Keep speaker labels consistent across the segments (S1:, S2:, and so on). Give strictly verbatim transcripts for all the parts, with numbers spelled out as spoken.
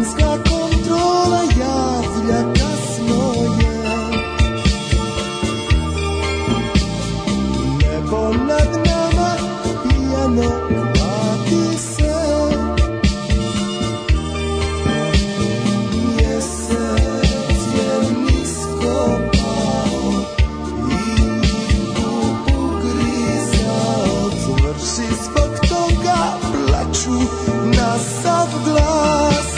S1: Vremenska kontrola javlja kasno je. Nebo nad nama pijano klati se. Mjesec je nisko pao i lupu grizao. Zvrši zbog toga plaču na sav glas.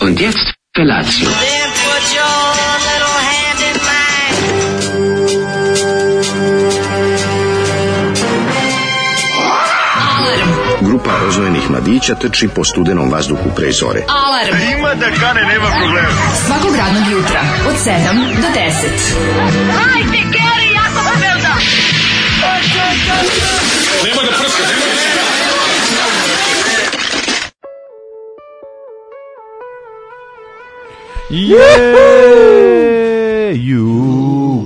S2: Und jetzt Felatio.
S3: Then put your little hand in mine.
S4: Grupa rozvojenih mladića trči po studenom vazduhu pre zore.
S5: Alarm.
S6: Ima da kane, nema problema.
S5: Svakog radnog jutra od sedam do deset.
S3: Hajde, Geri, jako se velda.
S6: Nema da prska, nema da prska.
S7: Je,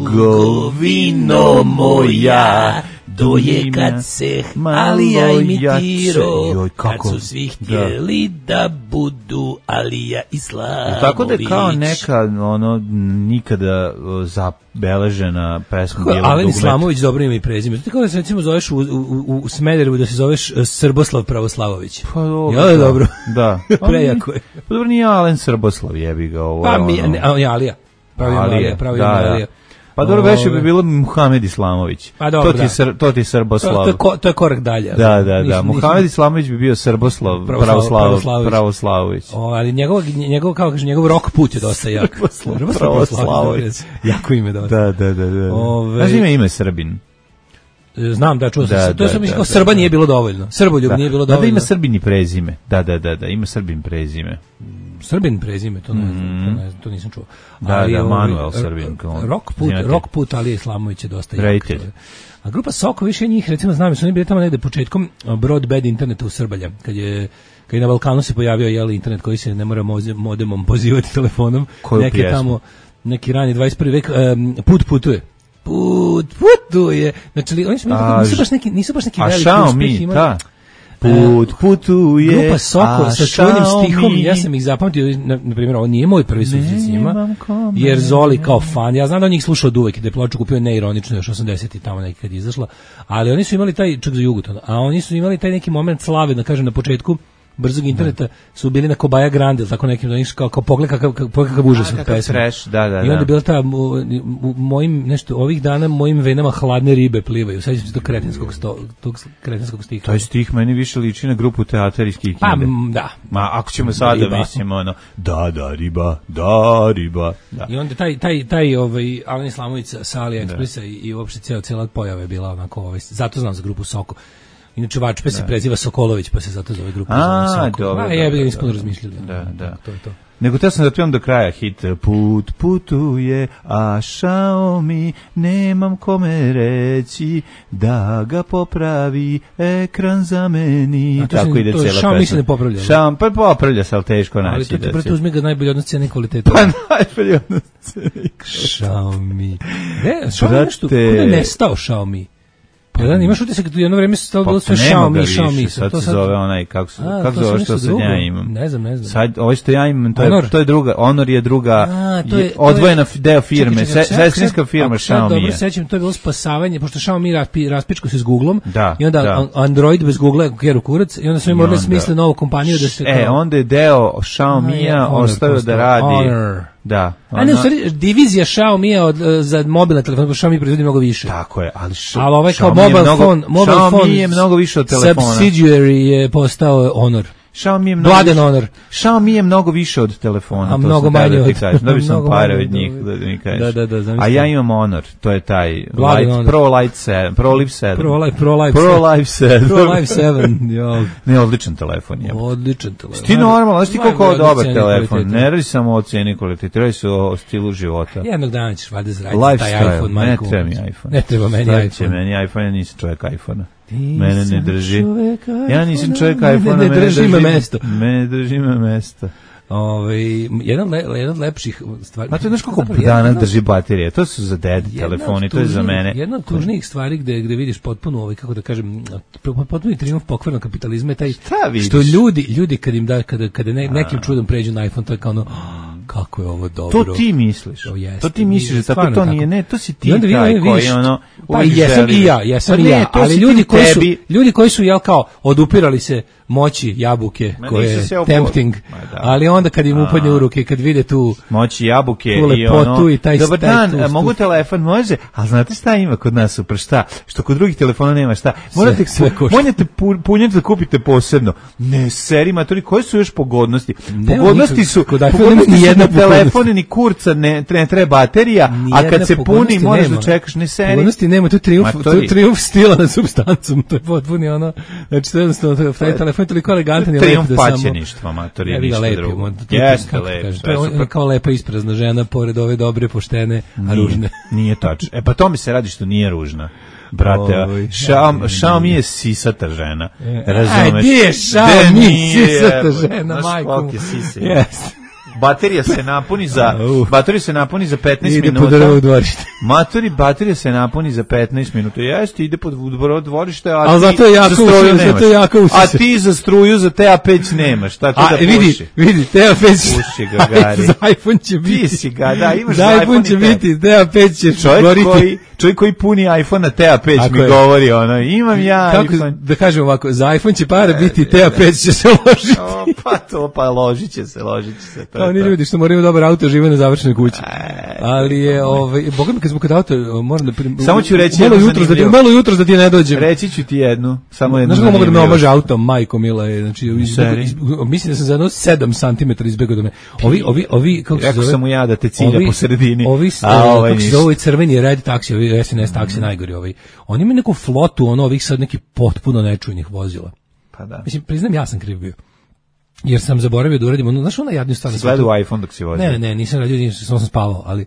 S7: Jugovino moja,
S8: doje kad se Alija imitirao, kad su svi htjeli da, da budu Alija Islamović.
S7: Tako da je kao neka ono nikada zabeležena pesma Bijelog dugmeta.
S8: Alija Islamović dobro ime i prezime. Tako da se recimo zoveš u, u, u Smederevu da se zoveš Srboslav Pravoslavović.
S7: Pa dobro.
S8: Ja, dobro.
S7: Da.
S8: Prejako je.
S7: Pa dobro, nije Alen Srboslav, jebi ga ovo.
S8: Pa mi, ne, Alija. Pravi Alija, pravi Alija.
S7: Pa dobro, veše bi bilo Muhamed Islamović.
S8: Pa dobro,
S7: to ti je to ti je Srboslav.
S8: To, to, je ko, to je korak dalje.
S7: Da, da, da. Muhamed Islamović bi bio Srboslav, Pravoslav, Pravoslavović.
S8: O, ali njegov njegov kao kaže njegov rok put je dosta jak.
S7: Pravoslavović.
S8: Jako ime dosta.
S7: Da, da, da, da. Znaš ime ime Srbin?
S8: Znam da čuo sam. To je sam mislio Srba nije bilo dovoljno. Srboljub nije bilo dovoljno.
S7: Da ima Srbin i prezime. Da, da, da, da, ima Srbin prezime.
S8: Srbin prezime, to ne znam, to, ne znam, to nisam čuo.
S7: Da, ali da, Manuel Srbin.
S8: Rock put, rock put Alije Islamović je dosta jak. A grupa Soko, više njih, recimo znam, su oni bili tamo negde početkom broadband interneta u Srbalja, kad je kad je na Balkanu se pojavio jeli internet koji se ne mora modemom pozivati telefonom.
S7: Koju
S8: neke
S7: pjesmu?
S8: Tamo, neki rani dvadeset prvi vek, um, put putuje. Put putuje. Znači, oni su a, nisu baš neki, nisu baš neki veliki uspjeh imali. Da.
S7: Put putuje.
S8: Grupa Soko sa čuvenim stihom, ja sam ih zapamtio, na, na primjer, ovo nije moj prvi susret s njima, jer Zoli kao fan, ja znam da on njih slušao od uvek, da je ploču kupio neironično još osamdesetih tamo neki kad je izašla, ali oni su imali taj, čak za Jugoton, a oni su imali taj neki moment slave, da kažem, na početku brzog interneta su bili na Kobaja Grande, tako nekim da nisu kao, kao pogled kakav, kakav užas od pesme.
S7: Trash, da, da,
S8: I onda je bila ta, u, u mojim, nešto, ovih dana mojim venama hladne ribe plivaju. Sad ću se tog kretenskog, sto, tog kretenskog stiha.
S7: To je stih meni više liči na grupu Teatar iz Kikinde.
S8: Pa, da.
S7: Ma, ako ćemo sada, da mislimo, ono, da, da, riba, da, riba. Da.
S8: I onda taj, taj, taj, ovaj, Alen Islamović sa AliExpressa i, i uopšte cijela, cijela pojava je bila onako, ovaj, zato znam za grupu Soko. Inače Vačpe se preziva Sokolović, pa se zato zove grupa Soko.
S7: Dobro,
S8: a ja bih ispuno razmišljao.
S7: Da, da.
S8: To je to.
S7: Nego te sam da pijam do kraja hit. Put putuje, a Xiaomi nemam kome reći da ga popravi, ekran zameni.
S8: A to
S7: tako
S8: si,
S7: ide
S8: to
S7: cijela pesma.
S8: Xiaomi se ne popravlja.
S7: Xiaomi, pa popravlja se, ali teško naći.
S8: Ali to ti
S7: da
S8: prete uzme ga najbolje odnos cijene kvaliteta.
S7: Pa najbolje odnos cijene kvaliteta.
S8: Xiaomi. Ne, Xiaomi nešto, kuda je nestao Xiaomi? Jedan imaš utisak da jedno vreme se stalo bilo sve Xiaomi, Xiaomi.
S7: Sad se zove onaj, kako se kako zove što sad ja imam.
S8: Ne znam, ne znam.
S7: Sad ovo što ja imam, to je to je druga, Honor je druga odvojena deo firme, sestrinska firma Xiaomi.
S8: Dobro, sećam, to je bilo spasavanje, pošto Xiaomi raspičko se s Googlom i onda Android bez Google keru kurac i onda su im morali smisliti novu kompaniju da se
S7: E, onda je deo Xiaomija ostavio da radi. Da.
S8: A ne, u stvari, divizija Xiaomi od, za mobilne telefone, Xiaomi proizvodi mnogo više.
S7: Tako je, ali
S8: Xiaomi, ali ovaj kao mobile mnogo, phone, mobile
S7: Xiaomi
S8: phone
S7: je mnogo više od telefona.
S8: Subsidiary je postao Honor.
S7: Xiaomi je mnogo više, Honor. Xiaomi je mnogo više od telefona,
S8: a mnogo manje od
S7: kažeš. Dobio sam pare od njih, da mi kažeš.
S8: Da, da, da, zamislim.
S7: A ja imam Honor, to je taj Light, Pro Light sedam, Pro Live sedam.
S8: Pro Live, Pro Live,
S7: Pro Live sedam.
S8: Pro Live sedam, jo.
S7: Ne, odličan telefon je.
S8: Odličan telefon.
S7: Ti normalno, znaš ti koliko je dobar telefon. Ne radi samo o ceni kvalitete, radi se o stilu života.
S8: Jednog dana ćeš valjda zaraditi taj iPhone,
S7: majku. Ne treba mi iPhone.
S8: Ne treba meni iPhone.
S7: Će meni iPhone, ja nisam čovjek iPhone-a. Mene ne drži. Ja nisam čovjek iPhone-a,
S8: ne drži me mesto.
S7: Mene drži me mesto.
S8: Ove, jedan, le, jedan od lepših stvari.
S7: A to je znaš koliko dana drži baterije, to su za ded telefoni, to je za mene.
S8: Jedna od tužnijih stvari gde, gde vidiš potpuno, ovaj, kako da kažem, potpuno trijumf pokvarnog kapitalizma je taj što ljudi, ljudi kad im da, kada, kada ne, nekim čudom pređu na iPhone, to je kao ono, kako je ovo dobro.
S7: To ti misliš.
S8: To, jest,
S7: to ti misliš, tako to nije, ne, to si ti
S8: taj
S7: taj koji ono
S8: pa jesam i ja, jesam i ja, ali ljudi koji su ljudi koji su jel kao odupirali se moći jabuke koje je tempting, ali onda kad im upadne u ruke, kad vide tu
S7: moći jabuke i ono
S8: i taj
S7: dobar dan, mogu telefon, može, ali znate šta ima kod nas super, šta, što kod drugih telefona nema šta, morate morate punjati da kupite posebno, ne seri matori, koje su još pogodnosti, pogodnosti su pogodnosti jedna telefon ni kurca, ne treba baterija, a kad se puni moraš da čekaš, ne seri
S8: pogodnosti nema, tu trijumf, tu trijumf stila nad supstancom, to je potpuni ono, znači to je jednostavno, taj telefon je toliko elegantan i lep da samo...
S7: Trijumf paćeništva, matori, je ništa drugo.
S8: Jeste lep. To je kao lepa isprazna žena, pored ove dobre, poštene, a ružne.
S7: Nije tačno. E pa to mi se radi što nije ružna. Brate, Xiaomi je sisata žena. Razumeš?
S8: Aj, gdje je Xiaomi sisata žena, majko?
S7: Znaš koliko je sisa? Baterija se napuni za baterija se napuni za petnaest minuta. Matori, baterija se napuni za petnaest minuta. Jeste, ide pod dvorište, a
S8: ali zato je jako
S7: struju
S8: zato je jako usise.
S7: A ti za struju za T A pet nemaš, tako da puši.
S8: Vidi, vidi, T A pet
S7: puši ga gari.
S8: Za iPhone će biti.
S7: Ti si ga, da, imaš
S8: za iPhone će biti, T A pet će goriti.
S7: Čovjek koji puni iPhone na T A pet mi govori ono, imam ja
S8: kako, iPhone. Da kažem ovako, za iPhone će para biti, T A pet će se ložiti.
S7: O, pa to, pa ložit će se, ložit će se. To
S8: oni ljudi što moraju dobar auto žive na završenoj kući. Ali je, ovaj, boga mi kad smo kod auto, moram da... Prim,
S7: samo ću reći
S8: malo jutros da ti, malo jutros da ti ne dođem.
S7: Reći ću ti jednu, samo jednu.
S8: Znaš kako mogu da me omaže auto, majko mila je, znači, izbego, izbego, mislim da sam za jedno sedam centimetara izbegao do me. Ovi, ovi, ovi, kako se zove?
S7: Rekao sam mu ja da te cilja
S8: ovi,
S7: po sredini.
S8: Ovi,
S7: a ovaj
S8: kako se zove, crveni red taksi, ovi S N S taksi, najgori ovi. Oni imaju neku flotu, ono, ovih sad neki potpuno nečujnih vozila.
S7: Pa da.
S8: Mislim, priznam, ja sam kriv bio. Jer sam zaboravio da uradim ono, znaš ona jadniju stvar.
S7: Gledao iPhone dok si vozio.
S8: Ne, ne, ne, nisam radio, nisam, sam spavao, ali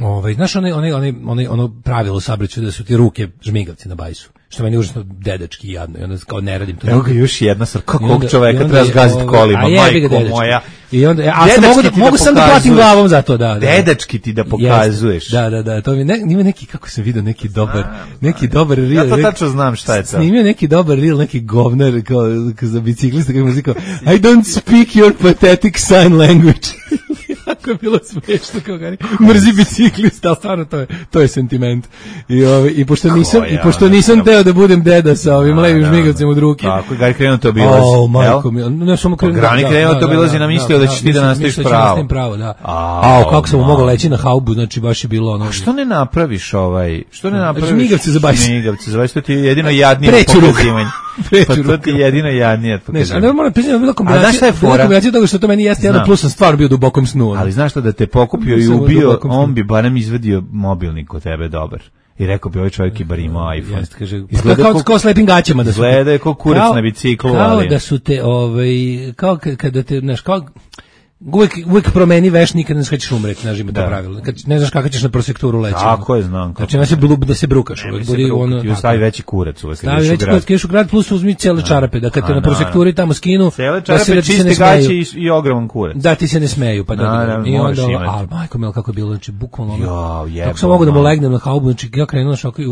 S8: ovaj, znaš onaj, onaj, onaj, onaj, ono pravilo saobraćaja da su ti ruke žmigavci na bajsu. Što meni užasno dedački jadno i onda kao ne radim to.
S7: Evo ga još jedna stvar, kakvog čoveka treba zgaziti kolima, majko moja.
S8: I onda, a sam mogu, da, mogu sam da platim glavom za to, da. da.
S7: Dedački ti da pokazuješ.
S8: Da, da, da, to mi ne, ima neki, kako sam vidio, neki dobar, neki dobar reel.
S7: Ja to tačno znam šta je to.
S8: Snimio neki dobar reel, neki govnar, kao, kao za biciklista, kako mi kao, I don't speak your pathetic sign language. Jako je bilo smiješno, kao gari, mrzi biciklista, ali stvarno to je, to je sentiment. I, ovi, i pošto nisam, i pošto nisam teo da budem deda sa ovim levim žmigavcem od ruke.
S7: Tako, gari krenuo to obilazi.
S8: O, majko mi, ne samo krenuo.
S7: Grani krenuo to obilazi, namislio da ćeš ti da nastaviš pravo.
S8: pravo, da. A, kako sam mogao leći na haubu, znači baš je bilo ono.
S7: A što ne napraviš ovaj, što ne napraviš?
S8: Žmigavce za bajs.
S7: Žmigavce za bajs, to ti je jedino jadnije pokazivanje. Pa to ti je jedino jadnije pokazivanje.
S8: Ne, moram priznati, bila kombinacija, bila kombinacija toga što to meni jeste jedan plus, sam stvarno bio u dubokom snu.
S7: Ali znaš što, da te pokupio i ubio, on bi barem izvadio mobilnik kod tebe dobar. I rekao bi, ovaj čovjek i bar imao iPhone.
S8: Jeste, kaže, izgleda kao, kao slepim gaćama da su.
S7: Izgleda je kao kurac kao, na biciklu.
S8: Kao
S7: ali.
S8: Da su te, ovaj, kao kada te, znaš, kao, uvijek, uvijek promeni veš, nikad ne znaš kada ćeš umreti, znaš, ima to pravilo. Kad ne znaš kako ćeš na prosekturu leći.
S7: Tako je, znam.
S8: Znači, ne se blub, da se brukaš.
S7: Ne, uvijek budi ono. Ti stavi veći kurac uvijek.
S8: Stavi veći kurac, kriješ u grad, plus uzmi cijele čarape, da kad te na prosekturi tamo skinu,
S7: cijele čarape, čiste gaće i, i ogroman kurac.
S8: Da, ti se ne smeju, pa da. I onda, al, majko mil, kako je bilo, znači, bukvalno. Kako sam mogu da mu legnem na haubu, znači, ja krenuo šako.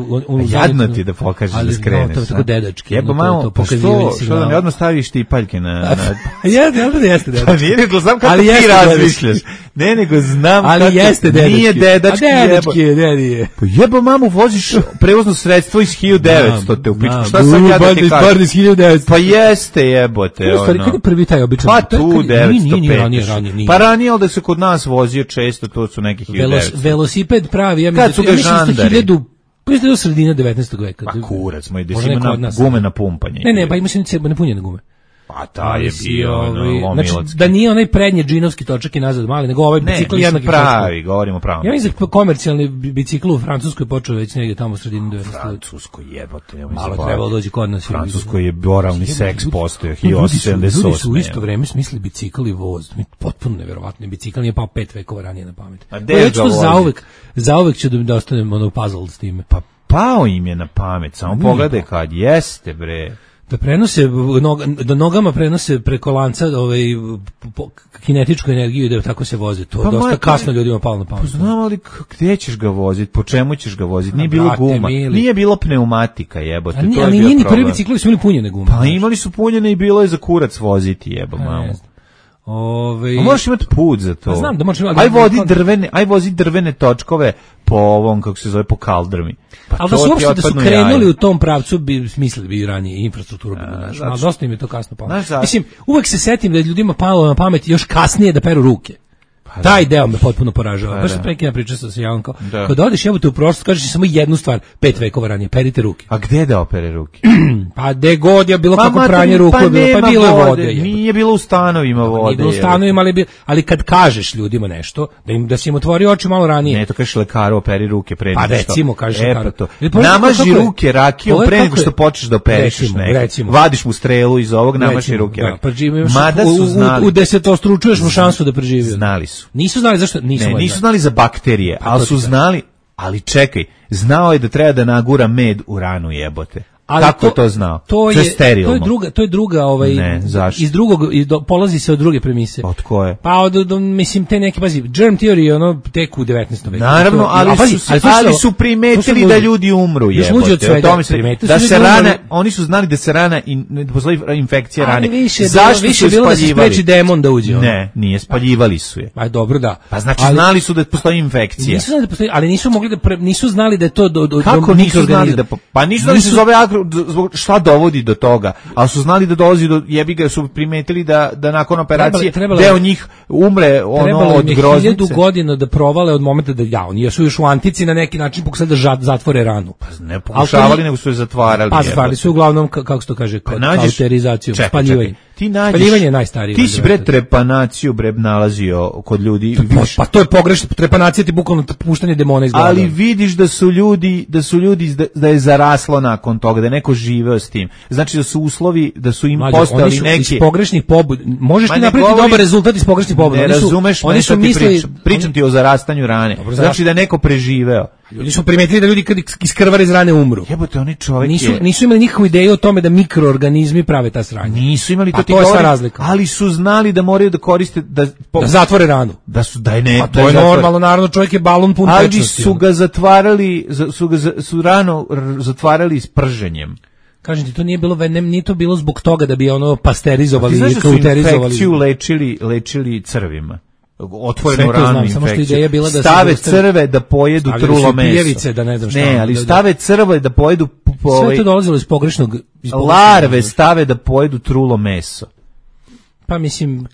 S7: Jadno ti da pokažeš da skreneš.
S8: To je tako dedački.
S7: Jebo malo, što da mi odmah staviš ti paljke na...
S8: Jeste, jeste, jeste dedački.
S7: Nije, nego znam kako ti razmišljaš. Ne, nego znam
S8: ali
S7: kako...
S8: jeste dedački.
S7: Nije dedački,
S8: a dedački je, dedije.
S7: Pa jebo mamu, voziš prevozno sredstvo iz hiljadu devetsto te u pičku. Šta sam ja da ti kažem? Pa jeste jebote.
S8: U stvari, kada je prvi taj običan?
S7: Pa tu devetsto pet. Pa ranije, ali da se kod nas vozio često, to su neki hiljadu devetsto.
S8: Velosiped pravi, ja
S7: kad su ga žandari?
S8: Pa je do sredine devetnaestog veka.
S7: Pa kurac, moj, da si ima na gume na pumpanje.
S8: Ne, ne, pa ima se nepunjene gume.
S7: Pa ta je bio ono,
S8: znači, da nije onaj prednji džinovski točak i nazad mali, nego ovaj bicikl jednaki
S7: pravi, govorimo pravom.
S8: Ja mislim da komercijalni bicikl u Francuskoj počeo već negdje tamo u sredini devetnaestog.
S7: Francuskoj jebote, ja
S8: malo trebalo doći kod nas.
S7: Francuskoj je boralni seks postojao hiljadu osamsto sedamdeset osme.
S8: Ljudi su u isto vreme smislili bicikl i voz, potpuno neverovatno. Bicikl nije pao pet vekova ranije na pamet.
S7: A gde ga vozi?
S8: Zauvek, zauvek ću da ostanem ono puzzle s time.
S7: Pa pao im je na pamet, samo pogledaj kad jeste bre.
S8: Da prenose da nogama prenose preko lanca ovaj kinetičku energiju i da tako se voze. To pa dosta maj, kasno ljudima palo na pamet.
S7: Pa znam, ali gde ćeš ga voziti? Po čemu ćeš ga voziti? Nije bilo guma. Mili. Nije bilo pneumatika, jebote.
S8: Ali,
S7: to
S8: ali
S7: je
S8: nije ni
S7: problem.
S8: prvi ciklovi su imali punjene gume.
S7: Pa imali su punjene i bilo je za kurac voziti, jebo mamu.
S8: Ove...
S7: A možeš imati put za to.
S8: Pa znam da možeš imati...
S7: Aj vozi drvene, aj vozi drvene točkove po ovom, kako se zove, po kaldrmi. Pa
S8: ali da su uopšte da su krenuli jaje. U tom pravcu, bi smislili bi ranije infrastrukturu bi našli. Ali dosta im je to kasno palo. Mislim, uvek se setim da je ljudima palo na pamet još kasnije da peru ruke. Pa taj deo me potpuno poražava. Baš se prekina priča sa Janko. Kad odeš jebote u prošlost, kažeš samo jednu stvar, pet vekova ranije, perite ruke.
S7: A gde da opere ruke?
S8: Pa de god je bilo pa kako pranje ruku, pa, bilo, pa bilo je vode. vode
S7: nije bilo u stanovima vode. Nije
S8: bilo u stanovima, ali, bi, ali kad kažeš ljudima nešto, da im da se im otvori oči malo ranije.
S7: Ne, to kažeš lekaru, operi ruke pre nego
S8: što. Pa recimo, kažeš
S7: e,
S8: lekaru.
S7: To. Namaži ruke rakijom pre nego što počneš da operišeš neko. Vadiš mu strelu iz ovog, namaži ruke.
S8: Mada su znali. U desetostručuješ mu šansu da preživi.
S7: Znali su.
S8: Nisu znali zašto nisu,
S7: ne, nisu znali za bakterije, ali su znali, ali čekaj, znao je da treba da nagura med u ranu jebote. Ali kako to, to znao?
S8: To je, to je druga, to je druga ovaj
S7: ne,
S8: iz drugog iz do, polazi se od druge premise.
S7: Od koje?
S8: Pa od, od mislim te neke pazi, germ theory ono tek u devetnaestom veku.
S7: Naravno, to, ali, pazi, su, ali, ali su primetili da ljudi umru, jebote. O tome se da se rana, oni su znali da se rana in, da postoji infekcija rane.
S8: Zašto više bilo da se spreči demon da uđe?
S7: Ne, nije, spaljivali su je.
S8: Pa dobro da.
S7: Pa znači znali su da postoji infekcija.
S8: Nisu znali da postoji, ali nisu mogli da nisu znali da je to do do
S7: kako nisu znali da pa nisu znali da se zove zbog šta dovodi do toga, ali su znali da dolazi do jebi ga, su primetili da da nakon operacije trebalo, trebalo, deo njih umre ono od groznice.
S8: Hiljadu godina da provale od momenta da ja, oni su još u antici na neki način pokušali da zatvore ranu.
S7: Pa ne pokušavali, nego su je zatvarali.
S8: Pa zatvarali su uglavnom, kako se to kaže, pa kauterizaciju, spaljivanje.
S7: Ti nađeš,
S8: spaljivanje je najstarije.
S7: Ti si bre trepanaciju bre nalazio kod ljudi.
S8: Vidiš, pa to je pogrešno, trepanacija ti bukvalno puštanje demona iz glave.
S7: Ali vidiš da su ljudi, da su ljudi da, da je zaraslo nakon toga, da je neko živeo s tim. Znači da su uslovi, da su im
S8: Mlađe,
S7: postali
S8: oni su
S7: neki
S8: iz pogrešnih pobud. Možeš ti napraviti
S7: govori,
S8: dobar rezultat iz pogrešnih pobuda.
S7: Ne
S8: oni su,
S7: razumeš,
S8: oni su mislili,
S7: pričam, pričam ti o zarastanju rane. Dobro, znači da je neko preživeo.
S8: Ljudi su primetili da ljudi kad iskrvare iz rane umru.
S7: Jebote, oni čovjek
S8: nisu,
S7: je...
S8: nisu imali nikakvu ideju o tome da mikroorganizmi prave ta sranja.
S7: Nisu imali, to
S8: pa
S7: ti
S8: to je
S7: govori,
S8: sva razlika.
S7: Ali su znali da moraju da koriste da,
S8: po, da zatvore ranu.
S7: Da su da ne.
S8: A to da je zatvore. Normalno, naravno čovjek je balon pun
S7: ali
S8: tečnosti.
S7: Ali su ga zatvarali, su ga su rano zatvarali s prženjem.
S8: Kažem ti, to nije bilo, ne, nije to bilo zbog toga da bi ono pasterizovali ili kauterizovali.
S7: Znaš da su infekciju lečili, lečili crvima. Otvorenu ranu infekciju.
S8: Bila da
S7: stave crve da pojedu trulo meso.
S8: Da ne znam šta.
S7: Ne, ali stave crve da pojedu...
S8: Sve to dolazilo iz pogrešnog... Iz
S7: larve stave da pojedu trulo meso.
S8: Pa mislim,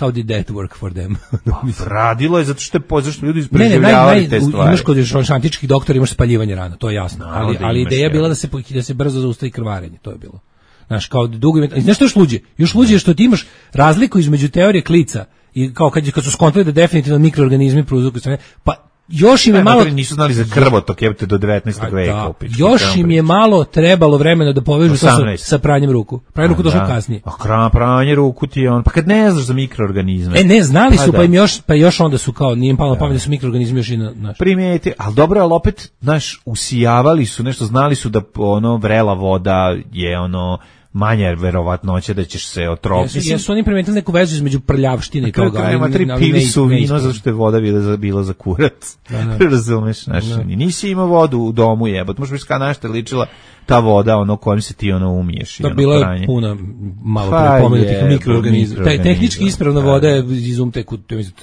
S8: how did that work for them?
S7: Pa, radilo je zato što je zato što ljudi preživljavali te stvari.
S8: Imaš kod još antičkih doktora, imaš spaljivanje rana, to je jasno. No, ali, ali ideja je bila da se, da se brzo zaustavi krvarenje, to je bilo. Znaš, kao dugo... Znaš što još luđe? Još luđe je što ti imaš razliku između teorije klica i kao kad, kad su skontali da definitivno mikroorganizmi prouzrokuju strane, pa još im je malo...
S7: Nisu znali za krvotok, jebate, do devetnaestog veka. Upičku,
S8: još im je malo trebalo vremena da povežu to sa, sa pranjem ruku. Pranje ruku došlo kasnije.
S7: A pranje ruku ti je on... Pa kad ne znaš za mikroorganizme...
S8: E, ne, znali su, pa, pa im još, pa još onda su kao, nije im palo na pamet da su mikroorganizmi još i na... Naš.
S7: Primijeti, ali dobro, ali opet, znaš, usijavali su nešto, znali su da ono vrela voda je ono... manja verovatnoća da ćeš se otroviti.
S8: Jesu, jesu oni primetili neku vezu između prljavštine i toga.
S7: Nema tri pili su vino zato što je voda bila, bila za kurac. Da, da. Razumeš, znaš, da. Nisi imao vodu u domu jebot, možeš biti kada našta ličila ta voda ono kojim se ti ono umiješ.
S8: Da, bila je puna malo pa prepomenutih mikroorganizma. Taj tehnički ispravna da, voda je izumtek u,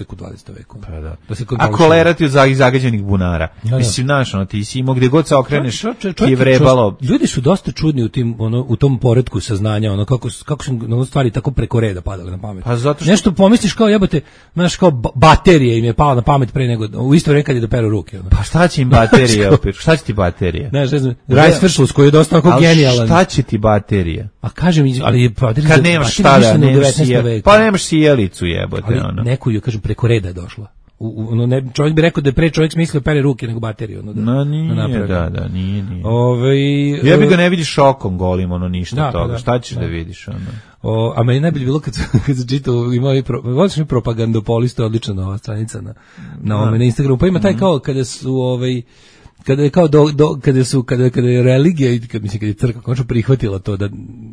S8: u dvadesetom veku.
S7: Pa da. Da se a kolera ti od zagađenih bunara. Da, da. Mislim, znaš, ono, ti si imao gdje god se okreneš, ti je vrebalo.
S8: Ljudi su dosta čudni u, tim, ono, u tom poretku saznanja, ono, kako, kako su ono, stvari tako preko reda padale na pamet.
S7: Pa zato što...
S8: Nešto pomisliš kao, jebote, znaš, kao baterije im je pala na pamet pre nego, u isto vrijeme kad je doperu ruke. Ono.
S7: Pa šta će im baterije opet? Šta će ti baterije?
S8: Znaš, ne znam, Rice Verschluss koji je dosta onako genijalan.
S7: Šta će ti baterija?
S8: A kažem, ali baterija...
S7: Kad nemaš šta da, nemaš sjelicu. Pa nemaš sjelicu jebote.
S8: Ali
S7: ono.
S8: neku ju, kažem, preko reda je došla. U, ono, ne, čovjek bi rekao da je pre čovjek smislio pere ruke nego bateriju. Ono, da,
S7: no, nije, da, da, da, nije, nije.
S8: Ove,
S7: ja bi ga ne vidiš okom golim, ono, ništa
S8: da,
S7: toga.
S8: Da,
S7: šta ćeš da,
S8: da
S7: vidiš, ono?
S8: O, a meni najbolje bilo kad, kad sam čitao, imao i pro, mi propagandopolistu, odlična nova stranica na, na, ovome, na Instagramu, pa ima taj kao kada su, ovaj, kada je kao do, do kada su kada kada je religija i kad mislim kad je crkva konačno prihvatila to da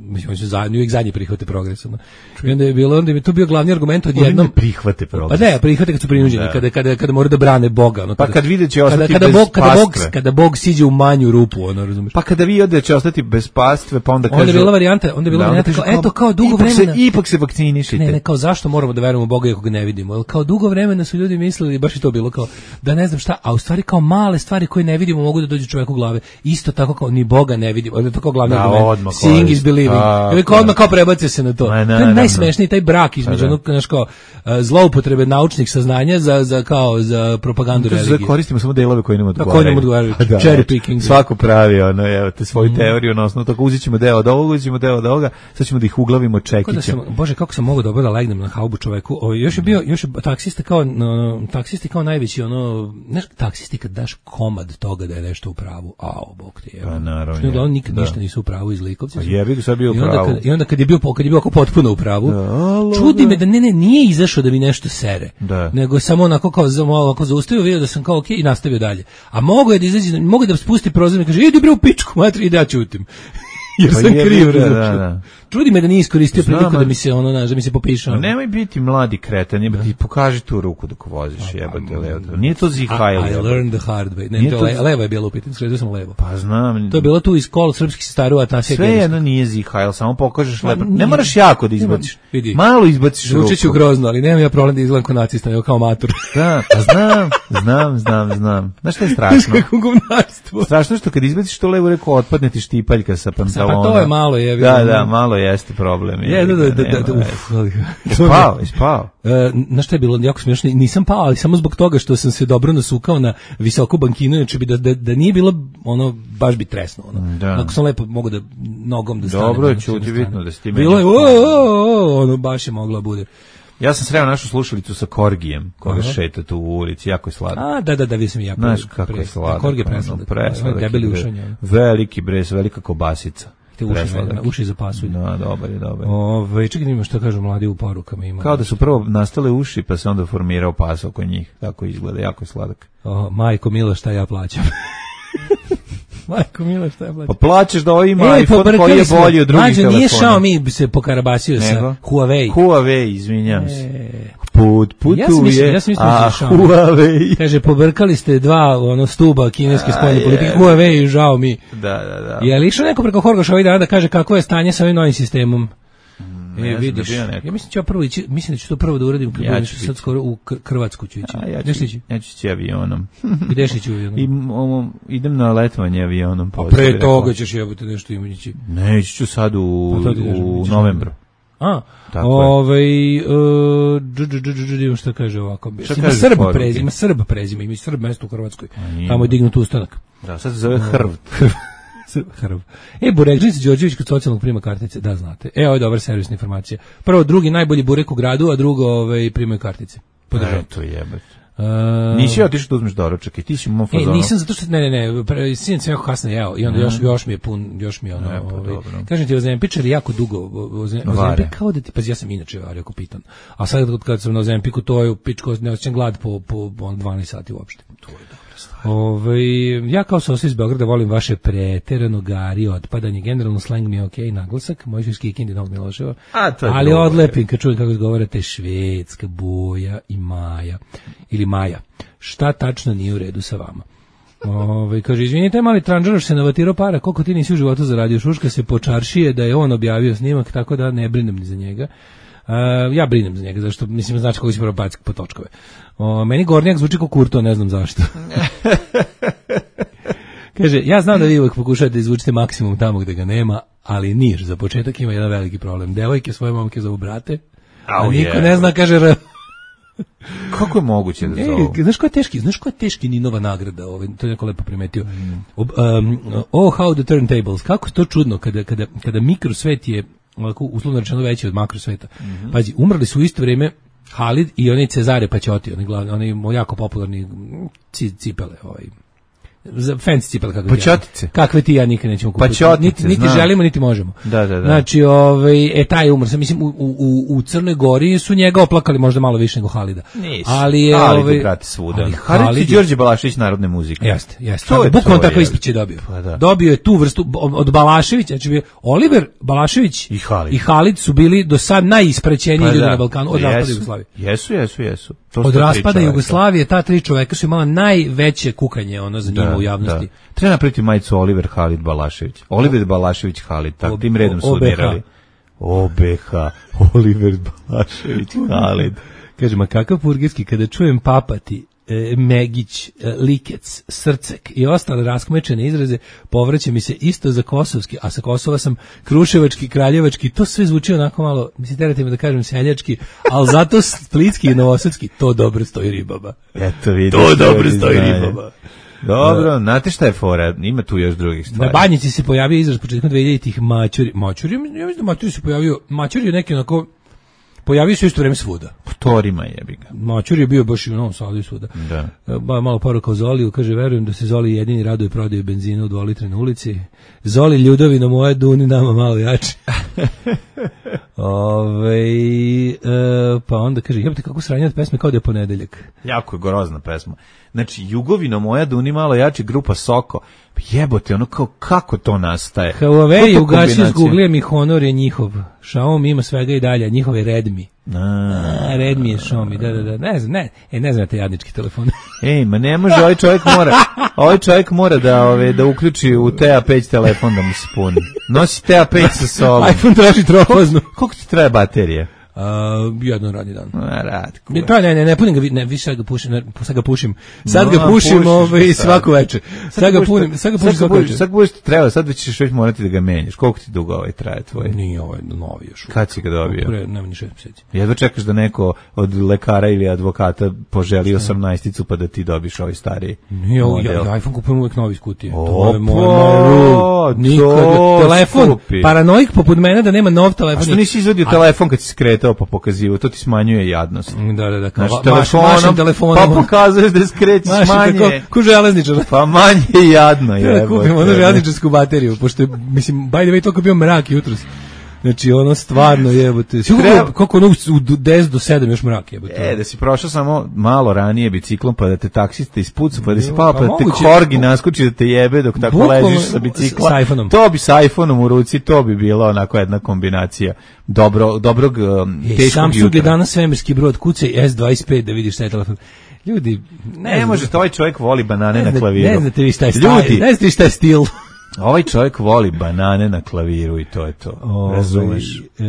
S8: mislim oni su zajedno uvijek zadnji prihvate progres. No. I onda je bilo onda je to bio glavni argument odjednom
S7: prihvate progres.
S8: Pa ne, prihvate kad su prinuđeni, da. kada kada kada moraju da brane Boga, ono.
S7: Pa kad vide će ostati
S8: kada,
S7: bez
S8: kada Bog, kada Bog
S7: pastve.
S8: kada Bog siđe u manju rupu, ono, razumeš.
S7: Pa kada vi ode će ostati bez pastve, pa onda kaže
S8: onda je bila varijanta, onda je bila da, varijanta kao, eto kao dugo
S7: ipak
S8: vremena.
S7: Se, ipak se vakcinišite.
S8: Ne, ne, kao zašto moramo da verujemo u Boga ako ga ne vidimo? Jel kao dugo vremena su ljudi mislili, baš i to bilo kao da ne znam šta, a u stvari kao male stvari koje ne vidimo mogu da dođu čovjeku u glave. Isto tako kao ni Boga ne vidimo. Onda je to kao glavni argument. Seeing is believing. Ili kao odmah kao prebacio se na to.
S7: Ne, ne,
S8: to je najsmešniji taj brak između onog, znaš kao, zloupotrebe naučnih saznanja za, za kao, za propagandu religije.
S7: Koristimo samo delove koji nam odgovaraju.
S8: Koji nam odgovaraju. Cherry picking.
S7: Svako pravi, ono, evo, te svoju mm. teoriju, na osnovu toga uzet ćemo deo od ovoga, uzet ćemo deo od ovoga, sad ćemo da ih uglavimo čekićem.
S8: Bože, kako sam mogao dobro da legnem na haubu čoveku. O, još je bio, još je taksista kao, no, taksisti kao najveći, ono, znaš, taksisti kad daš komad toga da je nešto u pravu, ao, bog ti je.
S7: Pa naravno.
S8: Što uglavnom nikad da. ništa nisu u pravu iz likovci.
S7: Pa jebi ga sad bio u pravu.
S8: Kad, I onda kad je bio, kad je bio oko potpuno u pravu, da, čudi da. me da ne, ne, nije izašao da mi nešto sere. Da. Nego samo onako kao malo ako zaustavio, vidio da sam kao okej okay, i nastavio dalje. A mogu je da izađe, mogu da spusti prozor i kaže idi bre u pičku, matri, ide ja ćutim. jer
S7: Pa
S8: sam
S7: je,
S8: kriv,
S7: da,
S8: razumiješ.
S7: da, da.
S8: Čudi me da nije iskoristio
S7: Znam,
S8: priliku da
S7: ali-
S8: mi se ono, znaš, da mi se popišao.
S7: Pa nemoj biti mladi kretan, jebate, ti pokaži tu ruku dok voziš, jebate, levo. Nije to Zihajl.
S8: I, I learned the hard way. Ne,
S7: Nije
S8: to
S7: to-
S8: le, levo je bilo u pitanju, skrenuo sam levo.
S7: Pa znam.
S8: To je bilo tu iz kol srpskih sestara u Atanasija
S7: Sve
S8: Genijska.
S7: jedno nije Zihajl, samo pokažeš
S8: Ma,
S7: lepo.
S8: nije.
S7: Ne moraš jako da izbaciš.
S8: Vidi.
S7: Malo izbaciš ruku.
S8: Zvučit ću grozno, ali nemam ja problem da izgledam kao nacista, nego kao matur.
S7: Da, pa znam, znam, znam, znam. Znaš šta je strašno?
S8: Kako govnarstvo.
S7: Strašno što kad izbaciš to levu reku, otpadne ti štipaljka sa pantalona.
S8: Pa to je malo, jebi
S7: Da,
S8: ga.
S7: da, malo jeste problem.
S8: Je,
S7: jebi
S8: da, da,
S7: ga,
S8: da, da,
S7: nema
S8: da,
S7: veze.
S8: uf, ali-
S7: Spao, je spao.
S8: E, na šta je bilo jako smiješno, nisam pao, ali samo zbog toga što sam se dobro nasukao na visoku bankinu, znači bi da, da, da nije bilo ono, baš bi tresno. Ono.
S7: Da.
S8: Ako sam lepo mogu da nogom da stanem.
S7: Dobro je
S8: ono, s jedne
S7: čuti,
S8: strane.
S7: bitno da si ti
S8: Bilo je,
S7: meni-
S8: o, o, o, ono, baš je mogla bude.
S7: Ja sam sreo našu slušalicu sa Korgijem, koga
S8: Aha.
S7: šeta tu u ulici, jako je sladak.
S8: A, da, da, da, vi sam i ja.
S7: Znaš
S8: pre-
S7: kako
S8: pre-
S7: je sladak.
S8: Korg je
S7: ono,
S8: presladak.
S7: presladak
S8: Debeli
S7: je, bre.
S8: ušanje. ono.
S7: Veliki bres, velika kobasica.
S8: Te uši,
S7: Presladak.
S8: uši zapasuju.
S7: No, dobar je, dobar je.
S8: Ove, čekaj, ima što kažu mladi u porukama. Ima.
S7: Kao da su prvo nastale uši, pa se onda formirao pas oko njih. Tako izgleda, jako je sladak.
S8: O, majko Milo, šta ja plaćam? Majko Milo, šta ja plaćam?
S7: Pa plaćeš da ovo ima
S8: Ej,
S7: iPhone koji
S8: pobrkali
S7: je
S8: smo.
S7: bolji od drugih
S8: Mlađo,
S7: telefona.
S8: nije Xiaomi bi se pokarabasio sa
S7: Nego?
S8: Huawei.
S7: Huawei, izvinjam se.
S8: E,
S7: Put putuje,
S8: Ja sam mislio- ja sam mislio da
S7: a
S8: je Xiaomi.
S7: Huawei.
S8: kaže, pobrkali ste dva ono stuba kineske spoljne
S7: A,
S8: politike,
S7: je.
S8: Huawei i Xiaomi.
S7: Da, da, da.
S8: Je li išao neko preko Horgoša ovaj dana da kaže kako je stanje sa ovim novim sistemom?
S7: ne
S8: E,
S7: znam
S8: vidiš,
S7: da bio neko.
S8: ja mislim da ću ja prvo ići, mislim da ću to prvo da uradim kad
S7: Ja
S8: budem
S7: ću
S8: sad
S7: ići.
S8: skoro u K- Hrvatsku ću ići.
S7: A ja
S8: Gde
S7: ću,
S8: ću ići?
S7: ja ću ići avionom.
S8: Gde ću ići? u-
S7: I, ovo, idem na letovanje avionom.
S8: A
S7: pa
S8: pre
S7: sam
S8: toga
S7: rekao,
S8: ćeš jebote nešto ići.
S7: Ne, ići ću sad u,
S8: Pa to ti kažem,
S7: u
S8: ići ćeš
S7: novembru.
S8: A,
S7: Tako je.
S8: ovaj, uh, dž, dž, dž, dž, dž, šta kaže ovako?
S7: Šta
S8: Ima
S7: kaže
S8: Srb
S7: poruke?
S8: prezime, ima Srb prezime, ima i Srb mesto u Hrvatskoj.
S7: ima.
S8: Tamo je dignut ustanak.
S7: Da, sad se zove Hrv.
S8: Srb, Hrv. E, Burekđica Đorđević kod socijalnog prima kartice, da znate. E, ovo je dobra servisna informacija. Prvo, drugi najbolji burek u gradu, a drugo, ovaj, primaju kartice. Podržavam.
S7: Eto jebate.
S8: Uh,
S7: Nisi otišao da uzmeš doručak i ti si u mom
S8: E,
S7: fazonu.
S8: nisam zato što ne ne ne, pre- sinoć sam jako kasno jeo i onda još još mi je pun, još mi je ono,
S7: E, pa
S8: ovaj,
S7: dobro.
S8: kažem ti Ozempičar jako dugo Ozem-
S7: Vare.
S8: Ozempik kao da ti, pa ja sam inače vario ako pitan. A sad kad- kad sam na Ozempiku to je u pičku, ne osjećam glad po po on dvanaest sati uopšte. To je dobra stvar. Ovaj, ja kao sosa iz Beograda volim vaše preterano gari, otpadanje, generalno slang mi je okej, naglasak, moj školski Kindi Novog Miloševa.
S7: A, to je
S8: ali
S7: drugo,
S8: odlepim kad čujem kako izgovarate Švedska, Boja i Maja ili Maja. Šta tačno nije u redu sa vama? Ove, kaže, izvinite, mali tranžaroš se navatirao para, koliko ti nisi u životu zaradio, šuška se po čaršije da je on objavio snimak, tako da ne brinem ni za njega. Uh, ja brinem za njega, zašto, mislim, znači kako si prvo baciti po točkove. O, meni Gornjak zvuči kao Kurto, ne znam zašto. Kaže, ja znam da vi uvek pokušate da izvučite maksimum tamo gde ga nema, ali Niš za početak ima jedan veliki problem. Devojke svoje momke zovu brate, a
S7: Au,
S8: niko
S7: je.
S8: ne zna, kaže R.
S7: Kako je moguće da
S8: E,
S7: zovu?
S8: znaš ko je teški, znaš ko je teški Ninova nagrada, ovaj, to je neko lepo primetio. Ob, um, oh, how the turntables, kako je to čudno kada, kada, kada mikrosvet je ovako uslovno rečeno veći od makrosveta. Pazi, umrli su u isto vrijeme Halid i onaj Cezare Paćoti, oni glavni, oni jako popularni ci, cipele, ovaj, za fancy cipele kakve ti ja-
S7: Paćotice.
S8: kakve ti ja nikad nećemo kupiti.
S7: Paćotice,
S8: Niti, niti
S7: znam.
S8: želimo, niti možemo.
S7: Da, da, da.
S8: Znači, ovaj, e, taj je umr. Sam, mislim, u, u, u Crnoj Gori su njega oplakali možda malo više nego Halida.
S7: Nisu.
S8: Ali je,
S7: Ali
S8: ovaj,
S7: ga prati svuda.
S8: ali
S7: Halid
S8: Halid
S7: i
S8: je-
S7: Đorđe Balašević narodne muzike.
S8: Jeste, jeste.
S7: To je
S8: Bukvalno
S7: to,
S8: tako
S7: je.
S8: ispić je dobio.
S7: Pa da.
S8: Dobio je tu vrstu od Balaševića, znači bio Oliver Balašević
S7: I Halid.
S8: i Halid su bili do sad najispraćeniji
S7: Pa
S8: ljudi
S7: da.
S8: na Balkanu od
S7: Jesu.
S8: raspada Jugoslavije.
S7: Jesu, jesu, jesu. To
S8: Od
S7: su ta tri
S8: raspada
S7: čoveka.
S8: Jugoslavije ta tri čoveka su imala najveće kukanje ono za njima
S7: Da,
S8: u javnosti.
S7: da. Treba napraviti majicu Oliver Halid Balašević. Oliver Balašević Halid, tak
S8: O-
S7: tim redom su
S8: O B H.
S7: odirali. O B H. Oliver Balašević Halid.
S8: Kaže, ma kakav purgirski, kada čujem papati, e, Megić, e, Likec, Srcek i ostale raskmečene izraze, povraća mi se isto za kosovski, a sa Kosova sam kruševački, kraljevački, to sve zvuči onako malo, mislim, terate me da kažem seljački, ali zato splitski i novosadski, to dobro stoji ribama.
S7: Eto vidiš.
S8: To dobro
S7: ljudi
S8: stoji
S7: znaju.
S8: ribama.
S7: Dobro, znate šta je fora? Ima tu još drugih
S8: Na
S7: stvari.
S8: Banjici se pojavio izraz početkom dvehiljaditih mačuri. Mačuri, ja mislim ja mislim da mačuri se pojavio, mačuri je neki onako, pojavio se u isto vreme svuda.
S7: Torima jebi ga.
S8: Mačur je bio baš i u Novom Sadu i svuda.
S7: Da.
S8: Ba, malo poruka o Zoliju, kaže, verujem da se Zoli jedini raduje prodaju benzina u dvolitre na ulici. Zoli ljudovino moje, duni nama malo jače. Ove, e, pa onda kaže, jebate kako sranje od pesme kao da je ponedeljak.
S7: Jako je grozna pesma. Znači, Jugovino moja Duni malo jači, grupa Soko. Jebote, ono kao, kako to nastaje?
S8: Huawei ugasio s Google-em i Honor je njihov. Xiaomi ima svega i dalje, njihov je Redmi. A, Redmi je Xiaomi, da, da, da. Ne znam, ne, e, ne znam te jadnički telefone.
S7: Ej, ma ne može, ovaj čovjek mora, ovaj čovjek mora da, ove, da uključi u T A pet telefon da mu se puni. Nosi T A pet sa sobom.
S8: iPhone traži trofaznu.
S7: Koliko ti treba baterije?
S8: Uh, jedan radni dan.
S7: A, rad,
S8: ne, pa, ne, ne, ne punim ga, ne, više sad ga pušim, ne, sad ga pušim. Sad ga pušim ovaj, svaku večer. Sad ga punim, sad ga pušim svaku večer.
S7: Sad ga pušim, treba, sad već ćeš već morati da ga menjaš. Koliko ti dugo ovaj traje tvoj?
S8: Nije ovaj novi još.
S7: Kad si ga dobio?
S8: Pre, nema ni šest mjeseci.
S7: Jedva čekaš da neko od lekara ili advokata poželi osamnaesticu pa da ti dobiš ovaj stariji
S8: Nije,
S7: model.
S8: Ja, ja iPhone kupujem uvek novi iz kutije.
S7: Opa,
S8: to je moj, moj nikad. Telefon,
S7: skupi.
S8: Paranoik poput mene da nema nov telefon.
S7: A što nisi izvadio telefon kad si skretao pa pokazivao? To ti smanjuje jadnost.
S8: Da, da, da. Kao,
S7: znači,
S8: telefonom, mašem telefonom.
S7: Pa pokazuješ da skrećeš manje.
S8: Ko železničar.
S7: Pa manje jadno je.
S8: Da kupim ono železničarsku bateriju, pošto je, mislim, by the way, toliko bio mrak jutros. Znači, ono stvarno jebote. Treba... Koliko ono u deset do sedam još mrak jebote.
S7: E, da si prošao samo malo ranije biciklom, pa da te taksista ispuca, pa da si
S8: Jo,
S7: pao,
S8: pa
S7: pa da te
S8: moguće.
S7: korgi naskoči da te jebe dok tako
S8: Bukvalno
S7: ležiš sa bicikla.
S8: sa iPhoneom.
S7: To bi sa iPhoneom u ruci, to bi bila onako jedna kombinacija dobro, dobrog, um,
S8: e,
S7: teškog
S8: Samsung
S7: jutra.
S8: je danas svemirski brod, kucaj S dvadeset pet da vidiš šta je telefon. Ljudi, ne,
S7: Ne može, ovaj čovjek voli banane
S8: ne,
S7: na klaviru.
S8: Ne znate vi šta je stil.
S7: Ljudi,
S8: Ne znate vi šta je stil.
S7: ovaj čovjek voli banane na klaviru i to je to.
S8: Ove,
S7: Razumeš?
S8: E,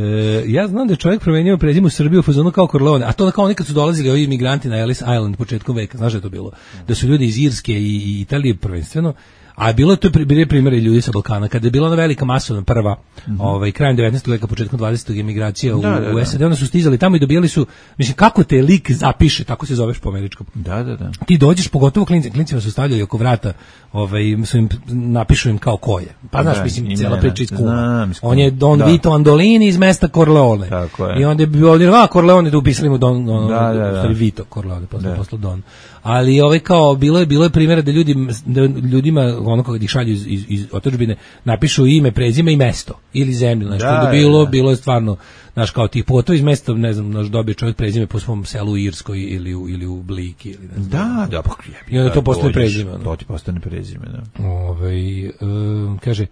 S8: ja znam da je čovjek promenio prezime u Srbiju u fazonu kao Corleone, a to da kao nekad su dolazili ovi imigranti na Ellis Island početkom veka, znaš da je to bilo? Da su ljudi iz Irske i, i Italije prvenstveno, a bilo je to bili primjeri ljudi sa Balkana, kada je bila ona velika masovna prva, mm-hmm. ovaj, krajem devetnaestog veka, početkom dvadesetog emigracija u, da, da, da. u S A D, onda su stizali tamo i dobijali su, mislim, kako te lik zapiše, tako se zoveš po američkom.
S7: Da, da, da.
S8: Ti dođeš, pogotovo klinci, klincima su stavljali oko vrata, ovaj, su im, napišu im kao ko je. Pa znaš,
S7: da,
S8: mislim, cijela priča iz Kuma.
S7: Znam,
S8: on je Don
S7: da.
S8: Vito Andolini iz mesta Corleone.
S7: Tako je.
S8: I onda je bio ovdje, a Corleone, da upisali mu Don, on,
S7: da, da, da.
S8: Vito Corleone, posle, posle Don. Ali ovaj kao, bilo je, bilo je primjera da, ljudi, da ljudima, ono kad ih šalju iz, iz, iz otadžbine, napišu ime, prezime i mesto. Ili zemlju, znači, da, bilo, da. bilo je stvarno, znaš, kao tih pogotovo iz mesta, ne znam, naš dobije čovjek prezime po svom selu u Irskoj ili u, ili u Bliki. Ili ne znam.
S7: Da, da, pa
S8: i onda to postane prezime.
S7: To ti postane prezime, da.
S8: Ove, um, kaže,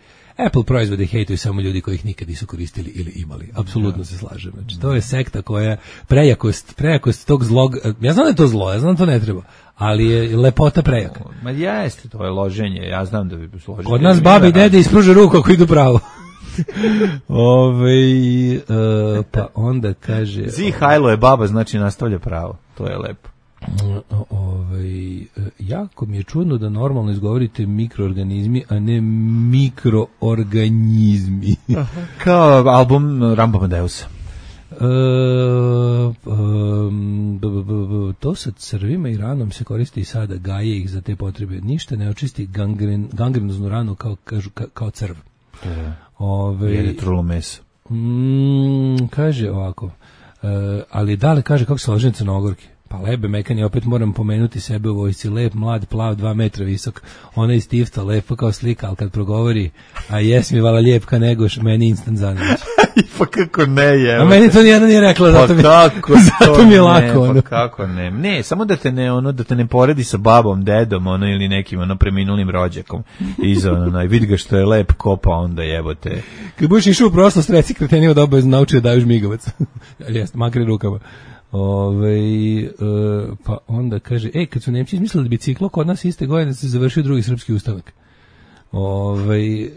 S8: Apple proizvode hejtuju samo ljudi koji ih nikad nisu koristili ili imali. Apsolutno ja. se slažem. Znači, to je sekta koja prejakost, prejakost tog zlog, ja znam da je to zlo, ja znam da to ne treba, ali je lepota prejaka.
S7: Ma jeste, to je loženje, ja znam da bi složenje.
S8: Kod nas babi i dede ispruže ruku ako idu pravo. Ove, uh, pa onda kaže...
S7: Zi Hajlo je baba, znači nastavlja pravo. To je lepo.
S8: Ovaj, jako mi je čudno da normalno izgovorite mikroorganizmi, a ne mikroorganizmi.
S7: Kao album Rambo Amadeusa.
S8: E, um, b, b, b, to sa crvima i ranom se koristi i sada, gaje ih za te potrebe. Ništa ne očisti gangren, gangrenoznu ranu kao, kažu, ka, kao crv.
S7: E,
S8: Ove,
S7: jede trulo meso.
S8: Mm, kaže ovako, e, ali dale kaže kako se ložen Crnogorki. Pa lebe mekani, opet moram pomenuti sebe u vojsci, lep, mlad, plav, dva metra visok, ona iz Tifta, lepo kao slika, ali kad progovori, a jes mi vala lijepka negoš, meni instant zanimljiv.
S7: Pa kako ne je?
S8: A meni to nijedno nije rekla, zato,
S7: pa
S8: mi,
S7: kako
S8: zato mi je lako.
S7: Ne, pa kako ne? Ne, samo da te ne, ono, da te ne poredi sa babom, dedom, ono, ili nekim, ono, preminulim rođakom. Iza, ono, vidi ga što je lep kopa, onda jebote.
S8: Kad budeš išao u proslost, reci kretenima da obavezno nauči da daju žmigavac. Jeste, makri rukama. Ove, e, pa onda kaže, ej, kad su Nemci izmislili da biciklo, kod nas iste godine se završio drugi srpski ustanak. Ove, e,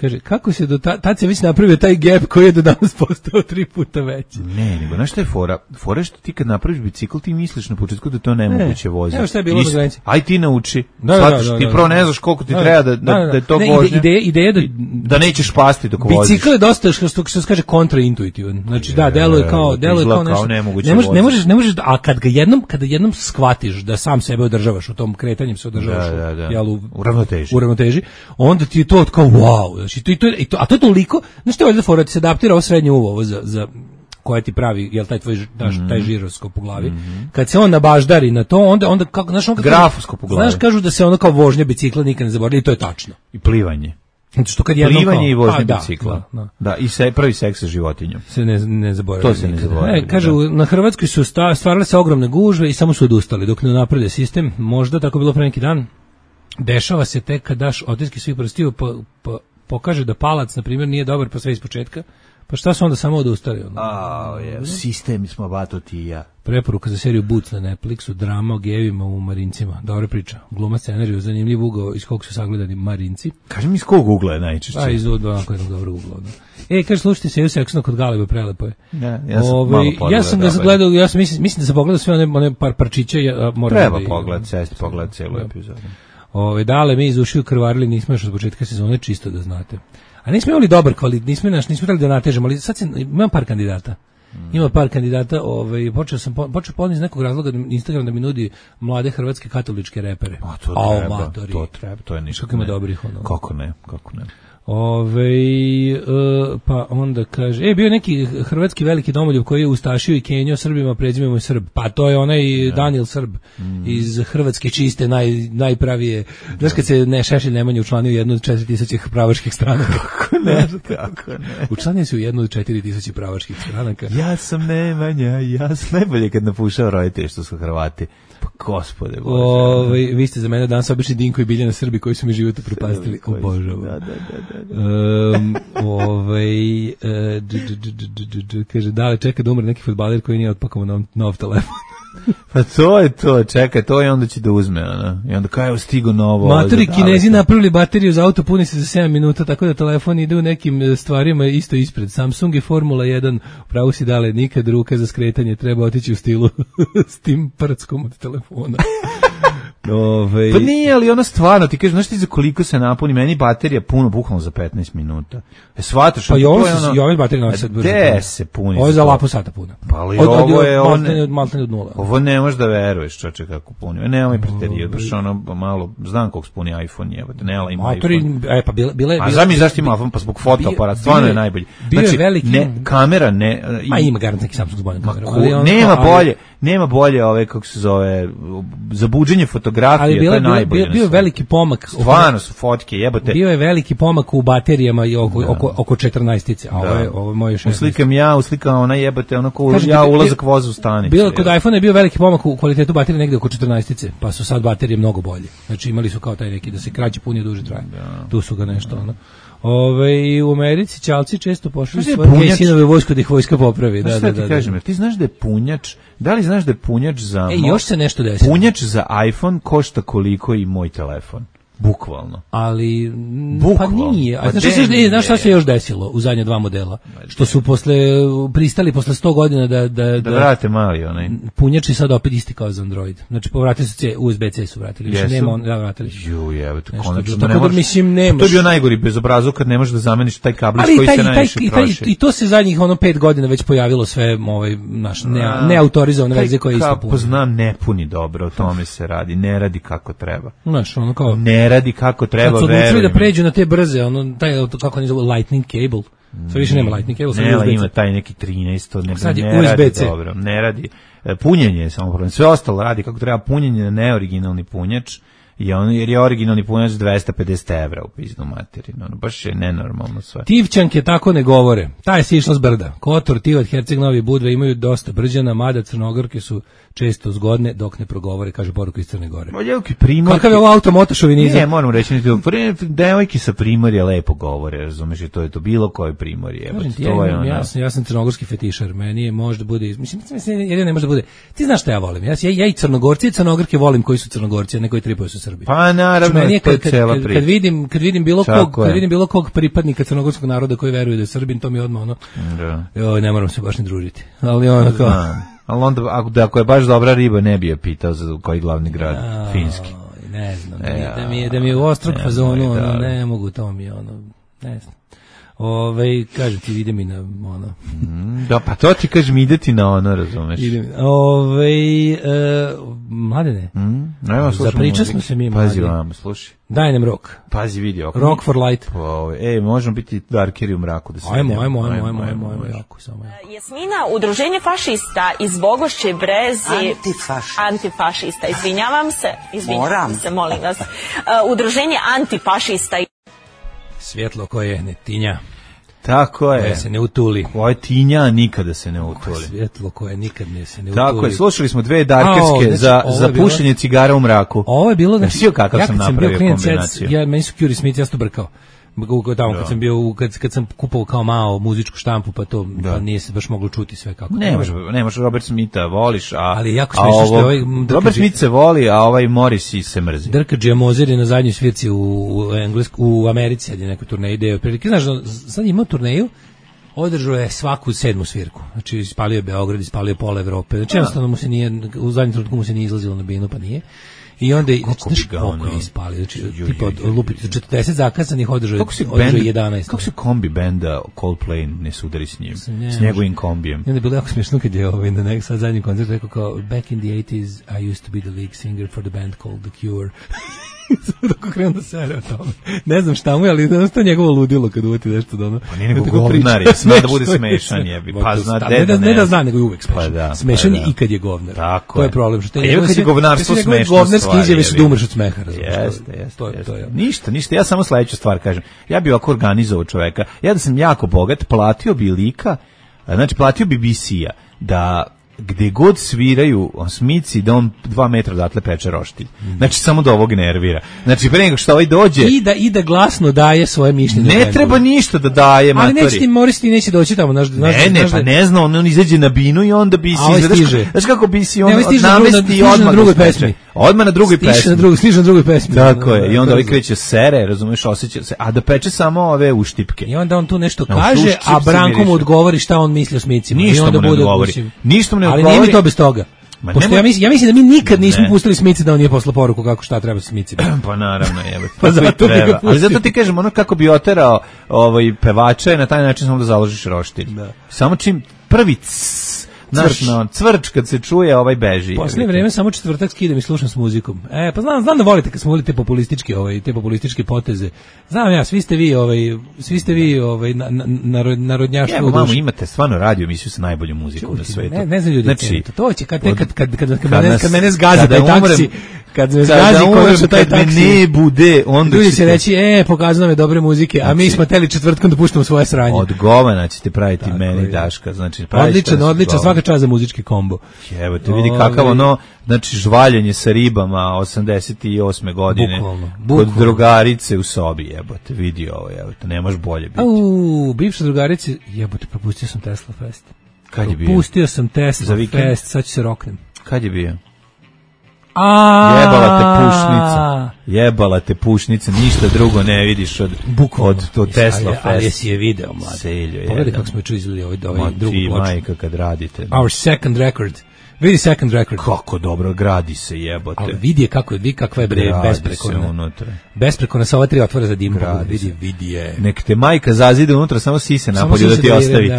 S8: kaže, kako se do ta, tad se već napravio taj gap koji je do danas postao tri puta veći.
S7: Ne, nego, znaš šta je fora? Fora je što ti kad napraviš bicikl, ti misliš na početku da to nemoguće voziti.
S8: Evo šta je bilo na granici.
S7: Aj ti nauči.
S8: Da, da, da, da,
S7: ti prvo ne znaš koliko ti
S8: da,
S7: treba da, da,
S8: da, da,
S7: da je to
S8: ne,
S7: vožnja.
S8: Ideja, ideja da,
S7: da nećeš pasti dok voziš.
S8: Bicikl je dosta, što, što, što se kaže, kontraintuitivan. Znači, da, deluje kao, deluje kao nešto.
S7: Ne možeš,
S8: ne možeš, ne možeš, a kad ga jednom, kada jednom shvatiš da sam sebe održavaš, u tom kretanjem se održavaš,
S7: da, da, da.
S8: Jel, u,
S7: u ravnoteži.
S8: U ravnoteži, onda ti je to kao wow, znači to i to, i to, a to je toliko, znači to je valjda fora, ti se adaptira ovo srednje uvo, ovo za, za koja ti pravi, jel taj tvoj daš, taj žiroskop u glavi. Mm-hmm. Kad se on nabaždari na to, onda onda kako, znaš, on kako
S7: grafoskop u glavi.
S8: Znaš, kažu da se ono kao vožnja bicikla nikad ne zaboravi, i to je tačno.
S7: I plivanje.
S8: Znači što kad jednom
S7: plivanje i vožnje
S8: da,
S7: bicikla.
S8: Da, da.
S7: Da, i se, prvi seks sa životinjom.
S8: Se ne, ne zaboravlja.
S7: To se ne
S8: nikada.
S7: zaboravlja.
S8: E, kažu,
S7: da.
S8: na Hrvatskoj su sta, stvarale se ogromne gužve i samo su odustali dok ne naprede sistem. Možda tako bilo pre neki dan. Dešava se tek kad daš otiske svih prstiju, pa, pa pokaže da palac, na primjer, nije dobar, pa sve iz početka. Pa šta su onda samo odustali? Ono?
S7: A, je, sistemi smo bato ti i ja.
S8: Preporuka za seriju Boots na Netflixu, drama o gejevima u Marincima. Dobra priča. Gluma scenariju, zanimljiv ugao iz kog su sagledani Marinci.
S7: Kaži mi iz kog ugla je najčešće?
S8: A iz odba onako jednog dobrog ugla. Da. E, kaže, slušajte se, seksno kod Galeba, prelepo je.
S7: Ja, ja sam
S8: Ove,
S7: malo pogledao.
S8: Ja sam ga gledao, ja sam mislim, mislim da sam pogledao sve one, one par parčića. Ja, moram
S7: Treba
S8: da,
S7: pogled, sesti pogled celu epizodu.
S8: Ove, dale, mi iz ušiju krvarili, nismo još od početka sezone, čisto da znate. A nismo imali dobar kvalitet, nismo naš, nismo trebali da natežemo, ali sad se, imam par kandidata. Ima par kandidata, ovaj počeo sam počeo podniz nekog razloga Instagram da mi nudi mlade hrvatske katoličke repere.
S7: A to
S8: Ao,
S7: treba,
S8: matori.
S7: to treba, to je ništa.
S8: Kako ima dobrih ono.
S7: Kako ne, kako ne.
S8: Ove, uh, pa onda kaže, e, bio je neki hrvatski veliki domoljub koji je ustašio i Kenio Srbima, prezimenom je Srb. Pa to je onaj ja. Daniel Srb mm. iz Hrvatske čiste, naj, najpravije. Znaš kad se ne Šešelj Nemanja učlanio u jednu od četiri tisuće pravaških stranaka?
S7: Kako ne, kako ne.
S8: Učlanio se u jednu od četiri tisuće pravaških stranaka.
S7: Ja sam Nemanja, ja sam najbolje kad napušao roditelje što su Hrvati. Pa gospode Bože.
S8: Ove, vi ste za mene danas obični Dinko i Biljana Srbi koji su mi život upropastili. Obožavam.
S7: Da, da, da.
S8: Um, ovaj, uh, d, d, d, d, d, d, kaže, da li čeka da umre neki fudbaler koji nije otpakao nov, nov telefon?
S7: Pa to je to, čekaj, to je onda će da uzme, ona. I onda kao je stigo novo.
S8: Matori, Kinezi napravili bateriju za auto, puni se za sedam minuta, tako da telefon ide u nekim stvarima isto ispred. Samsung i Formula jedan, pravo si dale, nikad ruka za skretanje, treba otići u stilu s tim prckom od telefona. Ove...
S7: Pa nije, ali ono stvarno, ti kažeš, znaš ti za koliko se napuni, meni baterija puno bukvalno za petnaest minuta. E, shvataš,
S8: pa i ovo
S7: je
S8: se,
S7: ono,
S8: i ove baterije nosi sad brzo.
S7: Gde se puni?
S8: Ovo je za lapo sata puna.
S7: Pa ali
S8: od,
S7: ovo
S8: od,
S7: je...
S8: od,
S7: On,
S8: maltene, maltene od nula.
S7: Ovo ne možeš da veruješ, čoče, kako puni. E, nemoj preteriju, baš ono, malo, znam koliko spuni iPhone, jebate, ne, ali ima
S8: Motori,
S7: iPhone.
S8: E, pa bile, bile,
S7: A znam mi zašto ima iPhone, pa zbog fotoaparat, stvarno je najbolji.
S8: Bio
S7: Znači,
S8: je veliki...
S7: ne, kamera ne...
S8: Ma ima garant neki Samsung s boljom kamerom.
S7: Ali on, nema ali, bolje, nema bolje ove, kako se zove, za buđenje fotografije, to je najbolje.
S8: Bio je veliki pomak.
S7: Stvarno su fotke, jebote.
S8: Bio je veliki pomak u baterijama i oko, oko, oko četrnaestice, a ovo je, ovo je moje šesnaest.
S7: Uslikam ja, uslikam ona jebote, ono ko ja ulazak voza u stanicu.
S8: Bilo, kod iPhone je bio veliki pomak u kvalitetu baterije negde oko četrnaestice, pa su sad baterije mnogo bolje. Znači imali su kao taj neki da se kraće punije duže traje. Da. Tu su ga nešto, ono. Ove, u Americi ćalci često pošli svoje punjač... sinove u vojsku da ih vojska popravi. Da, da,
S7: ti
S8: da,
S7: kažem,
S8: da.
S7: Ti znaš da je punjač, da li znaš da je punjač za...
S8: E, još se nešto desilo.
S7: Punjač za iPhone košta koliko i moj telefon. Bukvalno.
S8: Ali
S7: Bukvalno.
S8: Pa nije. A znaš, se, znaš šta se još desilo u zadnje dva modela? Što su posle pristali posle sto godina da da
S7: da, da vrate mali onaj.
S8: Punjači sad opet isti kao za Android. Znači povratili su se U S B C su vratili. Više nema on, da vratili.
S7: Ju, je, to konačno
S8: ne možeš. Mislim nemaš.
S7: To je bio najgori bezobrazluk kad ne možeš da zameniš taj kablić koji
S8: taj,
S7: se najviše troši.
S8: I to se zadnjih ono pet godina već pojavilo sve ovaj naš ne, neautorizovane verzije koje isto
S7: puni. Poznam, ne puni dobro, o tome se radi, ne radi kako treba.
S8: Znaš, ono kao
S7: ne radi kako treba.
S8: Kad su odlučili da pređu na te brze, ono, taj, kako oni zove, lightning cable. Sve više nema lightning cable,
S7: ne, ali ima taj neki trinaest, ne,
S8: sad je
S7: ne
S8: U S B C.
S7: Radi dobro, ne radi. Punjenje je samo problem. Sve ostalo radi kako treba, punjenje na neoriginalni punjač, i on, jer je originalni punjač dvesta pedeset evra u pizdu materinu. Ono, baš je nenormalno sve.
S8: Tivčanke tako ne govore. Ta je sišla s brda. Kotor, Tivat, Herceg, Novi Budva imaju dosta brđana, mada Crnogorke su često zgodne dok ne progovore, kaže poruka iz Crne Gore.
S7: Devojke primorke.
S8: Kakav je ovo automotošovinizam?
S7: Ne, moram reći, devojke sa primorja lepo govore, razumeš, i to je to bilo koje primorje.
S8: Kažem ti, ja, ja, ja, sam, ja sam crnogorski fetišar, meni je možda bude, mislim, mislim, jedino ne može da bude, ti znaš šta ja volim, ja, ja i Crnogorci i Crnogorke volim koji su Crnogorci, a ne koji tripaju su Srbi.
S7: Pa naravno,
S8: je, kad,
S7: to je cela
S8: kad,
S7: priča.
S8: Kad vidim, kad vidim bilo
S7: Čako
S8: kog, kad vidim bilo kog pripadnika crnogorskog naroda koji veruje da je Srbin, to mi odmah ono,
S7: da.
S8: Joj, ne moram se baš ni družiti, ali ono kao...
S7: Ali onda, ako, ako je baš dobra riba, ne bi je pitao za koji glavni grad, a, finski.
S8: Ne znam, da mi, e, da mi je, da mi je u ostrog fazonu, ono, ne mogu, to mi je, ono, ne znam. Ove, kažem ti, ide mi na, ono.
S7: Mm, da, pa to ti kažem, ide ti na ono, razumeš.
S8: Ide mi, ove, e, mladene,
S7: mm, nema,
S8: za priča smo se mi, mladene.
S7: Pazi vam, slušaj.
S8: Daj nam rok.
S7: Pazi vidio.
S8: Rock for light.
S7: E, možemo biti darkeri u mraku da se
S8: ajmo, ajmo, ajmo, ajmo, ajmo, ajmo, jako samo.
S9: Jasmina, udruženje fašista iz Bogošće Brezi.
S10: Antifašista.
S9: Antifašista, izvinjavam se. Izvinjavam
S10: Moram.
S9: se, molim vas. Uh, udruženje antifašista.
S8: Svjetlo koje ne tinja.
S7: Tako je.
S8: Koje se ne utuli.
S7: Koje tinja nikada se ne utuli.
S8: Svjetlo koje nikad ne se ne utuli.
S7: Tako je, slušali smo dve darkerske
S8: znači,
S7: za, za
S8: bilo,
S7: pušenje cigara u mraku.
S8: Ovo je bilo...
S7: Znači, kakav
S8: ja
S7: sam
S8: sam
S7: napravio
S8: bio
S7: kombinaciju.
S8: Ja, meni su Curie Smith, ja sam to brkao. Tamo kad
S7: da.
S8: sam bio kad kad sam kupovao kao malo muzičku štampu pa to da. Pa nije se baš moglo čuti sve kako.
S7: Ne možeš, ne možeš Robert Smitha voliš, a
S8: ali jako smešno što ovaj
S7: Robert Smith se voli, a ovaj Morrissey se mrzi.
S8: Drka Džemozer je na zadnjoj svirci u u Englesku u Americi, je neka turneja ide otprilike. Znaš, sad ima turneju. Održao je svaku sedmu svirku. Znači ispalio je Beograd, ispalio je pola Evrope. Znači jednostavno mu se nije u zadnjem trenutku mu se nije izlazilo na binu, pa nije. I onda znači znaš koliko je ispalio, znači tipa od lupiti četrdeset zakazanih održao održao jedanaest.
S7: Kako se kombi benda Coldplay ne sudari s njim, s njegovim kombijem.
S8: I onda je bilo jako smiješno kad je ovaj na nek sad zadnji koncert rekao kao back in the eighties I used to be the lead singer for the band called The Cure. Dok krenuo da sere o tome. Ne znam šta mu je, ali da to njegovo ludilo kad uvati nešto da ono...
S7: Pa nije nego govnar je, zna da bude smešan jebi. Pa zna
S8: da ne, da, ne da zna, nego je uvek smešan. Pa da, smešan
S7: pa da.
S8: I kad je govnar.
S7: Tako
S8: to je problem. Što
S7: je kad je govnarstvo smešno.
S8: Govnarski izjave su da umreš od smeha.
S7: Jeste, jeste. Ništa, ništa. Ja samo sledeću stvar kažem. Ja bih ovako organizovao čoveka. Ja da sam jako bogat, platio bi lika, znači platio bi B C-a da gde god sviraju Smici da on dva metra odatle peče roštilj. Znači samo da ovog nervira. Znači pre nego što ovaj dođe
S8: i da i da glasno daje svoje mišljenje.
S7: Ne treba ništa da daje, matori.
S8: Ali neće ti Morrissey neće doći tamo, znaš, znaš.
S7: Ne, ne, pa ne zna, on, on izađe na binu i onda bi se
S8: izgleda.
S7: Znaš kako bi si on
S8: namesti odmah na drugoj pesmi.
S7: Odmah na drugoj pesmi.
S8: Stiže na drugoj, stiže na drugoj pesmi.
S7: Tako je. I onda ovaj kreće sere, razumeš, osjeća se, a da peče samo ove uštipke.
S8: I onda on tu nešto kaže, a Branko mu odgovori šta on misli o Smicima.
S7: I onda bude odgovori. Ništa mu ne odgovori.
S8: Ali nije mi to bez toga. Pošto ja mislim, ja mislim da mi nikad nismo ne. pustili Smici da on nije poslao poruku kako šta treba sa Smicima.
S7: Pa naravno, jebe. Pa zato treba. Ali zato ti kažem, ono kako bi oterao ovaj pevača na taj način samo da založiš roštilj. Da. Samo čim prvi Naš no, cvrč kad se čuje ovaj beži.
S8: Poslednje vreme samo četvrtak skidam i slušam s muzikom. E, pa znam, znam da volite kad smo volite populističke, ovaj, te populističke poteze. Znam ja, svi ste vi, ovaj, svi ste vi, ovaj, na, na, narod, narodnjaštvo.
S7: Evo, mamo, imate stvarno radio emisiju sa najboljom muzikom Čuti, na svetu.
S8: Ne, ne znam ljudi, znači, to će kad, kad, kad, kad, kad, kad,
S7: kad,
S8: mene, kad mene zgazi taj taksi, kad me zgazi konačno taj taksi,
S7: ne bude, onda
S8: ljudi će reći, e, pokazano me dobre muzike, a mi smo teli četvrtkom da puštamo svoje sranje.
S7: Od govana ćete praviti meni Daška, znači
S8: odličan, odličan, svaka čast za muzički kombo.
S7: Evo te vidi kakav ono, znači žvaljenje sa ribama osamdeset osme godine.
S8: Bukvalno,
S7: bukvalno. Kod drugarice u sobi, jebote, vidi ovo, jebote, ne može bolje biti.
S8: Au, bivša drugarice, jebote, propustio sam Tesla Fest.
S7: Kad je bio?
S8: Propustio sam Tesla
S7: za
S8: Fest, sad ću se roknem.
S7: Kad je bio?
S8: A
S7: jebala te pušnica. Jebala te pušnica, ništa drugo ne vidiš od
S8: bukvalno
S7: od to Tesla Fest.
S8: Ali jesi je video, mlad. Pogledaj kako smo juče izgledali ovaj ovaj drugi ploču.
S7: Majka kad radite.
S8: Our second record. Vidi second record.
S7: Kako dobro gradi se, jebote.
S8: Ali vidi kako je, vidi kakva je bre besprekorna. Besprekorna sa ova tri otvora za dim. Vidi, vidi je.
S7: Nek te majka zazide unutra, samo sise napolju da ti ostavi.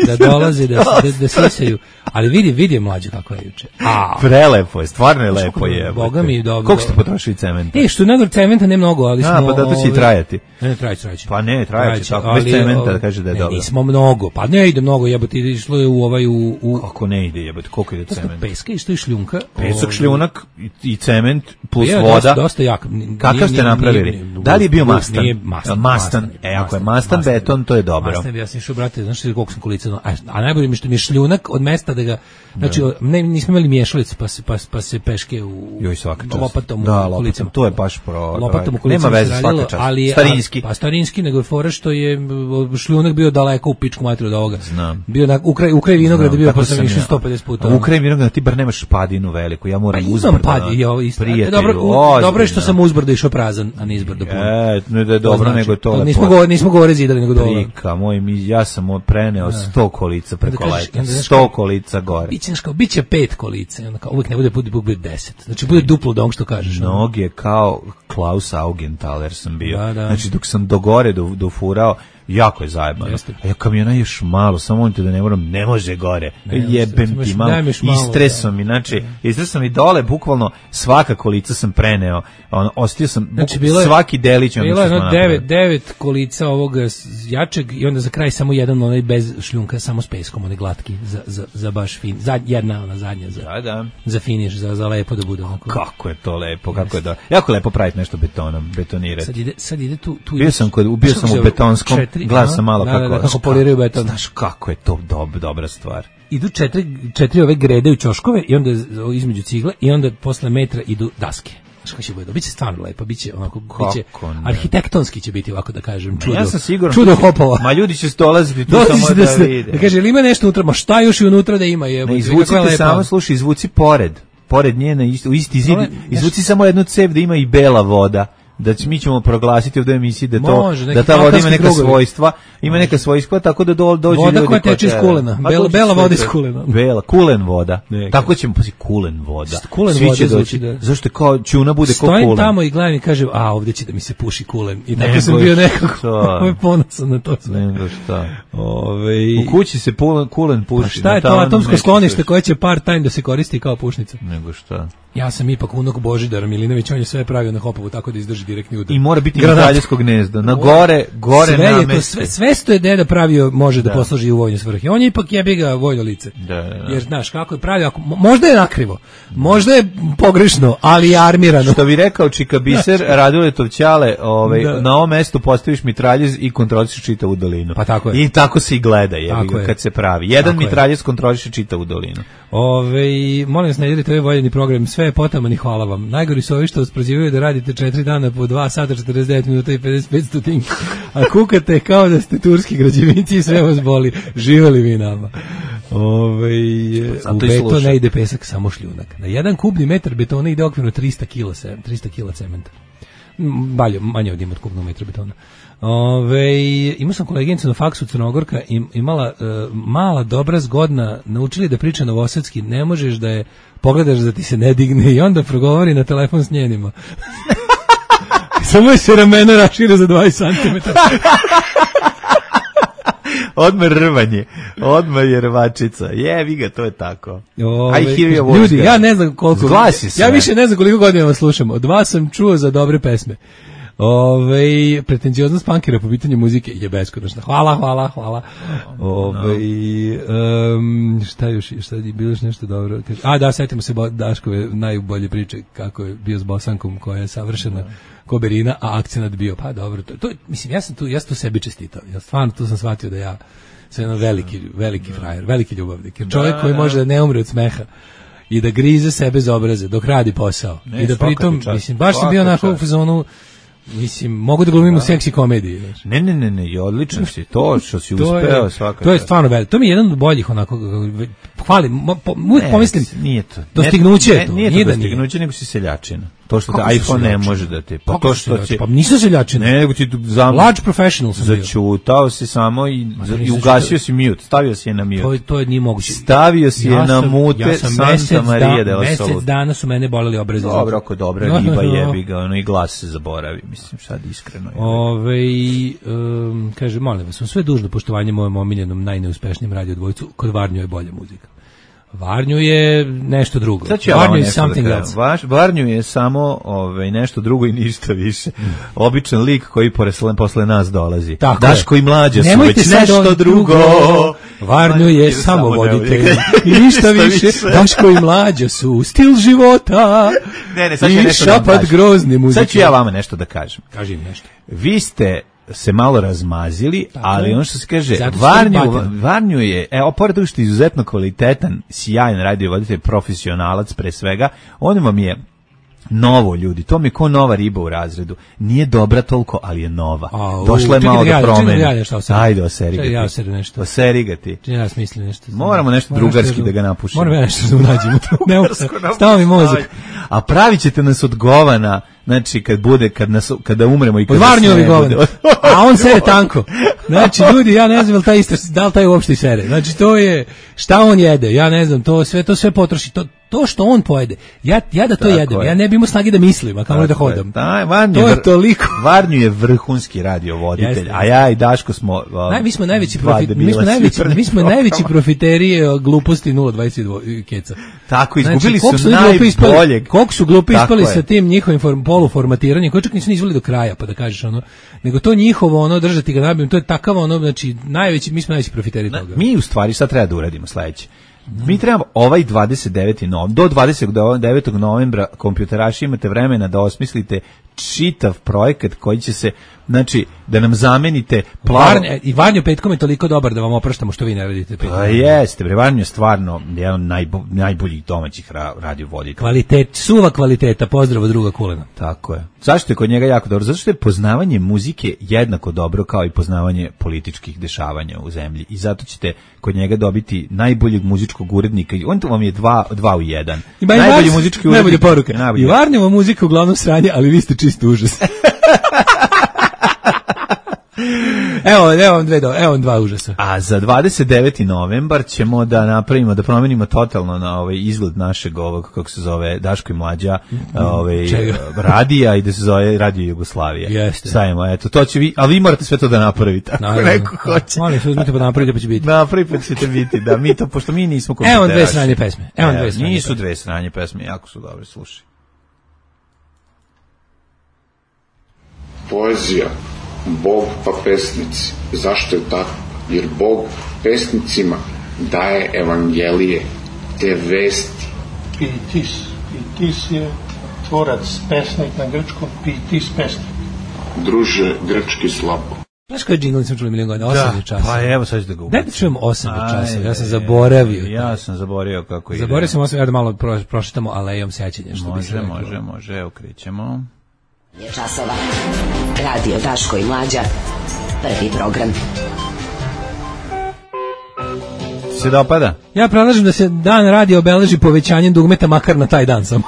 S8: Da dolaze, da, da, da sisaju. Ali vidi, vidi mlađe kako je juče.
S7: A, prelepo je, stvarno je lepo je.
S8: Boga mi dobro.
S7: Koliko ste potrošili cementa?
S8: E, što nador cementa ne mnogo, ali smo...
S7: A, pa da to će i trajati.
S8: Ne, ne, trajaće, trajaće.
S7: Pa ne, trajaće, tako, bez cementa da kaže da je dobro.
S8: Nismo mnogo, pa ne ide mnogo, jebote, išlo je u ovaj, u... u...
S7: Kako ne ide, jebote, koliko ide cementa?
S8: Peska i što je šljunka.
S7: Pesak, šljunak i cement plus voda.
S8: Dosta jak.
S7: Kakav ste napravili? Da li je bio mastan? Mastan. E, ako je mastan beton, to je dobro.
S8: Mastan, ja sam išao, brate, znaš koliko sam kolica, a najbolje mi što mi je šljunak od mesta da ga, znači ne, nismo imali miješalicu pa se, pa, pa se peške u
S7: joj svaka čast.
S8: Lopatom
S7: da,
S8: u kolicama.
S7: To je baš pro...
S8: Lopatom u kolicama
S7: nema veze, svaka čast.
S8: Ali je,
S7: starinski.
S8: Pa starinski, nego je fora što je šljunak bio daleko u pičku materiju od ovoga.
S7: Znam.
S8: Bio na, u kraj, u kraj vinograda bio pa sam išao sto pedeset puta.
S7: U kraj vinograda ti bar nemaš padinu veliku, ja moram
S8: pa
S7: uzbrdo.
S8: Pad, ja, isto. Dobro, u, dobro je što sam uzbrdo išao prazan, a ne izbrdo puno.
S7: E, ne da je dobro, znači, nego to...
S8: Nismo govori, nismo govore zidali, nego dobro.
S7: Trika, moj, mi, ja sam preneo sto kolica preko leta. sto kolica gore.
S8: Biće kao biće pet kolica, onda kao uvek ne bude bude bude deset. Znači bude duplo od onog što kažeš.
S7: Noge kao Klaus Augenthaler sam bio.
S8: Da, da.
S7: Znači dok sam do gore do, dofurao, jako je zajebano. A ja kamiona još malo, samo molite da ne moram, ne može gore. Ne, jebem ti malo, istresom mi, znači, istresom mi dole, bukvalno svaka kolica sam preneo, on, ostio sam, znači, buk, je, svaki delić.
S8: Bilo je ono devet, devet kolica ovog jačeg i onda za kraj samo jedan onaj bez šljunka, samo s peskom, onaj glatki, za, za, za baš fin, za, jedna ona zadnja, za, da, da. za finiš, za, za lepo da bude. Onako.
S7: Kako je to lepo, kako je da, jako lepo praviti nešto betonom, betonirati.
S8: Sad ide, sad ide tu, tu
S7: bio sam kod, ubio sam u betonskom, gledao sam malo
S8: da,
S7: kako,
S8: da, da, kako poliraju beton.
S7: Znaš kako je to dob, dobra stvar.
S8: Idu četiri, četiri ove grede u ćoškove i onda između cigle i onda posle metra idu daske. Znaš kako će bude, biće stvarno lepo, biće onako, biće arhitektonski će biti, ovako da kažem, čudo.
S7: Ja sam siguran,
S8: čudo hopova.
S7: Ma ljudi će dolaziti tu samo da,
S8: da
S7: vide.
S8: Da kaže, ili ima nešto unutra, ma šta još i unutra da ima? Je,
S7: ne, izvucite samo, slušaj, izvuci pored, pored nje, na isti, u isti zid, izvuci samo jednu cev da ima i bela voda. Da mi ćemo proglasiti u emisiji da to može, da ta voda ima neka krugovi. svojstva, ima neka svojstva tako da do, dođe
S8: voda
S7: ljudi
S8: koja teče iz kulena, bela, bela voda iz kulena.
S7: Bela, kulen voda. Neka. Tako ćemo posi kulen voda.
S8: Kulen
S7: Svi
S8: voda
S7: će doći. Da. Zašto je kao čuna bude kao kulen.
S8: Stojim tamo i gledam i kažem, a ovdje će da mi se puši kulen. I tako sam bio nekako ovaj ponosan na to sve.
S7: Nego šta.
S8: Ove...
S7: U kući se kulen, kulen puši.
S8: A šta je to atomsko sklonište koje će part time da se koristi kao pušnica?
S7: Nego šta.
S8: Ja sam ipak unuk Božidara Milinović, on je sve pravio na Hopovu tako da izdrži direktni udar.
S7: I mora biti mitraljsko gnezdo. Na gore, gore
S8: sve
S7: namesti.
S8: Je to, sve, sve što je deda pravio može da, da posluži u vojne svrhe. On je ipak jebi ga vojno lice.
S7: Da, da, da.
S8: Jer znaš kako je pravio, ako, možda je nakrivo, možda je pogrešno, ali je armirano.
S7: Što bi rekao Čika Biser, Raduletov ćale, ovaj, na ovom mestu postaviš mitraljez i kontrolišeš čitavu dolinu.
S8: Pa tako je.
S7: I tako se i gleda jebi ga, kad se pravi. Jedan tako mitraljez kontroliše čitavu dolinu.
S8: Ove, molim vas, ne delite ovaj voljeni program, sve je potaman i hvala vam. Najgori su ovi što vas prozivaju da radite četiri dana po dva sata, četrdeset devet minuta i pedeset pet stotinki, a kukate kao da ste turski građevinci i sve vas boli. Živeli vi nama. Ove, u beton ne ide pesak, samo šljunak. Na jedan kubni metar betona ide okvirno trista kila cementa. Balje, manje od ima od kubnog metra betona. Ove, imao sam koleginicu na faksu Crnogorka, imala uh, mala, dobra, zgodna, naučili da priča novosadski, ne možeš da je pogledaš da ti se ne digne i onda progovori na telefon s njenima. Samo je se ramena rašire za dvadeset centimetara.
S7: Odmah rvanje, odmah je rvačica. Jevi ga, to je tako.
S8: Ove, ljudi, ja ne znam koliko...
S7: Zglasi se.
S8: Ja više ne znam koliko godina vas slušam. Od vas sam čuo za dobre pesme. Ove, pretenzioznost punkera po pitanju muzike je beskonačna. Hvala, hvala, hvala. Ove, um, šta još, šta je bilo još nešto dobro? A da, setimo se Daškove najbolje priče kako je bio s Bosankom koja je savršena koberina, a akcenat bio, pa dobro, to, to mislim, ja sam tu, ja sam tu sebi čestitao. Ja stvarno tu sam shvatio da ja sam jedan veliki, veliki frajer, veliki ljubavnik. Jer čovjek koji može da ne umre od smeha i da grize sebe za obraze dok radi posao. Ne, i da pritom, mislim, baš sam bio onako u fazonu, mislim, mogu da glumim u seksi komediji. Znači.
S7: Ne, ne, ne, ne, odlično si, to što si uspeo svakako.
S8: To je stvarno veliko, to mi je jedan od boljih onako, hvalim, po, uvijek pomislim,
S7: nije to.
S8: Dostignuće je to.
S7: Nije, nije to dostignuće, nego si seljačina. To što te iPhone ne može da ti, pa to što će...
S8: Pa nisu seljačina.
S7: Ne, nego ti tu zam...
S8: Large professional sam bio.
S7: Začutao si samo i, i ugasio si mute, stavio si je na mute.
S8: To, to je nije moguće.
S7: Stavio si je na mute ja Santa Maria de la Salud.
S8: Mesec dana su mene boleli obrazi.
S7: Dobro, ako dobra riba jebi ga, ono i glas se zaboravi, mislim, sad iskreno.
S8: Ove, um, kaže, molim vas, sve dužno poštovanje mojem omiljenom, najneuspešnijem radio dvojcu, kod Varnju je bolja muzika. Varnju je nešto drugo.
S7: Ja
S8: Varnju je something da else.
S7: Vaš, Varnju je samo ovaj, nešto drugo i ništa više. Mm. Običan lik koji posle, posle nas dolazi.
S8: Tako
S7: Daško
S8: je.
S7: I mlađa su
S8: nemojte
S7: već nešto drugo.
S8: Varnju je, je samo voditelj. I ništa više. Daško I mlađa su stil života.
S7: Ne, ne, sad
S8: I
S7: nešto
S8: šapat grozne muzike.
S7: Sad ću ja vama nešto da kažem.
S8: Kaži im nešto.
S7: Vi ste se malo razmazili, tako, ali ono što se kaže, Varnju, Varnju je, evo, pored toga što je izuzetno kvalitetan, sjajan radiovoditelj, profesionalac pre svega, on vam je novo, ljudi, to mi je ko nova riba u razredu. Nije dobra toliko, ali je nova.
S8: A,
S7: došla je malo da promeni. Ajde, oseri ga ti.
S8: Ja oseri nešto.
S7: Oseri ga ti.
S8: Ja smislim nešto.
S7: Moramo nešto Moram drugarski nešto, da ga napušimo.
S8: Moramo ja nešto da unađemo. Ne, stava mi mozak.
S7: A pravit ćete nas od govana, znači kad bude, kad nas, kada umremo i kad
S8: nas ne bude. A on sere tanko. Znači, ljudi, ja ne znam da li taj istres, da li taj uopšte sere. Znači, to je, šta on jede, ja ne znam, to sve, to sve potroši, to to što on pojede, ja, ja da to
S7: Tako
S8: jedem,
S7: je.
S8: ja ne bi imao snage da mislim, a kamoli da hodam.
S7: Da, Varnju
S8: To je
S7: vr-
S8: toliko.
S7: Varnju je vrhunski radiovoditelj,
S8: Jeste.
S7: a ja i Daško smo... Um,
S8: Naj, mi smo najveći
S7: dva
S8: profi, mi
S7: debila
S8: smo najveći,
S7: svi
S8: mi smo
S7: prvih
S8: najveći
S7: programa.
S8: profiteri e, gluposti nula dvadeset dva keca.
S7: Tako, izgubili
S8: Znači, koliko
S7: su
S8: oni glupi ispali-
S7: najboljeg.
S8: Koliko su glupi
S7: Tako
S8: ispali
S7: je.
S8: sa tim njihovim form, poluformatiranjem, koji čak nisu ni izveli do kraja, pa da kažeš ono, nego to njihovo ono držati ga nabijem, to je takav ono, znači najveći, mi smo najveći profiteri toga.
S7: Mi u stvari sad treba da uradimo sledeće. Mi trebamo ovaj dvadeset deveti novembar, do dvadeset devetog novembra kompjuteraši imate vremena da osmislite čitav projekat koji će se, znači, da nam zamenite plavo...
S8: Varnje, i Varnjo petkom je toliko dobar da vam opraštamo što vi ne radite petkom.
S7: Pa jeste, bre, Varnjo je stvarno jedan od najbo, najboljih domaćih ra, radiovoditelja.
S8: Kvalitet, suva kvaliteta, pozdrav od druga Kulena.
S7: Tako je. Zašto je kod njega jako dobro? Zato što je poznavanje muzike jednako dobro kao i poznavanje političkih dešavanja u zemlji. I zato ćete kod njega dobiti najboljeg muzičkog urednika. On to vam je dva, dva u jedan.
S8: Ima
S7: Najbolji
S8: Vars-
S7: muzički urednik.
S8: Najbolja poruka.
S7: Najbolji.
S8: I Varnjeva muzika uglavnom sranje, ali vi ste čisto užas. evo, evo vam dve, do, evo vam dva užasa.
S7: A za dvadeset deveti novembar ćemo da napravimo, da promenimo totalno na ovaj izgled našeg ovog, kako se zove, Daško i Mlađa, ovaj,
S8: Čega?
S7: radija i da se zove Radio Jugoslavije.
S8: Jeste.
S7: Stavimo, eto, to će vi, ali vi morate sve to da napravite, ako
S8: Naravno.
S7: neko hoće.
S8: Molim se, uzmite pa napravite pa će biti.
S7: Napravi pa ćete biti, da, mi to, pošto mi nismo
S8: Evo vam dve
S7: kompjuteraši.
S8: sranje pesme. Evo vam dve sranje
S7: Nisu
S8: pesme.
S7: dve sranje pesme, jako su dobre, slušaj.
S10: Poezija, Bog pa pesnici. Zašto je tako? Jer Bog pesnicima daje evangelije, te vesti.
S11: Pitis. Pitis je tvorac, pesnik na grčkom, pitis pesnik.
S10: Druže, grčki slabo.
S8: Znaš koji džingl nisam čuli milijon godina? Osam je časa.
S7: Pa evo sad ću da ga
S8: Daj
S7: ubacim.
S8: da čujem osam je časa, ja sam
S7: Ajde,
S8: zaboravio.
S7: Ja sam zaboravio kako ide.
S8: Zaboravio sam osam, ja da malo pro, prošetamo alejom sećanja. Što bi se
S7: Može,
S8: reklo.
S7: može, može, evo krećemo.
S5: Je časova. Radio Daško i Mlađa. Prvi program.
S7: Se dopada?
S8: Ja predlažem da se dan radi obeleži povećanjem dugmeta makar na taj dan samo.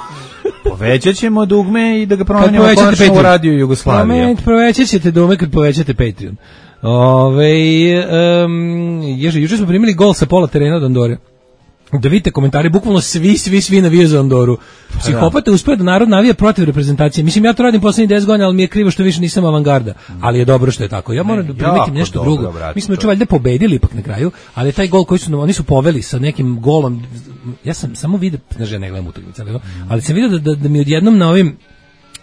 S7: Povećat ćemo dugme i da ga
S8: Kad
S7: promenimo
S8: povećate
S7: konačno u
S8: Patreon.
S7: Radio Jugoslavije.
S8: Promen- Povećat ćete dugme kad povećate Patreon. Ove, um, ježe, juče smo primili gol sa pola terena od Andore. Da vidite komentari, bukvalno svi, svi, svi navijaju za Andoru. Psihopata je uspio da narod navija protiv reprezentacije. Mislim, ja to radim poslednjih deset godina, ali mi je krivo što više nisam avangarda. Ali je dobro što je tako. Ja moram da primetim
S7: jako
S8: nešto
S7: dobro,
S8: drugo.
S7: brate,
S8: Mi smo
S7: to
S8: juče valjda pobedili ipak na kraju, ali taj gol koji su, oni su poveli sa nekim golom, ja sam samo vidio, znaš, ja ne gledam utakmice, ali, ali sam vidio da, da, da mi odjednom na ovim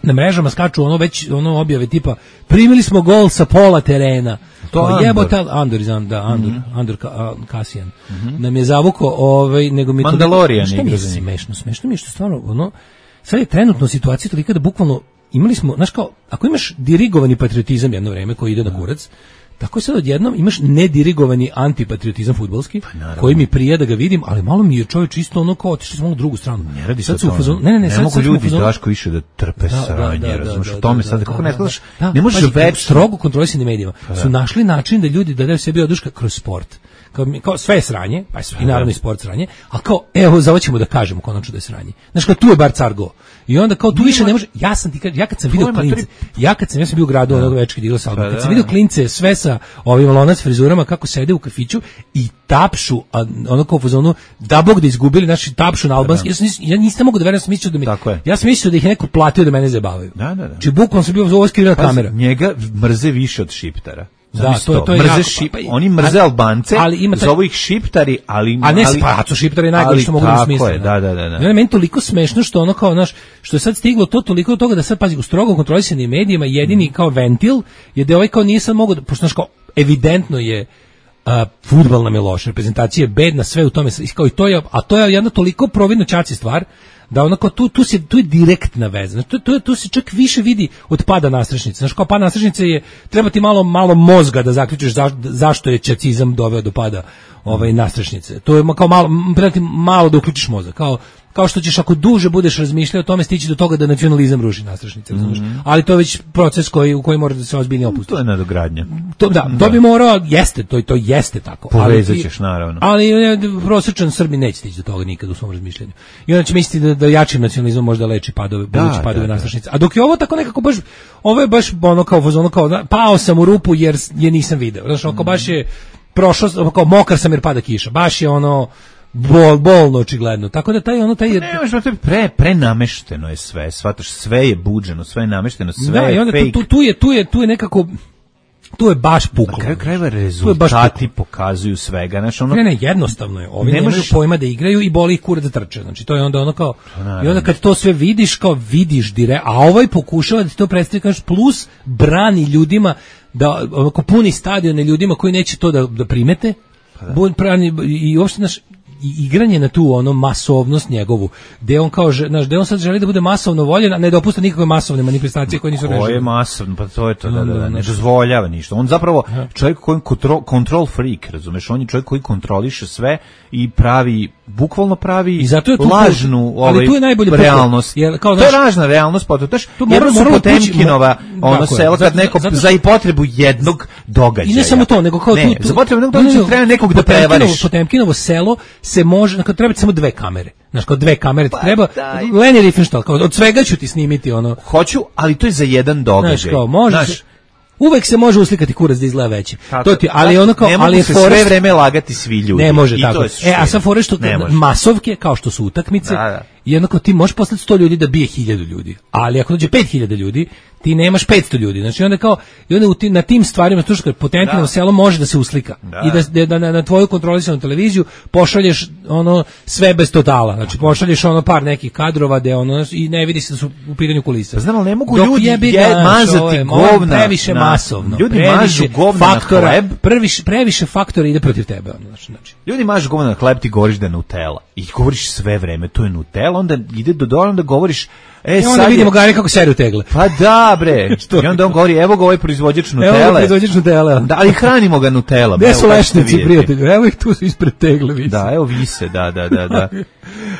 S8: na mrežama skaču ono već ono objave tipa primili smo gol sa pola terena.
S7: To
S8: Kao,
S7: Andor.
S8: jebote, Andor izan, da, Andor,
S7: Mhm.
S8: Andor Ka- a, Kasijan. Nam je zavuko, ovaj, nego mi to...
S7: Mandalorian
S8: Šta mi
S7: igra
S8: je
S7: za njih.
S8: smešno? Smešno mi je što stvarno, ono, sad je trenutno situacija tolika da bukvalno imali smo, znaš kao, ako imaš dirigovani patriotizam jedno vreme koji ide na kurac, tako sad odjednom imaš nedirigovani antipatriotizam fudbalski, koji mi prija da ga vidim, ali malo mi je čovjek isto ono kao otišli smo na drugu stranu.
S7: Ne radi se
S8: Sad
S7: o
S8: su u
S7: tome.
S8: fazonu- ne, ne, ne, sad-
S7: mogu
S8: sad smo u
S7: ljudi iz
S8: fazonu-
S7: Daško više da trpe
S8: Da, da,
S7: sranje,
S8: da, da,
S7: razumiješ,
S8: da,
S7: o tome
S8: da,
S7: sad,
S8: da,
S7: kako
S8: da,
S7: ne
S8: da,
S7: znaš,
S8: da.
S7: ne možeš
S8: Pazi,
S7: večno.
S8: strogo kontrolisanim medijima
S7: Pa da.
S8: su našli način da ljudi da daju sebi oduška kroz sport. Kao, mi- kao sve je sranje, pa je sve- i naravno i sport sranje, a kao, evo, za ovo ćemo da kažemo konačno da je sranje. Znaš, kao, tu je bar car go. I onda kao, tu više ne može, ja sam ti, kad- ja kad sam vidio
S7: je
S8: klince,
S7: matri-
S8: ja kad sam, ja sam bio u gradu onog večka digla sa albuma,
S7: Pa
S8: kad
S7: da.
S8: sam vidio klince sve sa ovim lonac frizurama kako sede u kafiću i tapšu, a, ono kao u fazonu, da bog da izgubili, znači tapšu na albanski, ja, sam, nis- ja nisam mogu da verujem, ja sam mislio da mi,
S7: Tako je.
S8: ja sam mislio da ih je neko platio da mene zabavaju.
S7: Da, da, da.
S8: Či bukvalno sam bio ovo skrivena
S7: Pazi,
S8: kamera.
S7: njega mrze više od šiptara.
S8: Da,
S7: Zamisli
S8: to je- to je
S7: mrze
S8: jako,
S7: šip-
S8: pa- pa-
S7: oni mrze
S8: ali-
S7: Albance,
S8: ali ima taj-
S7: zovu ih šiptari, ali...
S8: A ne,
S7: ali,
S8: pa su šiptari najgori
S7: ali
S8: što mogu da
S7: tako
S8: smisle.
S7: je, da, da, da, da.
S8: I onda je meni toliko smešno što ono kao, znaš, što je sad stiglo to toliko do toga da sad, pazi, u strogo kontrolisanim medijima jedini kao ventil je da ovaj kao nije sad mogo, da, pošto znaš kao, evidentno je a, fudbal nam je loš, reprezentacija je bedna, sve u tome, kao i to je, a to je jedna toliko providno ćaci stvar, da onako tu tu se tu je direktna veza. Znači, tu tu tu se čak više vidi od pada nastrešnice. Znači kao pad nastrešnice je treba ti malo malo mozga da zaključiš zaš, zašto je ćacizam doveo do pada ovaj nastrešnice. To je ma- kao malo m, treba ti malo da uključiš mozak. Kao kao što ćeš ako duže budeš razmišljao o tome stići do toga da nacionalizam ruši nastrešnice, razumeš? Ali to je već proces koji u koji mora da se ozbiljnije opusti.
S7: To je nadogradnja.
S8: To, da, to bi morao, jeste, to, to jeste tako.
S7: Povezat
S8: Ali ti-
S7: ćeš, naravno.
S8: Ali e, prosječan Srbi neće stići do toga nikad u svom razmišljanju. I onda će misliti da, da jačim nacionalizmom možda leči padove,
S7: Da,
S8: budući padove
S7: da, da.
S8: nastrešnice. A dok je ovo tako nekako baš, ovo je baš ono kao, ono kao, da, pao sam u rupu jer s- je nisam video. Znaš, oko baš je prošao, kao mokar sam jer pada kiša. Baš je ono, Bol, bolno očigledno. Tako da taj ono taj
S7: ne, možda to je pre prenamešteno je sve, shvataš, sve je buđeno, sve je namešteno, sve
S8: da,
S7: je
S8: i onda
S7: fake.
S8: Tu, tu je tu je tu je nekako tu je baš puklo.
S7: Na kraju krajeva rezultati pokazuju svega, znači ono
S8: ne, ne, jednostavno je. Ovi
S7: ne
S8: nemaju
S7: možeš...
S8: pojma da igraju i boli ih kurac da trče. Znači to je onda ono kao
S7: naravno.
S8: I onda kad to sve vidiš, kao vidiš dire, a ovaj pokušava da ti to predstavi, kažeš, plus brani ljudima da ovako puni stadione ljudima koji neće to da da primete. Pa da. Brani i uopšte naš i igranje na tu ono masovnost njegovu, gde on kao, znaš, gde on sad želi da bude masovno voljen, a ne dopušta nikakve masovne manifestacije koje nisu režene.
S7: Ko je masovno, pa to je to, da, da, da, ne dozvoljava ništa. On zapravo čovjek koji control, control freak, razumeš, on je čovjek koji kontroliše sve i pravi, bukvalno pravi
S8: I zato je tu
S7: lažnu
S8: ali
S7: ovaj,
S8: tu je najbolje
S7: realnost.
S8: Jer, kao,
S7: to je
S8: znaš,
S7: lažna realnost, pa to znaš,
S8: mora,
S7: jedno su
S8: mora
S7: Potemkinova, ono
S8: tako
S7: selo, kad
S8: zato,
S7: neko
S8: zato,
S7: za i potrebu jednog događaja.
S8: I ne samo to, nego kao
S7: ne,
S8: tu, tu
S7: za potrebu jednog događaja treba nekog da prevariš.
S8: Potemkinovo selo se može, kad treba samo dve kamere. Znaš, kao dve kamere ti
S7: pa,
S8: treba.
S7: daj.
S8: Leni Riefenstahl, kao od svega ću ti snimiti ono.
S7: Hoću, ali to je za jedan događaj.
S8: Znaš, kao, možeš, znaš, uvek se može uslikati kurac da izgleda veći.
S7: Tako,
S8: to ti, ali ono kao,
S7: ne
S8: ali je
S7: se
S8: forest,
S7: sve vreme lagati svi ljudi.
S8: Ne može
S7: I
S8: tako.
S7: To je
S8: e, a sa fore što masovke, kao što su utakmice,
S7: da, da.
S8: jednako ti možeš poslati sto ljudi da bije hiljadu ljudi. Ali ako dođe pet hiljada ljudi, ti nemaš petsto ljudi. Znači onda kao i onda ti, na tim stvarima što što Potemkinovo selo može da se uslika
S7: da.
S8: i da, da na, na tvoju kontrolisanu televiziju pošalješ ono sve bez totala. Znači pošalješ ono par nekih kadrova da ono i ne vidi se da su u pitanju kulisa.
S7: Znam, ali ne mogu
S8: Dok
S7: ljudi
S8: jebi
S7: je,
S8: ga,
S7: mazati
S8: je,
S7: govna.
S8: Previše
S7: na,
S8: masovno.
S7: Ljudi
S8: previše
S7: mažu govna
S8: faktora,
S7: na hleb.
S8: Previše, previše faktora ide protiv tebe. Ono, znači, znači.
S7: Ljudi mažu govna na hleb, ti govoriš da je Nutella. I govoriš sve vreme, to je Nutella, onda ide do dole, onda govoriš E,
S8: I onda vidimo je... Gari kako seru tegle.
S7: Pa da, bre. I onda on govori, evo ga ovaj proizvođač Nutelle.
S8: Evo ga proizvođač Nutelle.
S7: Da, ali hranimo ga Nutella.
S8: Gde su lešnici, prijatelji? Evo ih tu su ispred tegle, vise.
S7: Da, evo vise, da, da, da. da.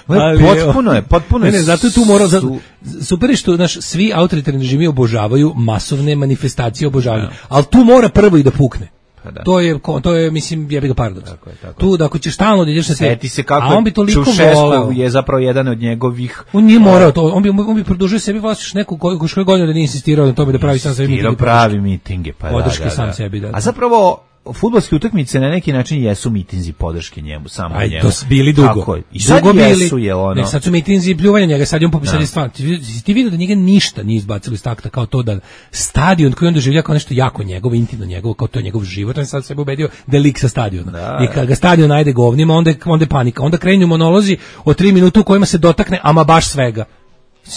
S7: Ali, potpuno je, potpuno je.
S8: Ne, ne, zato tu mora, su... super je što, znaš, svi autoritarni režimi obožavaju masovne manifestacije obožavanja. Ja. Ali tu mora prvo i da pukne. Da. To je to je mislim jebi ga paradoks. Tako je, tako. Tu da ako ćeš stalno da ideš na sve.
S7: Seti se kako
S8: a on bi toliko voleo.
S7: Je zapravo jedan od njegovih.
S8: On nije morao to, on bi on bi produžio sebi vlastiš neku koju što godinu da nije insistirao na tome da pravi sam sebi
S7: mitinge. pravi mitinge, pa
S8: podrške
S7: da, da,
S8: sam
S7: da.
S8: sebi da.
S7: A zapravo fudbalske utakmice na neki način jesu mitinzi podrške njemu, samo
S8: Aj,
S7: njemu.
S8: To su bili dugo.
S7: Tako je. I sad
S8: dugo
S7: jesu, je ono.
S8: Ne, sad su mitinzi pljuvanja njega, sad je on popisali stvar. Ti, ti vidio da njega ništa nije izbacilo iz takta, kao to da stadion koji on doživlja kao nešto jako njegovo, intimno njegovo, kao to je njegov život, on sad sebe ubedio da je lik sa stadiona. Da, I kad ga stadion najde govnima, onda je, onda je panika. Onda krenju monolozi od tri minuta u kojima se dotakne ama baš svega.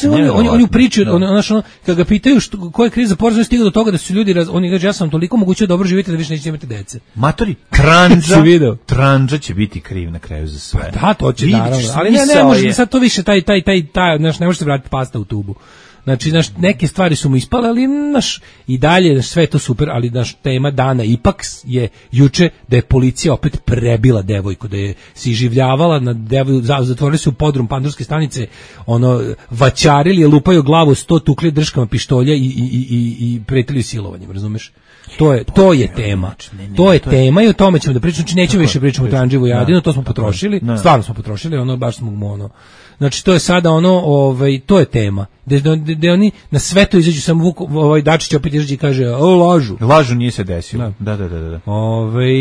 S8: Oni oni oni pričaju, on znači ono kad ga pitaju što koja je kriza poreza stigla do toga da su ljudi raz, oni kaže ja sam toliko moguće dobro živite da više nećete imati dece.
S7: Matori, Trandža, Trandža će biti kriv na kraju za sve.
S8: Pa da, to će naravno, ali ne ne može sad to više taj taj taj taj znači ne može se vratiti pasta u tubu. Znači, naš, neke stvari su mu ispale, ali naš, i dalje naš, sve je to super, ali naš tema dana ipak je juče da je policija opet prebila devojku, da je se iživljavala na devojku, zatvorili su u podrum Pandurske stanice, ono, vaćarili je, lupaju glavu sto tukli drškama pištolja i, i, i, i pretili silovanjem, razumeš? To je to je tema. To je tema i o tome ćemo da pričamo, znači nećemo više pričamo o Trandživu i Adinu, to smo potrošili, stvarno smo potrošili, ono baš smo mu ono. Znači to je sada ono, ovaj to je tema. Da da oni na sve to izađu samo Vuk, ovaj Dačić opet izađe i kaže: "O, lažu."
S7: Lažu nije se desilo. Da, da, da, da.
S8: Ovaj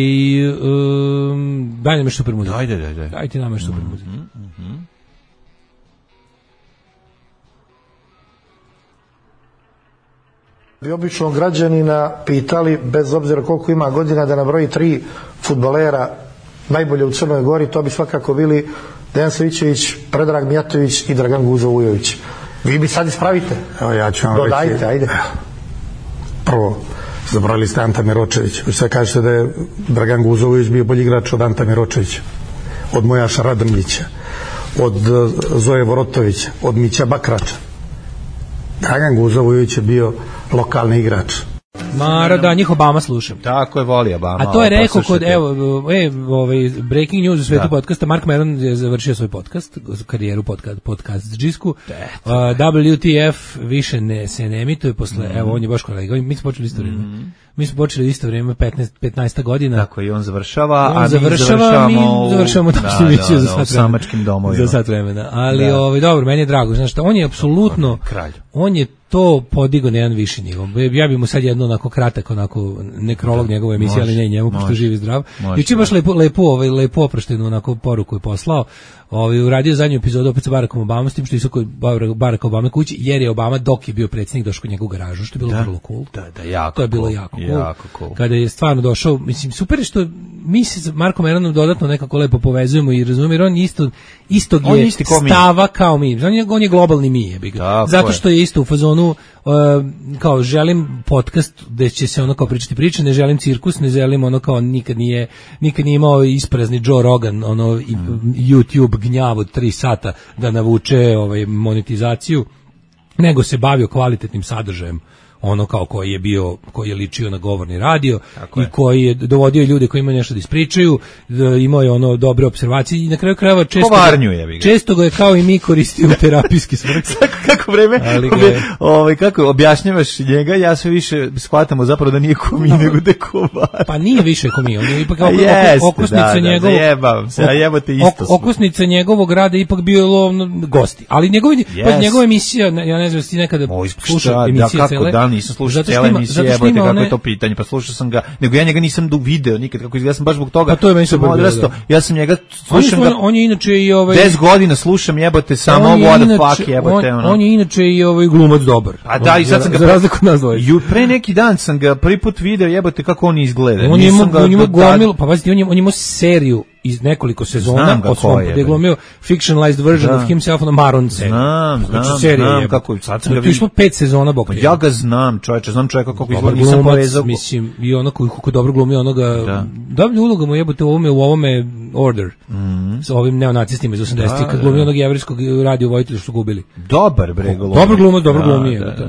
S8: um, daj nam super muziku.
S7: Ajde, daj, daj.
S8: Dajte nam super muziku.
S7: Mhm.
S12: Bi obično građanina pitali, bez obzira koliko ima godina, da nabroji tri fudbalera najbolje u Crnoj Gori, to bi svakako bili Dejan Savićević, Predrag Mijatović i Dragan Guzo Vujović. Vi bi sad ispravite.
S13: Evo ja ću vam
S12: Dodajte,
S13: reći.
S12: ajde.
S13: Prvo, zabrali ste Anta Miročević. Vi sad kažete da je Dragan Guzo Vujović bio bolji igrač od Anta Miročevića, od Mojaša Radrmljića, od Zoje Vorotovića, od Mića Bakrača. Dragan Guzo Vujović je bio lokalni igrač.
S8: Mara, da, njih Obama slušam.
S7: Tako je, voli Obama.
S8: A to je rekao kod, evo, e, ovaj, breaking news u svetu podcasta, Mark Maron je završio svoj podcast, karijeru podcast, podcast džisku. Uh, W T F više ne, se ne emituje posle, mm. evo, on je baš kolega, mi smo počeli isto vrijeme. Mm. Mi smo počeli isto vrijeme, petnaest, petnaest godina.
S7: Tako i on završava,
S8: on
S7: a
S8: završava,
S7: mi završavamo,
S8: mi završavamo
S7: da,
S8: da, emisiju
S7: da,
S8: za
S7: da,
S8: sat vremena.
S7: samačkim domovima.
S8: Za sat vremena. Ali, da. ovaj, dobro, meni je drago, znaš šta, on je apsolutno,
S7: kralj.
S8: On je to podigao na jedan viši nivo. Ja bih mu sad jedno onako onako kratak, onako nekrolog njegove emisije, ali ne njemu, pošto živi zdrav. Juče baš lepo, lepo, ovaj, lepo oproštenu onako poruku je poslao. Ovaj uradio zadnju epizodu opet sa Barackom Obama, s tim što je kod Baracka Obama kući, jer je Obama dok je bio predsjednik došao kod njegovog garažu, što je bilo
S7: da,
S8: vrlo cool.
S7: Da, da, jako.
S8: To je bilo
S7: cool,
S8: jako cool.
S7: Jako cool.
S8: Kada je stvarno došao, mislim super je što mi se s Markom Eranom dodatno nekako lepo povezujemo i razumemo, jer on isto istog
S7: on
S8: je
S7: isti kao
S8: stava mi. Kao mi. On je, on je globalni mi, je ga. Zato što je isto u fazonu uh, kao želim podcast gde će se ono kao pričati priče, ne želim cirkus, ne želim ono kao nikad nije nikad nije imao isprazni Joe Rogan, ono mm. YouTube gnjav od tri sata da navuče ovaj monetizaciju, nego se bavio kvalitetnim sadržajem, ono kao koji je bio, koji je ličio na govorni radio tako i je. Koji je dovodio ljude koji imaju nešto da ispričaju, da imao je ono dobre observacije i na kraju krajeva često
S7: Kovarnju je, ga.
S8: često ga je kao i mi koristio u terapijski svrhe.
S7: Kako vreme, je... ovaj, kako objašnjavaš njega, ja sve više shvatamo zapravo da nije ko mi, no, nego da je kovar.
S8: Pa nije više ko mi, on je ipak ok,
S7: jeste,
S8: okosnica
S7: da,
S8: njegovog,
S7: da, se, ja jebote isto
S8: ok, okosnica njegovog rada ipak bio lovno gosti, ali njegovi, yes. pa njegova emisija, ja ne znam da ti nekada slušao emisije
S7: da,
S8: cele.
S7: Da, nisam slušao cele emisije, jebote kako one... je to pitanje, pa slušao sam ga, nego ja njega nisam video nikad, kako izgleda, sam baš zbog toga.
S8: Pa to je meni super
S7: odrastao. Ja sam njega slušam
S8: on,
S7: ga.
S8: On je inače i ovaj
S7: deset godina slušam, jebote, samo what the fuck, jebote,
S8: on,
S7: ono.
S8: On je inače i ovaj glumac dobar.
S7: A da, i sad sam ga
S8: za razliku od nas dvoje.
S7: Ju pre neki dan sam ga prvi put video, jebote, kako on izgleda.
S8: On ima on ima gomil, pa pazite, on ima on ima seriju iz nekoliko sezona od svog gde glumio fictionalized version
S7: da.
S8: of himself on Maron seriji.
S7: Znam, znam, znam kako sad sam ga
S8: vidio. To je pet sezona bok.
S7: Pa ja ga znam, čoveče, znam čovjeka kako izgleda, nisam povezao.
S8: Mislim, i ono koji kako dobro glumi onoga. Da. Dobra uloga mu jebote u ovome u ovome Order.
S7: Mhm.
S8: Sa ovim neonacistima iz osamdesetih kad glumi onog jevrejskog radio vojitelja što su gubili.
S7: Dobar bre glumi.
S8: Dobro glumi, dobro glumi jebote.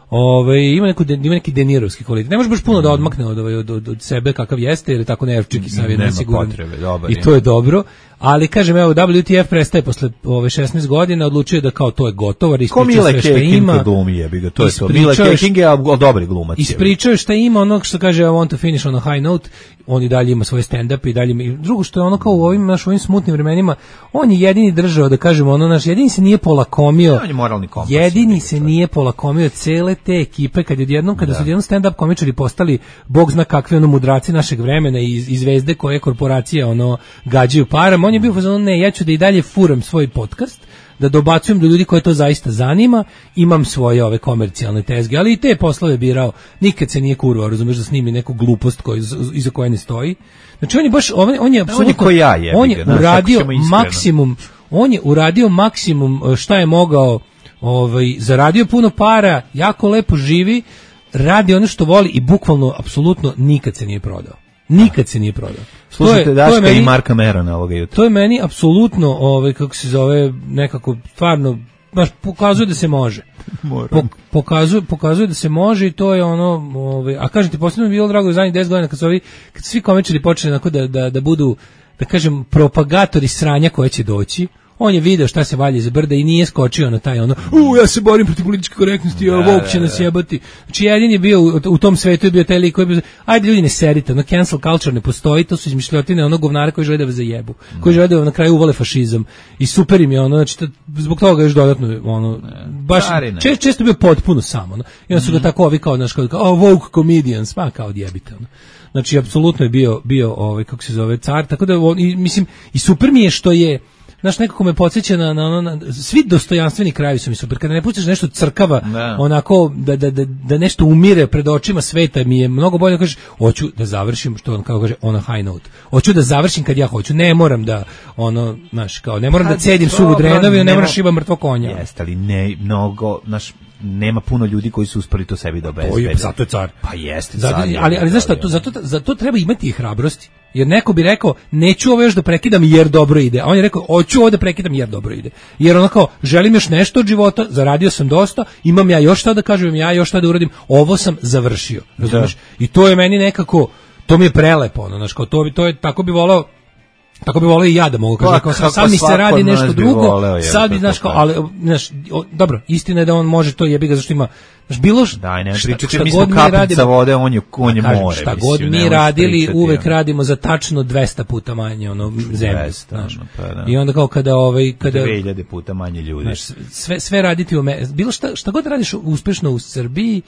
S8: Ove, ima neku ima neki denirovski kvalitet. Ne može baš puno da odmakne od, od, od, od sebe kakav jeste, jer je tako nervčik i savjet nesiguran. I to je dobro. Ali kažem, evo, W T F prestaje posle ove šesnaest godina, odlučio da kao to je gotovo, ispričao sve što ima.
S7: Glumi je, biga, to je to. Mila Keking je dobri glumac.
S8: Ispričao šta ima, onog što kaže I want to finish on a high note, on i dalje ima svoje stand-up i dalje ima. Drugo što je ono kao u ovim, naš, ovim smutnim vremenima, on je jedini držao, da kažemo, ono naš, jedini se nije polakomio.
S7: On je moralni kompas.
S8: Jedini se nije polakomio cele te ekipe, kad je odjednom, kada su odjednom stand-up komičari postali, bog zna kakve ono mudraci našeg vremena i, i zvezde koje korporacije ono gađaju param. On je bio fazon, ne, ja ću da i dalje furam svoj podcast, da dobacujem do ljudi koje to zaista zanima, imam svoje ove komercijalne tezge, ali i te poslove birao, nikad se nije kurvao, razumeš, da snimi neku glupost koju, iza koje ne stoji. Znači on je baš, on, on je apsolutno,
S7: ja je,
S8: on je uradio maksimum, on je uradio maksimum šta je mogao, ovaj, zaradio puno para, jako lepo živi, radi ono što voli i bukvalno, apsolutno, nikad se nije prodao. Nikad se nije prodao.
S7: Slušajte Daška meni, i Marka Merona ovoga jutra.
S8: To je meni apsolutno, ovaj, kako se zove, nekako stvarno, baš pokazuje da se može. Po, pokazuje, pokazuje da se može i to je ono, ovaj, a kažem ti, posebno mi je bilo drago u zadnjih deset godina kad su ovi, kad svi komičari počeli onako da, da, da budu, da kažem, propagatori sranja koje će doći. On je video šta se valje za brda i nije skočio na taj ono, u, ja se borim protiv političke korektnosti, a Vuk će nas jebati. Znači, jedin je bio, u, u tom svetu je bio taj lik koji je bio, ajde ljudi ne serite, ono cancel culture ne postoji, to su izmišljotine onog govnara koji žele da vas zajebu, koji žele da vam na kraju uvale fašizam. I super im je ono, znači, to, zbog toga još dodatno, ono, baš, čest, često bio potpuno samo, ono. I onda su ga tako ovi kao, znaš, kao, kao, oh, woke comedians, pa kao odjebite, ono. Znači, apsolutno je bio, bio, ovaj, kako se zove, car, tako da, on, i, mislim, i super mi je što je, znaš, nekako me podsjeća na, na, na, na svi dostojanstveni krajevi su mi super. Kada ne pustiš nešto crkava, ne. onako, da, da, da, da nešto umire pred očima sveta, mi je mnogo bolje da kažeš, hoću da završim, što on kao kaže, on a high note. Hoću da završim kad ja hoću, ne moram da, ono, znaš, kao, ne moram kad da cedim suvu drenoviju, ne moram šiba mrtvo konja.
S7: Jeste, ali ne, mnogo, znaš, nema puno ljudi koji su uspeli to sebi da obezbede.
S8: Zato je car.
S7: Pa jeste,
S8: zato,
S7: car.
S8: Ali, ali znaš šta, to, zato, zato treba imati i hrabrosti. Jer neko bi rekao, neću ovo još da prekidam jer dobro ide. A on je rekao, hoću ovo da prekidam jer dobro ide. Jer onako, želim još nešto od života, zaradio sam dosta, imam ja još šta da kažem, ja još šta da uradim, ovo sam završio. Razumeš? I to je meni nekako, to mi je prelepo, ono, znaš, kao to, bi, to je, tako bi volao, tako bi voleo i ja da mogu kažem, kao, sad, sad mi se radi nešto drugo, voleo, sad bi, znaš, kao, ali, znaš, o, dobro, istina je da on može to, jebi ga, zašto ima, znaš, bilo što,
S7: daj, ne, šta, šta mi god mi radimo, vode, on je, on je
S8: kažem,
S7: more,
S8: šta
S7: mislim,
S8: god mi radili, uvek ja. radimo za tačno dvesta puta manje, ono, zemlje, znaš,
S7: pa, da.
S8: I onda kao kada, ovaj, kada,
S7: dve hiljade puta manje ljudi,
S8: znaš, sve, sve raditi u me, bilo šta, šta god radiš uspešno u Srbiji,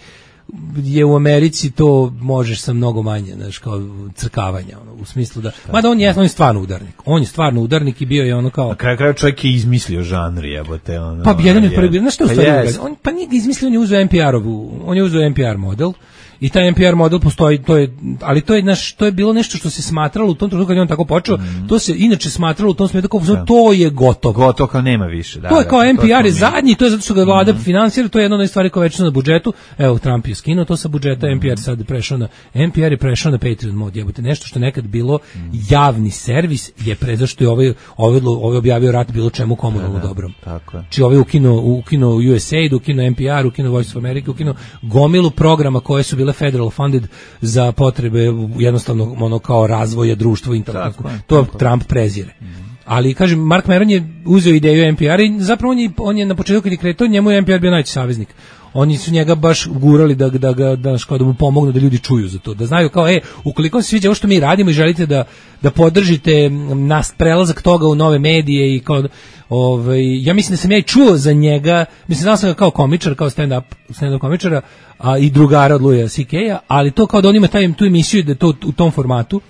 S8: je u Americi to možeš sa mnogo manje, znaš, kao crkavanja, ono, u smislu da, mada on je, on je stvarno udarnik, on je stvarno udarnik i bio je ono kao...
S7: Na kraju kraju čovjek je izmislio žanr, jebote, ono...
S8: Pa jedan je prvi, znaš što u stvari
S7: pa,
S8: yes. on, pa nije izmislio, on je uzeo N P R-ovu, on je uzeo N P R model, i taj N P R model postoji, to je, ali to je, naš, to je bilo nešto što se smatralo u tom trenutku kad je on tako počeo, mm. to se inače smatralo u tom smislu kao, da. to je gotovo.
S7: Gotovo kao nema više. Da,
S8: to je kao
S7: da,
S8: N P R je
S7: to
S8: zadnji, to je zato što ga vlada mm. finansira, to je jedna od stvari koja je već na budžetu. Evo, Trump je skinuo to sa budžeta, mm. N P R sad prešao na, N P R je prešao na Patreon mod, jebote, nešto što nekad bilo mm. javni servis je pre, zašto je ovaj, ovaj, ovaj objavio rat bilo čemu komunalno dobrom.
S7: Tako je.
S8: Či ovaj ukinuo, ukinuo U S A I D, ukinuo N P R, ukinuo Voice of America, ukinuo gomilu programa koje su bile federal funded za potrebe jednostavno ono kao razvoja društva internetu. To tako. Trump prezire. Mm. Ali kažem, Mark Maron je uzeo ideju N P R i zapravo on je, on je na početku kad je kretao, njemu je N P R bio najveći saveznik. Oni su njega baš gurali da da ga da, da, da mu pomognu da ljudi čuju za to, da znaju kao e, ukoliko se sviđa ovo što mi radimo i želite da da podržite nas prelazak toga u nove medije i kao ovaj ja mislim da sam ja i čuo za njega, mislim da sam ga kao komičar, kao stand up stand up komičara, a i drugara od Louisa C K-a, ali to kao da on ima taj tu emisiju da to u tom formatu.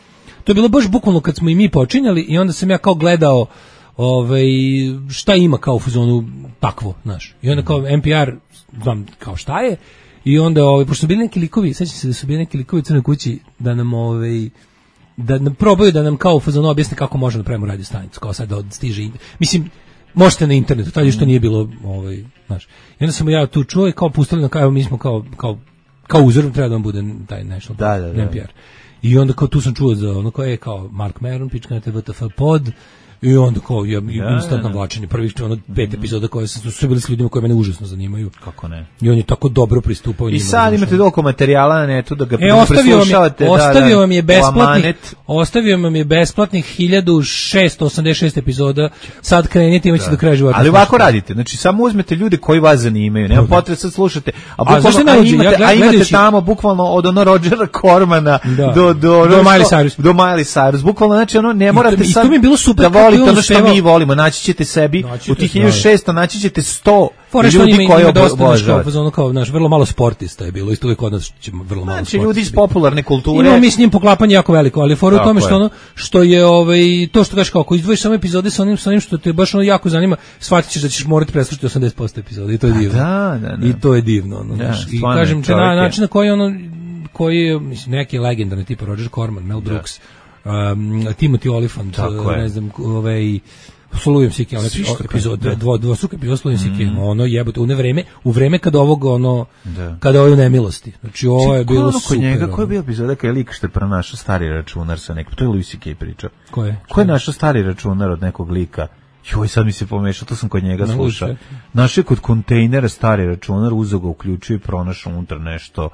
S8: To je bilo baš bukvalno kad smo i mi počinjali i onda sam ja kao gledao ovaj šta ima kao u fazonu takvo, znaš. I onda kao N P R znam kao šta je i onda ovaj pošto su bili neki likovi, sećam se da su bili neki likovi u Crnoj kući da nam ovaj da nam probaju da nam kao u fazonu objasne kako možemo da pravimo radio stanicu, kao sad da stiže. Mislim možete na internetu, tad što nije bilo ovaj, znaš. I onda sam ja tu čuo i kao pustili na kao mi smo kao kao kao uzor treba da vam bude taj nešto
S7: da, da, da.
S8: N P R. I onda kao tu sam čuo za ono kao je kao Mark Maron, pička na W T F pod i onda kao ja, ja instantno vlačenje prvih ono pet epizoda koje su su bili s ljudima koji mene užasno zanimaju.
S7: Kako ne?
S8: I on je tako dobro pristupao njima.
S7: I sad imate doliko materijala na netu da ga
S8: e, ostavio vam je, ostavio
S7: da,
S8: vam je besplatnih ostavio vam je besplatnih hiljadu šesto osamdeset šest epizoda. Sad krenite imaće do kraja života.
S7: Ali ovako radite, znači samo uzmete ljude koji vas zanimaju, nema potrebe sad slušate, a bukvalno
S8: a,
S7: a imate, ja, a imate tamo bukvalno od ono Rodgera Cormana
S8: da.
S7: do do
S8: do Miley Cyrus.
S7: Do Miley Cyrus. Bukvalno znači ono ne morate
S8: sad.
S7: I
S8: to mi je bilo super
S7: da volite ono što mi volimo, naći ćete sebi naći u tih hiljadu šesto naći ćete sto ljudi koji obožavaju.
S8: Ono kao naš vrlo malo sportista je bilo, isto uvijek kod nas ćemo vrlo malo
S7: znači, ljudi iz popularne kulture.
S8: Imamo mi s njim poklapanje jako veliko, ali fora u tome što ono što je ovaj to što kažeš kao ako izdvojiš samo epizode sa onim sa onim što te baš ono jako zanima, shvatićeš da ćeš morati preslušati osamdeset posto epizoda i to je divno.
S7: Da, da, da.
S8: I to je divno, ono,
S7: ja,
S8: i kažem ti na način na koji ono koji mislim neki legendarni tipa Roger Corman, Mel Brooks, um, Timothy Olyphant, ne znam, ovaj Slujem C K, onaj epizod, dvo, dvostruka epizod Slujem C K, ono jebote, u ne vreme, u vreme kada ovog, ono, da. Kada ovo je nemilosti. Znači, ovo je bilo
S7: ono
S8: super.
S7: Njega, ko je bio epizoda kada je lik što je pronašao stari računar sa nekim, to je Louis C K pričao.
S8: Ko je?
S7: Ko je našao stari računar od nekog lika? Joj, sad mi se pomešao, to sam kod njega slušao. Našao je kod kontejnera stari računar, uzeo ga, uključio i pronašao unutra nešto,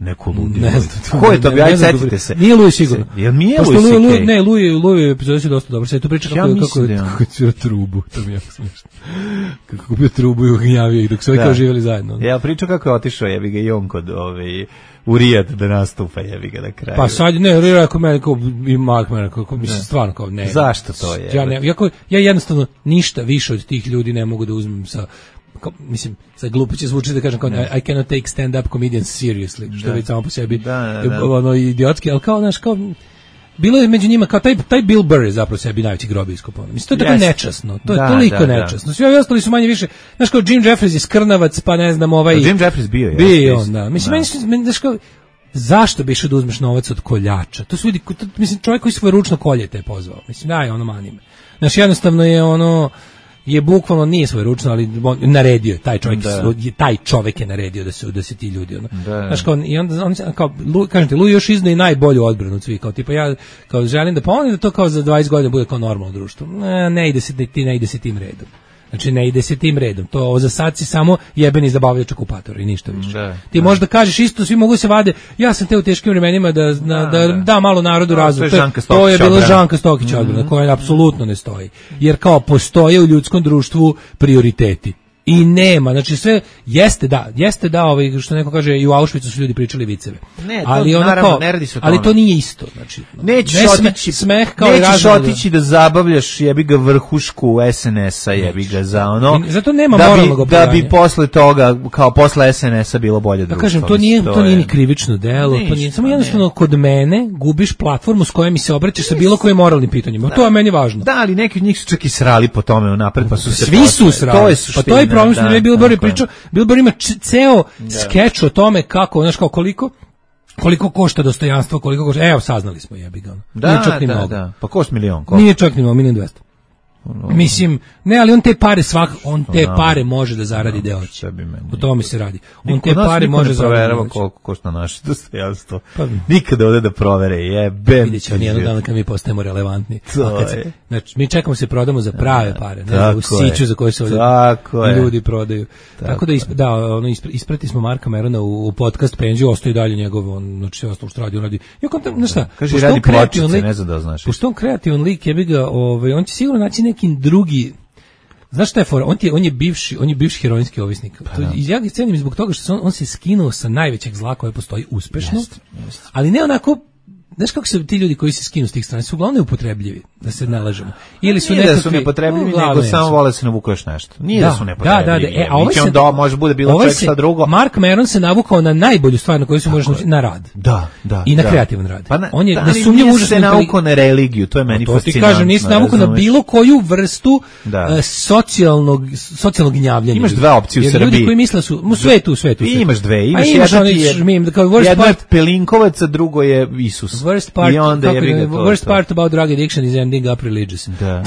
S7: neku ludinu.
S8: Ne znam.
S7: Ko je to bio? Ajde, setite se.
S8: Nije Louis sigurno.
S7: Jel mi je Louis C K?
S8: Ne, Louis, Louis epizod je dosta dobro. Sve tu priča kako,
S7: ja
S8: kako, je, kako je ciro trubu. To mi je jako smiješno. Kako kupio trubu i ugnjavio ih dok su ovi kao živjeli zajedno.
S7: Ja pričao kako je otišao, jebi ga i on kod ove, u Rijad da nastupa, jebi ga na kraju.
S8: Pa sad, ne, Rijad ako mene, kao i Mark mene, kao, mislim, stvarno kao ne.
S7: Zašto to je?
S8: Ja, ne, jako, ja jednostavno ništa više od tih ljudi ne mogu da uzmem sa Kao, mislim, sad glupo će zvuči da kažem kao I, I cannot take stand-up comedians seriously, što već samo po sebi
S7: da, da, da.
S8: ono idiotski, ali kao, znaš, kao bilo je među njima, kao taj, taj Bill Burr je zapravo sebi najveći grob iskopao. Mislim, to je tako nečasno, to je
S7: da,
S8: toliko
S7: da,
S8: nečasno. Svi ovi ostali su manje više, znaš, kao Jim Jeffries je skrnavac, pa ne znam, ovaj...
S7: Jim Jeffries bio je.
S8: Bio on, da. Mislim, da. meni, znaš, kao, zašto bi išao da uzmeš novac od koljača? To su ljudi, to, mislim, čovjek koji svoje ručno kolje te je pozvao. Mislim, daj, ono manime. Znaš, jednostavno je ono... je bukvalno nije svoj ručno, ali naredio je taj čovjek, da. taj čovjek je naredio da se da se ti ljudi ono.
S7: Da.
S8: Znaš kao i onda on kao kažete Lu još izdaje najbolju odbranu od svih, kao tipa ja kao želim da pomogne da to kao za dvadeset godina bude kao normalno društvo. Ne, ne ide se ti ne ide se tim redom. Znači ne ide se tim redom. To ovo za sad si samo jebeni zabavljač okupator i ništa više.
S7: Da,
S8: ti
S7: da.
S8: možda kažeš isto, svi mogu se vade. Ja sam te u teškim vremenima da da, da, da, da malo narodu razum. To, to je bila Žanka Stokić odbrana, mm-hmm. koja apsolutno ne stoji. Jer kao postoje u ljudskom društvu prioriteti. I nema, znači sve jeste da, jeste da, ovaj što neko kaže i u Auschwitzu su ljudi pričali viceve.
S7: Ne, to,
S8: ali
S7: naravno,
S8: kao,
S7: ne radi se o tome.
S8: ali to nije isto, znači.
S7: Nećeš
S8: ne
S7: otići,
S8: smeh kao
S7: nećeš
S8: i
S7: otići da zabavljaš jebi ga vrhušku es en es-a, jebi ga za ono.
S8: I zato nema
S7: da
S8: moralnog
S7: bi, da bi posle toga, kao posle es en es-a bilo bolje društvo.
S8: Da kažem, to nije, to, to nije ni krivično delo,
S7: ništa,
S8: to nije, samo
S7: ne.
S8: jednostavno kod mene gubiš platformu s kojom mi se obraćaš sa bilo kojim moralnim pitanjima.
S7: Da.
S8: To je meni važno.
S7: Da, ali neki od njih su čak i srali po tome unapred, pa su se
S8: Svi
S7: posle.
S8: su srali.
S7: To je
S8: pa to je problem što
S7: da,
S8: je Billboard
S7: tako je.
S8: pričao. Billboard ima č- ceo skeč o tome kako, znaš, kao koliko koliko košta dostojanstvo, koliko košta. Evo, saznali smo, jebi ga.
S7: Da,
S8: Nije čak ni
S7: da,
S8: mnogo.
S7: da. Pa košta milion, košta.
S8: Nije čak ni mnogo, milion dvesta. Mislim, ne, ali on te pare svak, on te pare može da zaradi deo. O tome se radi. On te pare može
S7: zaraditi. Proverava
S8: da
S7: koliko košta naše dostojanstvo. Pa, nikada ovde da provere, jebem.
S8: Vidjet će on jednog dana kad mi postajemo relevantni.
S7: To
S8: kad se,
S7: je.
S8: Znači, mi čekamo se prodamo za prave pare, ne
S7: Tako
S8: u siću
S7: je.
S8: za koje se ovdje
S7: Tako je.
S8: ljudi prodaju. Tako,
S7: Tako
S8: da, isp, da ono, ispre, isprati smo Marka Merona u, u podcast Penziju, ostaje dalje njegov, on, znači sve ostalo što radi, on radi. I on, znaš šta,
S7: Kaže,
S8: pošto
S7: radi
S8: on kreativan
S7: pločice,
S8: lik-
S7: ne znam da znaš.
S8: Pošto on kreativan lik, je bi ga, ovaj, on će sigurno naći neki drugi. Znaš šta je fora? On, ti je, on je bivši, on je bivši heroinski ovisnik. To, ja ga cenim zbog toga što se on, on se skinuo sa najvećeg zla koje postoji uspešno,
S7: Jest, jest.
S8: ali ne onako. Znaš kako su ti ljudi koji se skinu s tih strana, su uglavnom upotrebljivi, da se ne lažemo. Ili su
S7: Nije
S8: nekakvi,
S7: da su nepotrebljivi,
S8: uglavnom
S7: nego samo
S8: jesu.
S7: vole se navuku još nešto. Nije da,
S8: Da,
S7: su
S8: da,
S7: nepotrebljivi.
S8: da, da. E, a ovaj
S7: Biće
S8: se-
S7: on do, može bude bilo
S8: ovaj
S7: čak
S8: se-
S7: šta drugo.
S8: Mark Maron se navukao na najbolju stvar na koju se možeš naučiti, na rad.
S7: Da, da.
S8: I na
S7: da.
S8: kreativan rad.
S7: Pa na,
S8: On je
S7: da,
S8: nesumnjivo
S7: ali
S8: užasno
S7: nije se
S8: intelig-
S7: naukao na religiju, to je meni
S8: To ti
S7: fascinantno.
S8: kažem, nisi navukao na
S7: razumeš?
S8: bilo koju vrstu
S7: Da.
S8: e, socijalnog, socijalnog gnjavljenja.
S7: Imaš dve opcije u
S8: Jer
S7: Srbiji.
S8: Ljudi koji misle su, u svetu, u svetu. u
S7: I
S8: svetu.
S7: imaš dve,
S8: A
S7: imaš
S8: imaš
S7: jedna
S8: onaj
S7: ti je-
S8: žmim, kao worst
S7: jedno je
S8: part,
S7: Pelinkovac, a drugo je Isus.
S8: worst part,
S7: I onda
S8: kako
S7: je
S8: je,
S7: to.
S8: worst
S7: to.
S8: part about drug addiction is ending up religious.
S7: Da.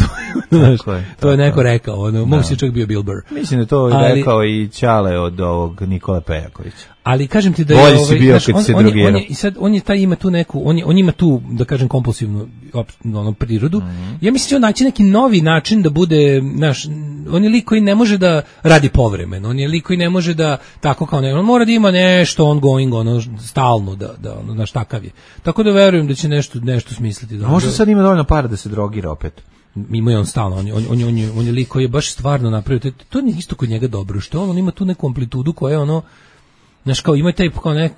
S8: Znaš,
S7: Tako je,
S8: to je
S7: tako
S8: neko
S7: je.
S8: rekao, ono, mogu si čak bio Bill Burr.
S7: Mislim da to je
S8: Ali-
S7: rekao i Ćale od ovog Nikola Pejakovića.
S8: Ali kažem ti da
S7: Bolji
S8: je
S7: si
S8: ovaj,
S7: bio
S8: znaš,
S7: kad
S8: on,
S7: si
S8: on, je,
S7: drogirao.
S8: on je, i sad on je taj ima tu neku, on je, on ima tu da kažem kompulsivnu op, ono prirodu.
S7: Mhm.
S8: Ja mislim da će on naći neki novi način da bude, znaš, on je lik koji ne može da radi povremeno, on je lik koji ne može da tako kao ne, on mora da ima nešto ongoing, ono stalno da da ono naš takav je. Tako da verujem da će nešto nešto smisliti da.
S7: Možda sad ima dovoljno para da se drogira opet.
S8: Ima je on stalno, on je, on, on, je, on, je, on je lik koji je baš stvarno napravio, to, to je isto kod njega dobro, što on, on ima tu neku amplitudu koja je ono, znaš, kao ima taj kao nek,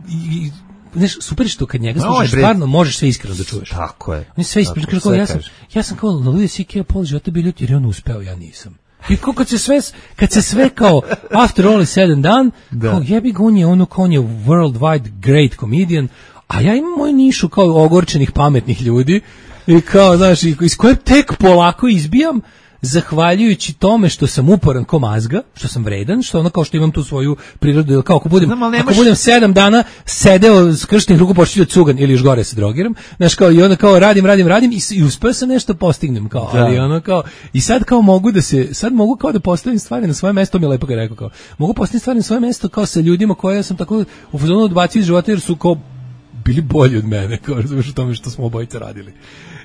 S8: i, i, znaš, super je što kad njega
S7: No,
S8: slušaš,
S7: bre.
S8: stvarno možeš sve iskreno da čuješ.
S7: Tako je.
S8: On je sve iskreno,
S7: Tako,
S8: kao,
S7: sve
S8: ja sam,
S7: kaže.
S8: ja sam kao Louis C K pola života bio ljut jer je on uspeo, ja nisam. I kao kad se sve, kad se sve kao, after all is said and done,
S7: Da.
S8: kao jebi ga, on je ono, kao on je worldwide great comedian, a ja imam moju nišu kao ogorčenih pametnih ljudi, i kao, znaš, i- iz koje tek polako izbijam, zahvaljujući tome što sam uporan ko mazga, što sam vredan, što ono kao što imam tu svoju prirodu, jer kao ako budem,
S7: Znam, ali
S8: ako
S7: nemaš-
S8: budem sedam dana sedeo s krštenih ruku počinio cugan ili još gore se drogiram, znaš kao i onda kao radim, radim, radim i, s- i uspeo sam nešto postignem kao,
S7: Da.
S8: ali ono kao, i sad kao mogu da se, sad mogu kao da postavim stvari na svoje mesto, mi je lepo ga rekao kao, mogu postaviti stvari na svoje mesto kao sa ljudima koje sam tako u fazonu odbacio iz života jer su kao bili bolji od mene, kao razumiješ u tome što smo obojica radili.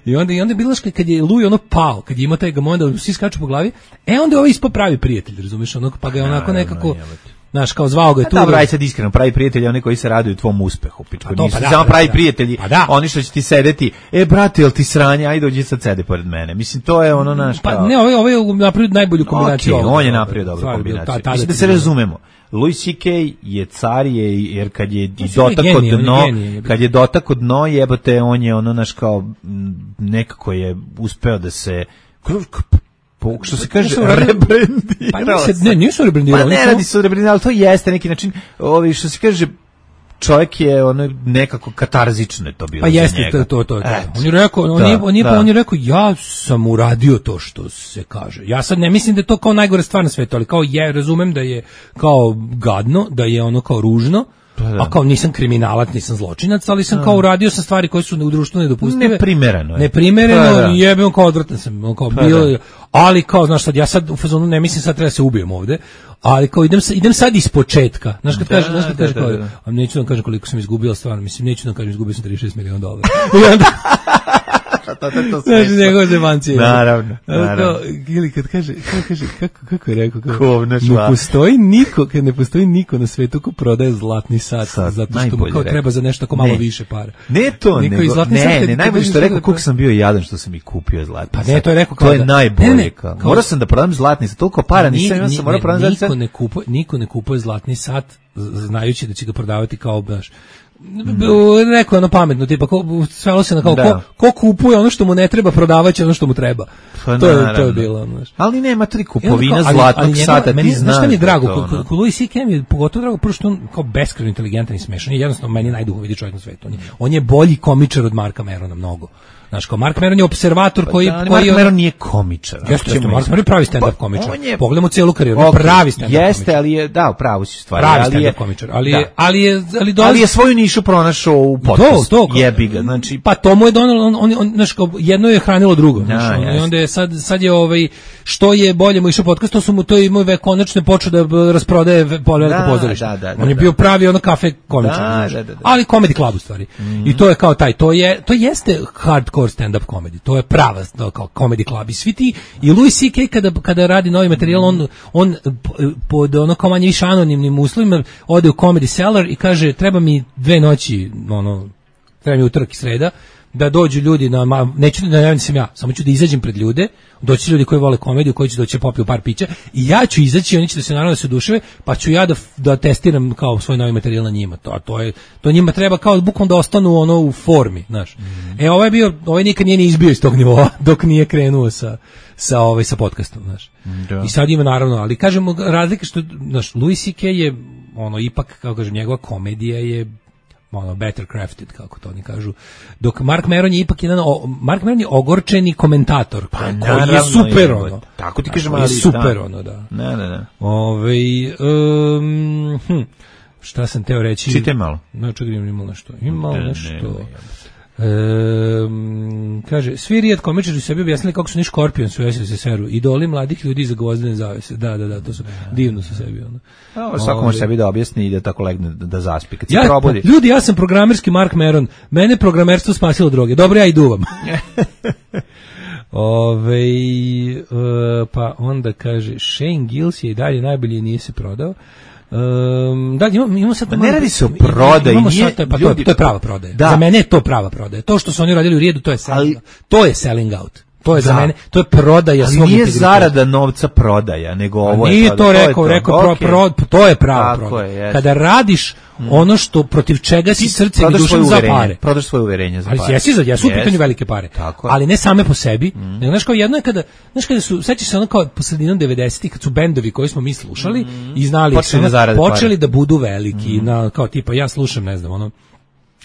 S8: I onda, i onda je bilo što kad je Louis ono pao, kad je imao taj gamon da svi skaču po glavi, e onda je ovo ispao pravi prijatelj, razumiješ, ono, pa ga je onako nekako, znaš, kao zvao ga je
S7: A
S8: tu.
S7: dobro, aj sad iskreno, pravi prijatelji oni koji se raduju tvom uspehu, pičko.
S8: A to,
S7: Nisu
S8: pa da,
S7: samo
S8: pa
S7: pravi
S8: da.
S7: prijatelji,
S8: Pa da.
S7: oni što će ti sedeti, e, brate, jel ti sranje, ajde dođi sad sede pored mene. Mislim, to je ono naš
S8: Pa
S7: kao-
S8: ne, ovo je, ovo je napravio najbolju kombinaciju.
S7: Okej,
S8: ovoga.
S7: on je napravio dobru
S8: Stvarno,
S7: kombinaciju.
S8: ta- tada
S7: Mislim da
S8: ti
S7: se
S8: bilo-
S7: razumemo. Louis C K je car je, jer kad je i
S8: Mislim,
S7: dotako
S8: on je genije, on je
S7: dno,
S8: genije, je.
S7: kad je dotako dno, jebote, on je ono naš kao, m, nekako je uspeo da se, kru- k- po, što se kaže,
S8: Nisu uradio-
S7: rebrendirao.
S8: Pa nije se-
S7: se.
S8: ne, nisu rebrendirali,
S7: Pa ne
S8: nisu-
S7: radi se o rebrendiranju, ali to jeste neki način, ovi, što se kaže, čovjek je ono nekako katarzično je to bilo
S8: Pa
S7: za
S8: jeste,
S7: njega.
S8: to, to, to, to.
S7: Eto.
S8: On je rekao, on,
S7: Da,
S8: je, on, je,
S7: da.
S8: on je rekao, ja sam uradio to što se kaže. Ja sad ne mislim da je to kao najgore stvar na svetu, ali kao je, razumem da je kao gadno, da je ono kao ružno,
S7: da.
S8: a kao nisam kriminalac, nisam zločinac, ali sam kao uradio sam stvari koje su u društvu nedopustive.
S7: Neprimereno je.
S8: Neprimereno,
S7: Pa da.
S8: i jebem kao odvratan sam, on kao
S7: Pa
S8: bilo,
S7: da.
S8: ali kao, znaš sad, ja sad u fazonu ne mislim sad treba da se ubijem ovde, ali kao idem, sa- idem sad iz početka. Znaš kad
S7: Da,
S8: kaže, znaš kad
S7: da,
S8: kaže
S7: da,
S8: kao,
S7: da.
S8: a neću da vam kažem koliko sam izgubio stvarno, mislim neću da vam kažem izgubio sam trideset šest miliona dolara. I onda
S7: to, to, to
S8: znači, njegove zemancije.
S7: Naravno, naravno.
S8: Ili kad kaže, kako, kaže, kako, kako je rekao? Kako,
S7: Kovna šva.
S8: Ne postoji niko, kad ne postoji niko na svetu ko prodaje zlatni sat,
S7: Sad,
S8: zato što mu kao
S7: rekao.
S8: treba za nešto ko malo
S7: Ne.
S8: više para.
S7: Ne to,
S8: Niko
S7: nego,
S8: iz zlatni
S7: ne,
S8: sat,
S7: ne,
S8: kad-
S7: najbolje
S8: kad
S7: što je rekao
S8: dođeš
S7: koliko
S8: da-
S7: sam bio jadan što sam i kupio zlatni
S8: Pa
S7: sat.
S8: ne, to je rekao
S7: To
S8: kao
S7: je
S8: da-
S7: najbolje.
S8: Ne, ne,
S7: kao.
S8: kao-
S7: Morao sam da prodam zlatni sat, toliko para nisam imao,
S8: Ni-
S7: sam morao
S8: ne,
S7: prodam zlatni sat.
S8: niko ne kupuje, niko ne kupuje zlatni sat z- znajući da će ga prodavati kao baš rekao ono pametno, tipa ko, svelo se na kao
S7: Da.
S8: ko, ko kupuje ono što mu ne treba, prodavaće ono što mu treba.
S7: Pa
S8: to je to
S7: naravno.
S8: je bilo, znaš.
S7: Ali nema tri
S8: I onda
S7: kupovina
S8: kao, ali-
S7: zlatnog
S8: ali njegova-
S7: sata,
S8: meni,
S7: ti znaš.
S8: Znaš šta mi je
S7: da
S8: drago,
S7: to,
S8: ko,
S7: ono.
S8: ko Louis C K mi je pogotovo drago, prvo što on kao beskrajno inteligentan i smešan, je jednostavno meni najduhovitiji čovjek na svetu. On je, on je bolji komičar od Marka Merona, mnogo. Znaš, kao Mark Meron je observator koji...
S7: Da, ali
S8: koji
S7: Mark Meron nije komičar.
S8: Jeste, jeste, Mark Meron je pravi stand-up
S7: Pa,
S8: komičar.
S7: on je-
S8: Pogledamo cijelu karijeru, on je
S7: Ok,
S8: pravi stand-up komičar.
S7: Jeste, ali je, da, pravo si stvari.
S8: Pravi
S7: ali je,
S8: stand-up komičar, ali
S7: da.
S8: je, ali je, ali dolazi...
S7: Ali je svoju nišu pronašao u podcastu.
S8: To, to,
S7: jebi ga, znači...
S8: Pa to mu je donalo, on, on, on, znaš, kao, jedno je hranilo drugo.
S7: Da,
S8: Znaš, ono, I
S7: jeste.
S8: onda je sad, sad je ovaj, što je bolje mu išao podcast, to su mu to i moj vek konačno počeo da b- rasprodaje ve- po veliko
S7: Da,
S8: pozorište.
S7: da, da, da,
S8: On je
S7: da.
S8: bio pravi ono kafe komičar,
S7: Da,
S8: znaš.
S7: da, da, da.
S8: Ali comedy club u stvari. I to je kao taj, to je, to jeste hardcore stand-up comedy. To je prava to, kao comedy club. I svi ti, i Louis C K kada, kada radi novi materijal, on, on p- pod ono kao manje više anonimnim uslovima ode u Comedy Cellar i kaže, treba mi dve noći, ono, treba mi utorak i sreda, da dođu ljudi na, ma, neću da ne sam ja, samo ću da izađem pred ljude, doći ljudi koji vole komediju, koji će doći popiju par pića i ja ću izaći, oni će da se naravno da se oduševe, pa ću ja da, da testiram kao svoj novi materijal na njima. To, a to je, to njima treba kao bukvalno da ostanu ono u formi, znaš. E, ovaj je bio, ovaj nikad nije ni izbio iz tog nivoa dok nije krenuo sa sa ovaj sa podcastom, znaš.
S7: Da.
S8: I sad ima naravno, ali kažemo razlika što znaš, Louis C K je ono ipak kako kažem njegova komedija je ono better crafted kako to oni kažu. Dok Mark Meron je ipak jedan o, Mark Meron je ogorčeni komentator
S7: Pa,
S8: koji je
S7: naravno,
S8: super
S7: je,
S8: ono.
S7: tako ti kažem,
S8: Koji je
S7: ali
S8: super
S7: da.
S8: ono, da.
S7: Ne, ne, ne.
S8: Ovaj um, hm, šta sam teo reći?
S7: Čitaj malo.
S8: No, čekaj, imam nešto. Imam
S7: Ne,
S8: nešto.
S7: ne,
S8: Um, kaže, svi rijed komičari su sebi objasnili kako su ni Škorpions u S S S R-u, idoli mladih ljudi za gvozdene zavese. Da, da, da, to su divno su sebi ono.
S7: A, svako može sebi da objasni i da tako legne da, da zaspi. Kad se
S8: Ja,
S7: probudi.
S8: ljudi, ja sam programerski Mark Meron. Mene programerstvo spasilo droge. Dobro, ja i duvam. Ove, uh, pa onda kaže Shane Gillis je i dalje najbolji i nije se prodao. Um, da, imamo, imamo sad...
S7: Ma ne radi se o prodaji,
S8: imamo
S7: nije-
S8: sad, to je- pa to, je-
S7: ljudi-
S8: to je prava prodaja.
S7: Da.
S8: Za mene je to prava prodaja. To što su oni radili u Rijedu, to je selling, to je selling out. To je za
S7: Da.
S8: mene, to je prodaja
S7: Ali
S8: svog
S7: nije
S8: integriteta.
S7: zarada novca prodaja, nego ovo je
S8: Nije
S7: prodaja.
S8: to
S7: je
S8: rekao, rekao pro,
S7: okej.
S8: pro, to je prava
S7: Tako
S8: prodaja.
S7: je, jeste.
S8: Kada radiš ono što protiv čega si
S7: Ti
S8: srcem i
S7: prodaš
S8: dušom
S7: svoje
S8: za
S7: uverenje,
S8: pare.
S7: Prodaš svoje uverenje za
S8: Ali
S7: pare.
S8: jesi za, jesu u
S7: Jeste.
S8: pitanju velike pare.
S7: Tako je.
S8: Ali ne same po sebi. Nego, znaš kao jedno je kada, znaš kada su, sećaš se ono kao po sredinom devedesetih kad su bendovi koji smo mi slušali i znali
S7: Počeli
S8: su ono,
S7: da zarade
S8: počeli
S7: pare.
S8: da budu veliki, na, kao tipa ja slušam, ne znam, ono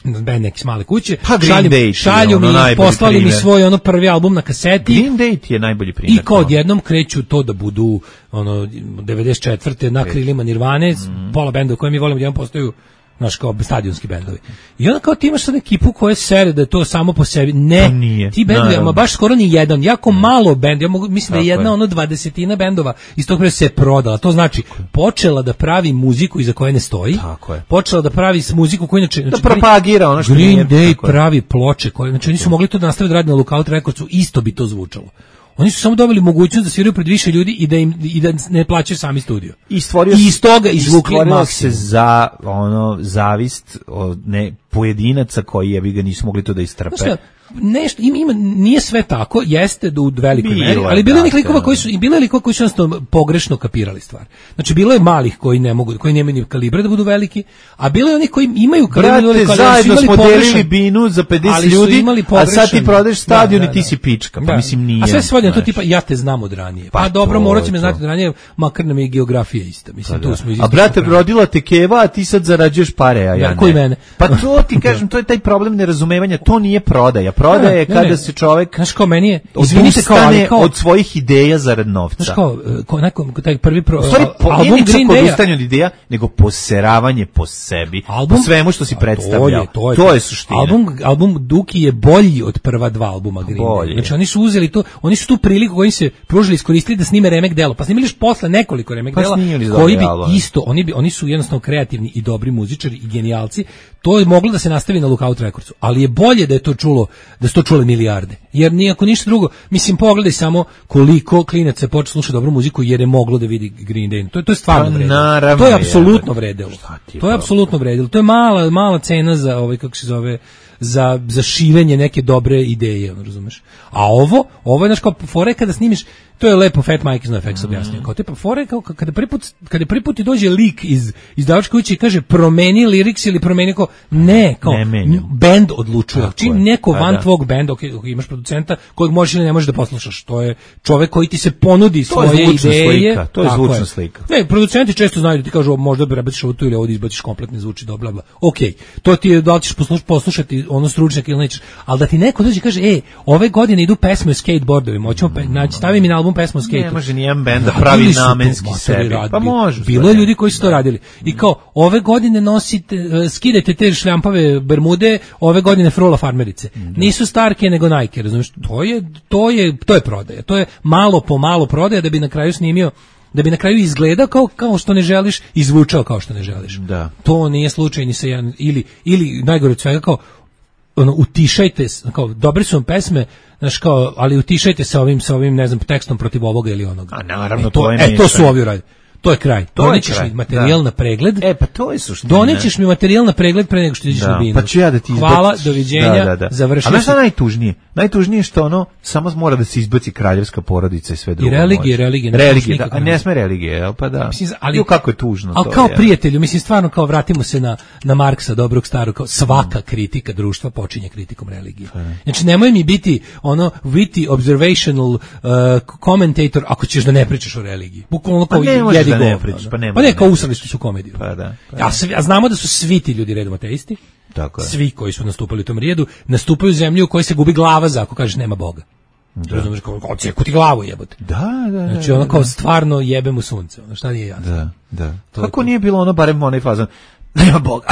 S8: band neki s male kuće,
S7: Pa Green
S8: šalju,
S7: Day ti je
S8: šalju
S7: ono
S8: mi,
S7: najbolji
S8: poslali mi
S7: primer.
S8: svoj ono prvi album na kaseti.
S7: Green Day ti je najbolji primjer.
S8: I kao odjednom kreću to da budu ono devedeset četvrte na krilima Nirvane, pola benda koje mi volimo, odjednom postaju znaš kao stadionski bendovi. I onda kao ti imaš sad ekipu koja sere da je to samo po sebi. Ne,
S7: To nije,
S8: ti bendovi,
S7: naravno.
S8: ama baš skoro ni jedan, jako malo bend, ja mogu, mislim da je
S7: Tako
S8: jedna
S7: je.
S8: ono dvadesetina bendova iz tog perioda se prodala. To znači počela da pravi muziku iza koje ne stoji.
S7: Tako je.
S8: Počela da pravi s muziku koju inače
S7: Da
S8: znači,
S7: propagira ono što
S8: Green
S7: nije.
S8: Day
S7: tako je.
S8: pravi ploče koje znači oni su mogli to da nastave da rade na Lookout Recordsu, isto bi to zvučalo. Oni su samo dobili mogućnost da sviraju pred više ljudi i da im i da ne plaćaju sami studio.
S7: I stvorio
S8: I iz toga izvukli
S7: stvorilo
S8: maksimum.
S7: se za ono zavist od ne pojedinaca koji je bi ga nisu mogli to da istrpe.
S8: Znaš šta, nešto ima, ima nije sve tako, jeste da u velikoj
S7: Bilo
S8: meri,
S7: je,
S8: ali bilo je
S7: da,
S8: nekih likova
S7: da.
S8: koji su i bilo je likova koji su jednostavno pogrešno kapirali stvar. Znači bilo je malih koji ne mogu, koji nemaju ni kalibre da budu veliki, a bilo je onih koji imaju kalibre da budu
S7: Brate,
S8: veliki, ali su
S7: zajedno
S8: imali
S7: smo
S8: pogrešan-
S7: delili binu za pedeset
S8: ali su
S7: ljudi,
S8: imali
S7: a sad ti
S8: pogrešan-
S7: prodaješ stadion
S8: Da, da,
S7: i ti
S8: da.
S7: si pička. Pa
S8: Da.
S7: mislim nije.
S8: A sve se svodi na to
S7: znaš.
S8: tipa ja te znam od ranije. Pa,
S7: Pa
S8: dobro,
S7: to
S8: morat će
S7: je
S8: me
S7: to.
S8: znati od ranije, makar nam je i geografija ista. Mislim,
S7: Pa da.
S8: tu smo iz
S7: A
S8: istog
S7: brate,
S8: kraja.
S7: rodila te keva, a ti sad zarađuješ pare, a ja
S8: Da,
S7: ne.
S8: koji mene?
S7: Pa to ti kažem, to je taj problem nerazumevanja, to nije prodaja. Prodaja je
S8: Ne,
S7: kada
S8: ne.
S7: se čovek
S8: Znaš kao meni je, izvinite kao,
S7: odustane
S8: ali kao,
S7: od svojih ideja zarad novca.
S8: znaš kao, e, kao neko, taj prvi pro,
S7: U stvari, po,
S8: album
S7: nije ni čak
S8: Green Day-a,
S7: odustajanje od ideja, nego poseravanje po sebi,
S8: album,
S7: po svemu što si
S8: A
S7: predstavljao.
S8: To je,
S7: to je suština.
S8: Album, album Duki je bolji od prva dva albuma Green Day.
S7: Bolji je.
S8: Znači oni su uzeli to, oni su tu priliku koju im se pružili, iskoristili da snime remek delo. Pa snimili još posle nekoliko remek
S7: Pa
S8: dela
S7: snimili
S8: koji bi
S7: dobri albumi.
S8: isto, oni bi oni su jednostavno kreativni i dobri muzičari i genijalci. To je moglo da se nastavi na Lookout Recordsu, ali je bolje da je to čulo, da su to čule milijarde. Jer nijako ništa drugo. Mislim, pogledaj samo koliko klinaca je počeo slušati dobru muziku jer je moglo da vidi Green Day. To je, to je stvarno
S7: Pa,
S8: vredilo.
S7: naravno
S8: To je
S7: je,
S8: apsolutno
S7: ali-
S8: vredilo.
S7: Šta ti je
S8: To je
S7: to?
S8: apsolutno vredilo. To je mala, mala cena za, ovaj, kako se zove, za, za širenje neke dobre ideje, ono, razumeš? A ovo, ovo je, znaš, kao fore kada snimiš, to je lepo Fat Mike iz NoFX objasnio. Kao te pa fore, kao kada prvi put, kada prvi put ti dođe lik iz izdavačke kuće i kaže promeni liriks ili promeni, kao ne, kao
S7: Ne menjam.
S8: bend odlučuje.
S7: Tako
S8: Čim
S7: je.
S8: neko
S7: Pa
S8: van
S7: da.
S8: tvog benda, ok, ok, imaš producenta kojeg možeš ili ne možeš da poslušaš, to je čovek koji ti se ponudi
S7: To je
S8: svoje
S7: zvučna
S8: ideje.
S7: slika, to je
S8: Tako
S7: zvučna slika.
S8: Ne, producenti često znaju da ti kažu možda bi prebaciš ovo tu ili ovo da izbaciš kompletno zvuči dobro, bla bla. Okej, to ti je da li ćeš posluš, poslušati ono stručnjak ili nećeš, ali da ti neko dođe i kaže ej, ove godine idu pesme o skateboardovima, hoćemo pe, naći stavi mi na album pesmu o
S7: Ne
S8: skateu.
S7: može nijedan bend da
S8: Radili
S7: pravi
S8: su to,
S7: namenski
S8: matori,
S7: sebi.
S8: rad-
S7: Pa može.
S8: Bilo je ljudi koji su to radili. I kao, ove godine nosite, e, skidajte te šljampave bermude, ove godine frula farmerice. Nisu Starke nego Nike, razumiješ? To je, to je, to je prodaja. To je malo po malo prodaja da bi na kraju snimio, da bi na kraju izgledao kao, kao što ne želiš i zvučao kao što ne želiš.
S7: Da.
S8: To nije slučaj ni sa jedan, ili, ili najgore od svega kao, ono, utišajte, s- kao, dobre su vam pesme, znaš, kao, ali utišajte se ovim, sa ovim, ne znam, tekstom protiv ovoga ili onoga.
S7: A naravno,
S8: E, to,
S7: to je
S8: e, to su
S7: mešanje.
S8: ovi uradili. To je kraj.
S7: To je
S8: Donećeš
S7: kraj,
S8: mi materijal
S7: da.
S8: na pregled.
S7: E, pa to je suština.
S8: Donećeš mi materijal na pregled pre nego što ideš
S7: Da,
S8: na binu.
S7: pa ću ja da ti izbacim.
S8: Hvala, doviđenja, završio
S7: A znaš šta
S8: si.
S7: je najtužnije? Najtužnije je što ono, samo mora da se izbaci kraljevska porodica i sve drugo.
S8: religije,
S7: može.
S8: religije, ne
S7: Religije,
S8: možeš
S7: da,
S8: nikako
S7: a
S8: ne
S7: ne
S8: može.
S7: sme religije, jel pa da.
S8: Mislim, ali-
S7: Jo, kako je tužno
S8: Ali
S7: to.
S8: kao
S7: je.
S8: prijatelju, mislim stvarno kao vratimo se na na Marksa, dobrog starog, kao svaka kritika društva počinje kritikom religije. Znači nemoj mi biti ono witty observational uh, commentator ako ćeš da ne pričaš o religiji. Bukvalno kao
S7: Pa ne možeš
S8: jedi
S7: da ne
S8: govno,
S7: pričaš,
S8: ono.
S7: pa ne
S8: Pa
S7: možeš
S8: ne,
S7: da
S8: kao
S7: ne
S8: usrali su komediju.
S7: Pa da, pa
S8: Ja, svi- a znamo da su svi ti ljudi redom ateisti.
S7: Tako je.
S8: Svi koji su nastupali u tom rijedu nastupaju u zemlju u kojoj se gubi glava za ako kažeš nema Boga. Razumeš, kao odseku ti glavu jebote.
S7: Da, da.
S8: Znači
S7: da,
S8: ono kao
S7: da.
S8: stvarno jebe mu sunce, ono šta nije jasno.
S7: Da, da.
S8: To je
S7: Kako
S8: to.
S7: nije bilo ono barem onaj fazon? Nema Boga.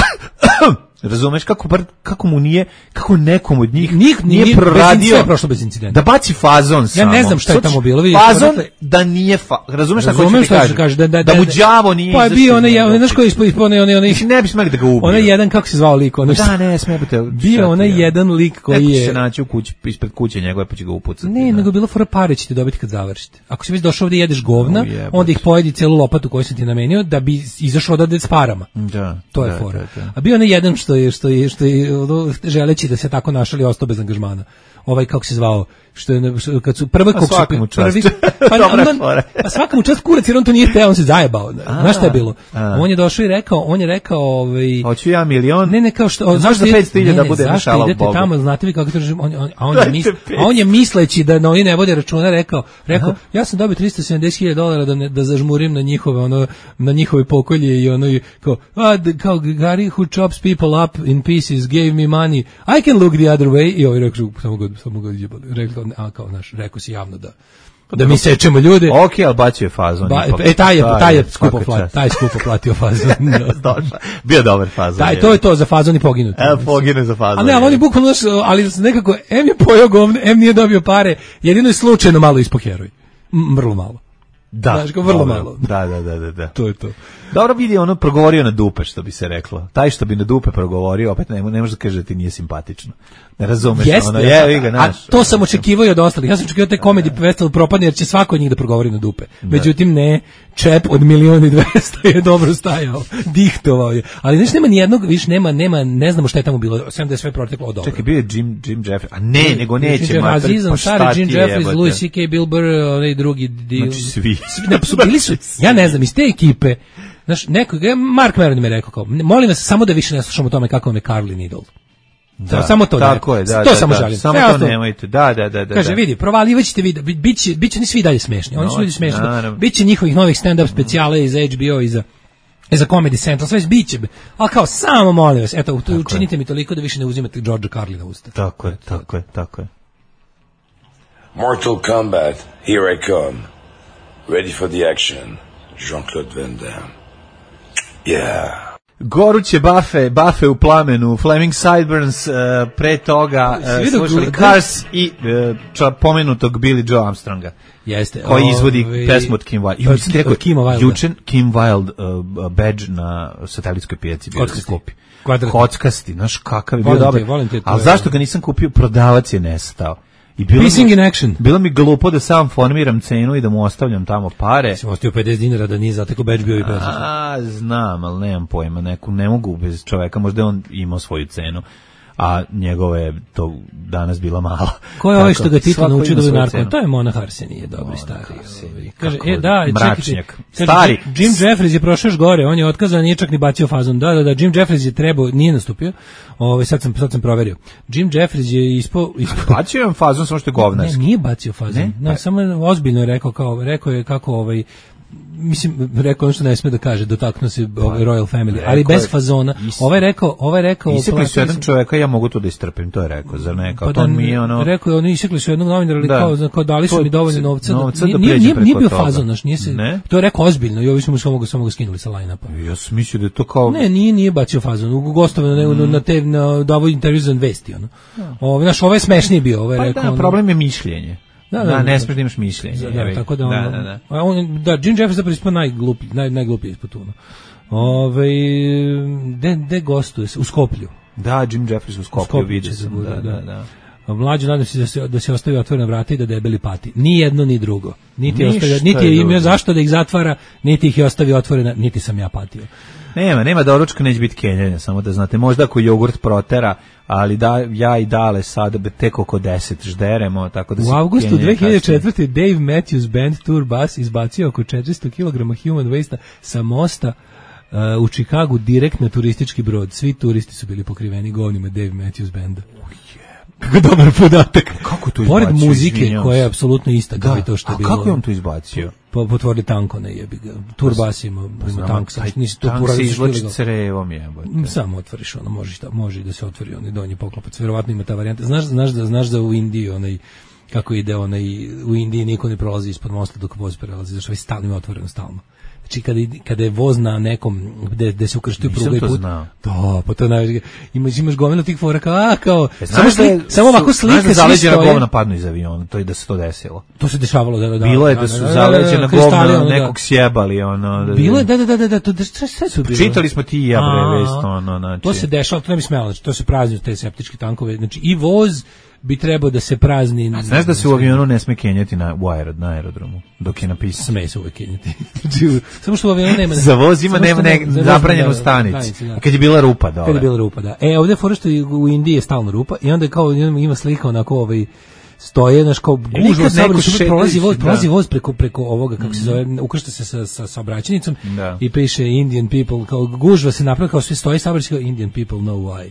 S7: Razumeš kako bar kako mu nije kako nekom od njih
S8: Nik-
S7: nije
S8: nije- bez
S7: proradio
S8: incidenta je prošlo bez incidenta.
S7: da baci fazon samo.
S8: ne znam šta je
S7: Znači,
S8: tamo bilo, vidi,
S7: Fazon
S8: dakle-
S7: da nije fa, razumeš šta
S8: Razumem
S7: hoću ti
S8: šta ću
S7: kažem?
S8: kažem, da- da-
S7: da
S8: da-
S7: mu
S8: da-
S7: đavo nije.
S8: Pa je
S7: izašao
S8: bio
S7: iz
S8: onaj,
S7: njega.
S8: onaj, znaš koji ispod, onaj, onaj, onaj,
S7: Mislim, ne bi smeli da ga ubiju.
S8: onaj jedan, kako se zvao lik, onaj,
S7: Da, ne, smijete.
S8: bio onaj jedan lik koji
S7: Neko će
S8: je...
S7: se naći u kući, ispred kuće njegove, pa će ga upucati.
S8: Ne,
S7: da.
S8: nego je bilo fora pare ćete dobiti kad završite. Ako si već došao ovdje i jedeš govna,
S7: O, jebote.
S8: onda ih pojedi celu lopatu koju sam ti namenio da bi izašao odavde s parama.
S7: Da,
S8: To je
S7: da,
S8: fora.
S7: da, da.
S8: A bio onaj jedan što je, što je, što je, ono, želeći da se tako našali, ostao bez angažmana. Ovaj, kako se zvao, što je, što- kad su prve
S7: A
S8: kog su
S7: svaka mu čast.
S8: prvi, pa,
S7: Dobra
S8: on-
S7: fora.
S8: pa svaka mu čast kurac, jer on to nije teo, on se zajebao. Znaš šta je bilo?
S7: a.
S8: On je došao i rekao, on je rekao, ovaj,
S7: Hoću ja milion.
S8: ne, ne, kao što,
S7: Znaš za
S8: ide-
S7: petsto hiljada
S8: ne, ne,
S7: bude
S8: zašto
S7: šala u
S8: idete
S7: Bogu?
S8: tamo, znate vi kako to režim, on, on, a, on je
S7: Dajte
S8: mis,
S7: petsto.
S8: a on je misleći da no, oni ne vode računa rekao, rekao, ja sam dobio tristo sedamdeset hiljada dolara da, ne, da zažmurim na njihove, ono, na njihove pokolje i ono, i kao, a, d- kao Gary who chops people up in pieces gave me money, I can look the other way, i ovaj rekao, samo ga, samo ga izjebali, rekao, a, kao, naš, rekao si javno da, da mi sečemo ljude.
S7: Ok, ali bacio je fazon.
S8: Ba,
S7: ipak.
S8: e, taj je, taj je
S7: svaka
S8: skupo
S7: čast.
S8: platio, taj je skupo platio fazon.
S7: Došao. Bio dobar fazon.
S8: Taj, to je to za fazon i poginuti.
S7: Evo, pogine za fazon.
S8: A ne, ali on je bukvalno, znaš, ali nekako, em je pojao govno, em nije dobio pare, jedino je slučajno malo ispao heroj. M, vrlo malo.
S7: Da,
S8: Znaš, kao vrlo
S7: dobro.
S8: malo.
S7: Da, da, da, da, da.
S8: To je to.
S7: Dobro vidi, ono progovorio na dupe, što bi se reklo. Taj što bi na dupe progovorio, opet ne, ne može da kaže da ti nije simpatično. Ne razumeš,
S8: Jeste,
S7: ono, je, ga,
S8: a
S7: naš.
S8: to sam očekivao i od ostalih. Ja sam očekivao te komedije festival propadne jer će svako od njih da progovori na dupe. Međutim, ne, čep od milion i dvesta je dobro stajao, dihtovao je. Ali znači nema ni jednog, više nema, nema, ne znamo šta je tamo bilo, sem da je sve proteklo od dobro.
S7: Čekaj, bio je Jim, Jim Jeffries. A ne, nego neće,
S8: Jim
S7: mater,
S8: Azizan,
S7: pa
S8: stari
S7: šta
S8: Jim
S7: ti je,
S8: Jeffries,
S7: jebote?
S8: Louis C K. Bill Burr, onaj drugi dio.
S7: Znači, svi.
S8: Ne, pa su bili su, ja ne znam, iz te ekipe, znaš, neko, Mark Maron mi je rekao kao, molim vas samo da više ne slušamo o tome kako vam je Carlin idol.
S7: Da,
S8: samo to
S7: tako
S8: ne,
S7: je, da,
S8: to
S7: da,
S8: samo
S7: da,
S8: žalim.
S7: Samo
S8: Sve
S7: to
S8: ostalo-
S7: nemojte, da, da, da. da
S8: Kaže,
S7: da.
S8: vidi, provalivaćete vi, bi- biće, biće ni svi dalje smešni. Oni su
S7: No,
S8: ljudi smešni.
S7: naravno.
S8: Biće njihovih novih stand-up specijala iz H B O i za i za Comedy Central, sve biće. Ali kao, samo molim vas, eto,
S7: Tako je.
S8: učinite mi toliko da više ne uzimate Georgea Carlina u usta.
S7: Tako je, tako je, tako je.
S14: Mortal Kombat, here I come. Ready for the action. Jean-Claude Van Damme. Yeah.
S7: Goruće bafe, bafe u plamenu, Flaming Sideburns, uh, pre toga
S8: Si
S7: uh,
S8: vidio
S7: slušali
S8: gu-
S7: Cars i uh, ča, pomenutog Billy Joe Armstronga.
S8: Jeste.
S7: Koji izvodi
S8: Ovi-
S7: pesmu od Kim Wilde. I
S8: Od-
S7: on ti rekao,
S8: od Kima Wilda.
S7: juče Kim Wilde uh, badge na satelitskoj pijaci bio da se
S8: Kockasti.
S7: kupi.
S8: Kvadratni.
S7: Kockasti, znaš kakav je bio
S8: Volim te,
S7: dobar.
S8: volim te, to
S7: Ali
S8: je-
S7: zašto ga nisam kupio? Prodavac je nestao. I bilo
S8: Pissing
S7: mi,
S8: in action.
S7: Bilo mi glupo da sam formiram cenu i da mu ostavljam tamo pare.
S8: Sam ostio pedeset dinara da nije zateko beč bio i bezazno.
S7: A, znam, ali nemam pojma, neku, ne mogu bez čoveka, možda je on imao svoju cenu, a njegova je to danas bila mala.
S8: Ko je ovaj što ga Tito naučio da bi narko? To je Monah Arsenije, dobri stari. Kaže, e, da,
S7: mračnjak.
S8: Čekajte,
S7: stari.
S8: Jim Jeffries je prošao još gore, on je otkazan, nije čak ni bacio fazon. Da, da, da, Jim Jeffries je trebao, nije nastupio. Ovaj sad sam sad sam proverio. Jim Jeffries je ispo, ispo...
S7: bacio je fazon, samo što je govnarski.
S8: Ne, nije bacio fazon. Ne, no, samo ozbiljno je rekao kao, rekao je kako ovaj mislim, rekao ono što ne sme da kaže, dotaknuo se ovaj Royal Family, ali bez fazona. Ovaj rekao, ovaj rekao...
S7: Isekli su jedan čoveka, ja mogu to da istrpim, to je rekao, zar ne? Kao,
S8: pa
S7: to
S8: da,
S7: mi je ono...
S8: Rekao je, oni isekli su jednog novinara, ali
S7: da.
S8: kao, kao dali su to, mi dovoljno novca.
S7: novca
S8: nije,
S7: da
S8: nije, nije, nije bio
S7: toga.
S8: fazon, naš, nije se...
S7: Ne?
S8: To je rekao ozbiljno i ovi su mu samo, samo ga skinuli sa line-upa.
S7: Ja sam mislio da je to kao...
S8: Ne, nije, nije bacio fazon, u gostovano mm. na te, na davo intervju za vesti, ono. Ovo, znaš, ovo je smešniji bio, ovo je
S7: pa
S8: rekao...
S7: Da,
S8: ono,
S7: problem je mišljenje. Da, da, da, ne smiješ da imaš mišljenje.
S8: Da, da, tako da,
S7: da,
S8: ono,
S7: da, da.
S8: On, da, Jim Jeffries zapravo ispao najgluplji, naj, najgluplji ispod tuno. Ove, de, de gostuje se, u Skoplju.
S7: Da, Jim Jeffries u Skoplju, vidio sam. Da, da, da.
S8: Mlađu, nadam se da se, da se ostavi otvorena vrata i da debeli pati. Ni jedno, ni drugo. Niti, ostavio, niti je imao zašto da ih zatvara, niti ih je ostavio otvorena, niti sam ja patio.
S7: Nema, nema doručka, neće biti kenjanja, samo da znate. Možda ako jogurt protera, ali da, ja i Dale sad tek oko deset žderemo, tako da se
S8: u avgustu dve hiljade četvrte. Dave Matthews Band Tour Bus izbacio oko četiristo kilograma human waste sa mosta uh, u Čikagu direkt na turistički brod. Svi turisti su bili pokriveni govnima Dave Matthews Banda. Kako dobar podatak.
S7: Kako to izbacio?
S8: Pored muzike koja je apsolutno ista kao i to što je bilo.
S7: A kako je on to izbacio?
S8: Po, potvorili tanko na jebi ga. Turbas ima, ima tank, sam što nisi to
S7: tank se izvlači crevom jebote.
S8: Samo otvoriš ono, može, šta, može da se otvori onaj donji poklopac. Verovatno ima ta varijanta. Znaš, znaš, da, znaš da u Indiji onaj, kako ide onaj, u Indiji niko ne prolazi ispod mosta dok voz prelazi, zašto je stalno ima otvoreno stalno. Znači kada, kada je voz na nekom gde, gde se ukrštaju pruga i put.
S7: Znao.
S8: Da, pa to najviše. Imaš imaš gomilu tih fora kao, a kao,
S7: e,
S8: samo što je, samo ovako slike
S7: svi zaleđena govna padnu iz aviona, to je da se to desilo.
S8: To se dešavalo da da.
S7: Bilo je da su da, zaleđena govna nekog sjebali ono. Da,
S8: bilo je da da da da to sve su bilo.
S7: Čitali smo ti i ja bre vest ono, znači.
S8: To se dešava, to ne bi smelo, znači to se prazni te septički tankove, znači i voz bi trebao da se prazni.
S7: A znaš da se u avionu ne sme kenjati na, u aerod, na aerodromu, dok je napisano.
S8: Sme se uvek kenjati. Samo što u avionu nema...
S7: Za voz ima nema ne, zabranjenu stanicu. Da. Kad je bila rupa, da.
S8: Kad je bila rupa, da. E, ovdje fora što u Indiji je stalno rupa i onda kao ima slika onako ovaj stoje, znaš, kao gužva saobraćaj, prolazi voz, prolazi voz preko, preko ovoga, kako mm. se zove, ukršta se sa, sa saobraćajnicom i piše Indian people, kao gužva se napravi, kao svi stoji saobraćaj, kao Indian people know why.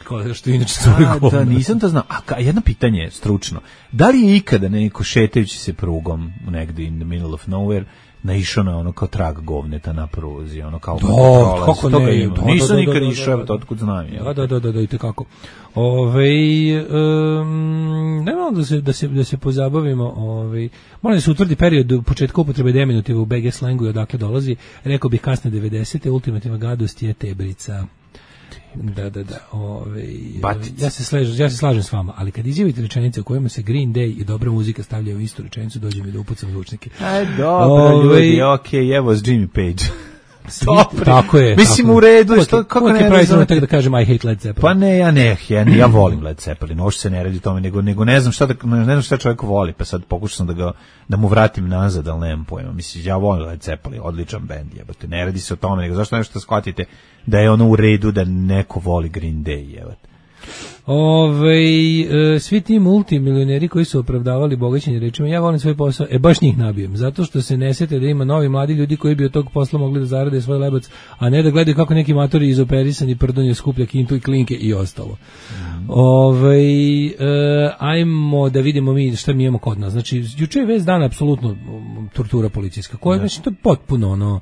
S8: Kao što inače
S7: a, da, nisam to znao. A jedno pitanje stručno. Da li je ikada neko šetajući se prugom negdje in the middle of nowhere naišao na ono kao trag govneta na pruzi, ono kao
S8: da, kako ne,
S7: ima.
S8: Da,
S7: nisam
S8: da,
S7: nikad
S8: da,
S7: išao,
S8: da,
S7: to otkud znam.
S8: Da, da, da, da, da, i tekako. Ovej, um, nemamo da se, da se, da se pozabavimo, ovej, moram da se utvrdi period početka upotrebe deminutiva u B G slengu i odakle dolazi, rekao bih kasne devedesete. Ultimativna gadost je tebrica. Da, da, da. Ove, ja, se slažem, ja se slažem s vama, ali kad izjavite rečenice u kojima se Green Day i dobra muzika stavljaju u istu rečenicu, dođe mi da upucam zvučnike.
S7: Aj, dobro, ove, ljudi, okej, okay, evo s Jimmy Page.
S8: Dobro. Tako je.
S7: Mislim
S8: tako
S7: u redu, je, što, kako ne
S8: pravi tako da kažem I hate Led Zeppelin.
S7: Pa ne, ja ne, ja, ja volim Led Zeppelin, ovo se ne radi tome, nego, nego ne znam šta da, ne znam šta čovjek voli, pa sad pokušam da ga, da mu vratim nazad, ali nemam pojma. Mislim, ja volim Led Zeppelin, odličan bend, jebate, ne radi se o tome, nego zašto nešto shvatite da je ono u redu da neko voli Green Day, jebate.
S8: Ove, e, svi ti multimilioneri koji su opravdavali bogaćenje rečima, ja volim svoj posao, e baš njih nabijem, zato što se ne sete da ima novi mladi ljudi koji bi od tog posla mogli da zarade svoj lebac, a ne da gledaju kako neki matori izoperisani prdonje skuplja kintu i klinke i ostalo. Mm. Ove, e, ajmo da vidimo mi šta mi imamo kod nas. Znači, juče je vez dana apsolutno tortura policijska, koja znači, to je potpuno ono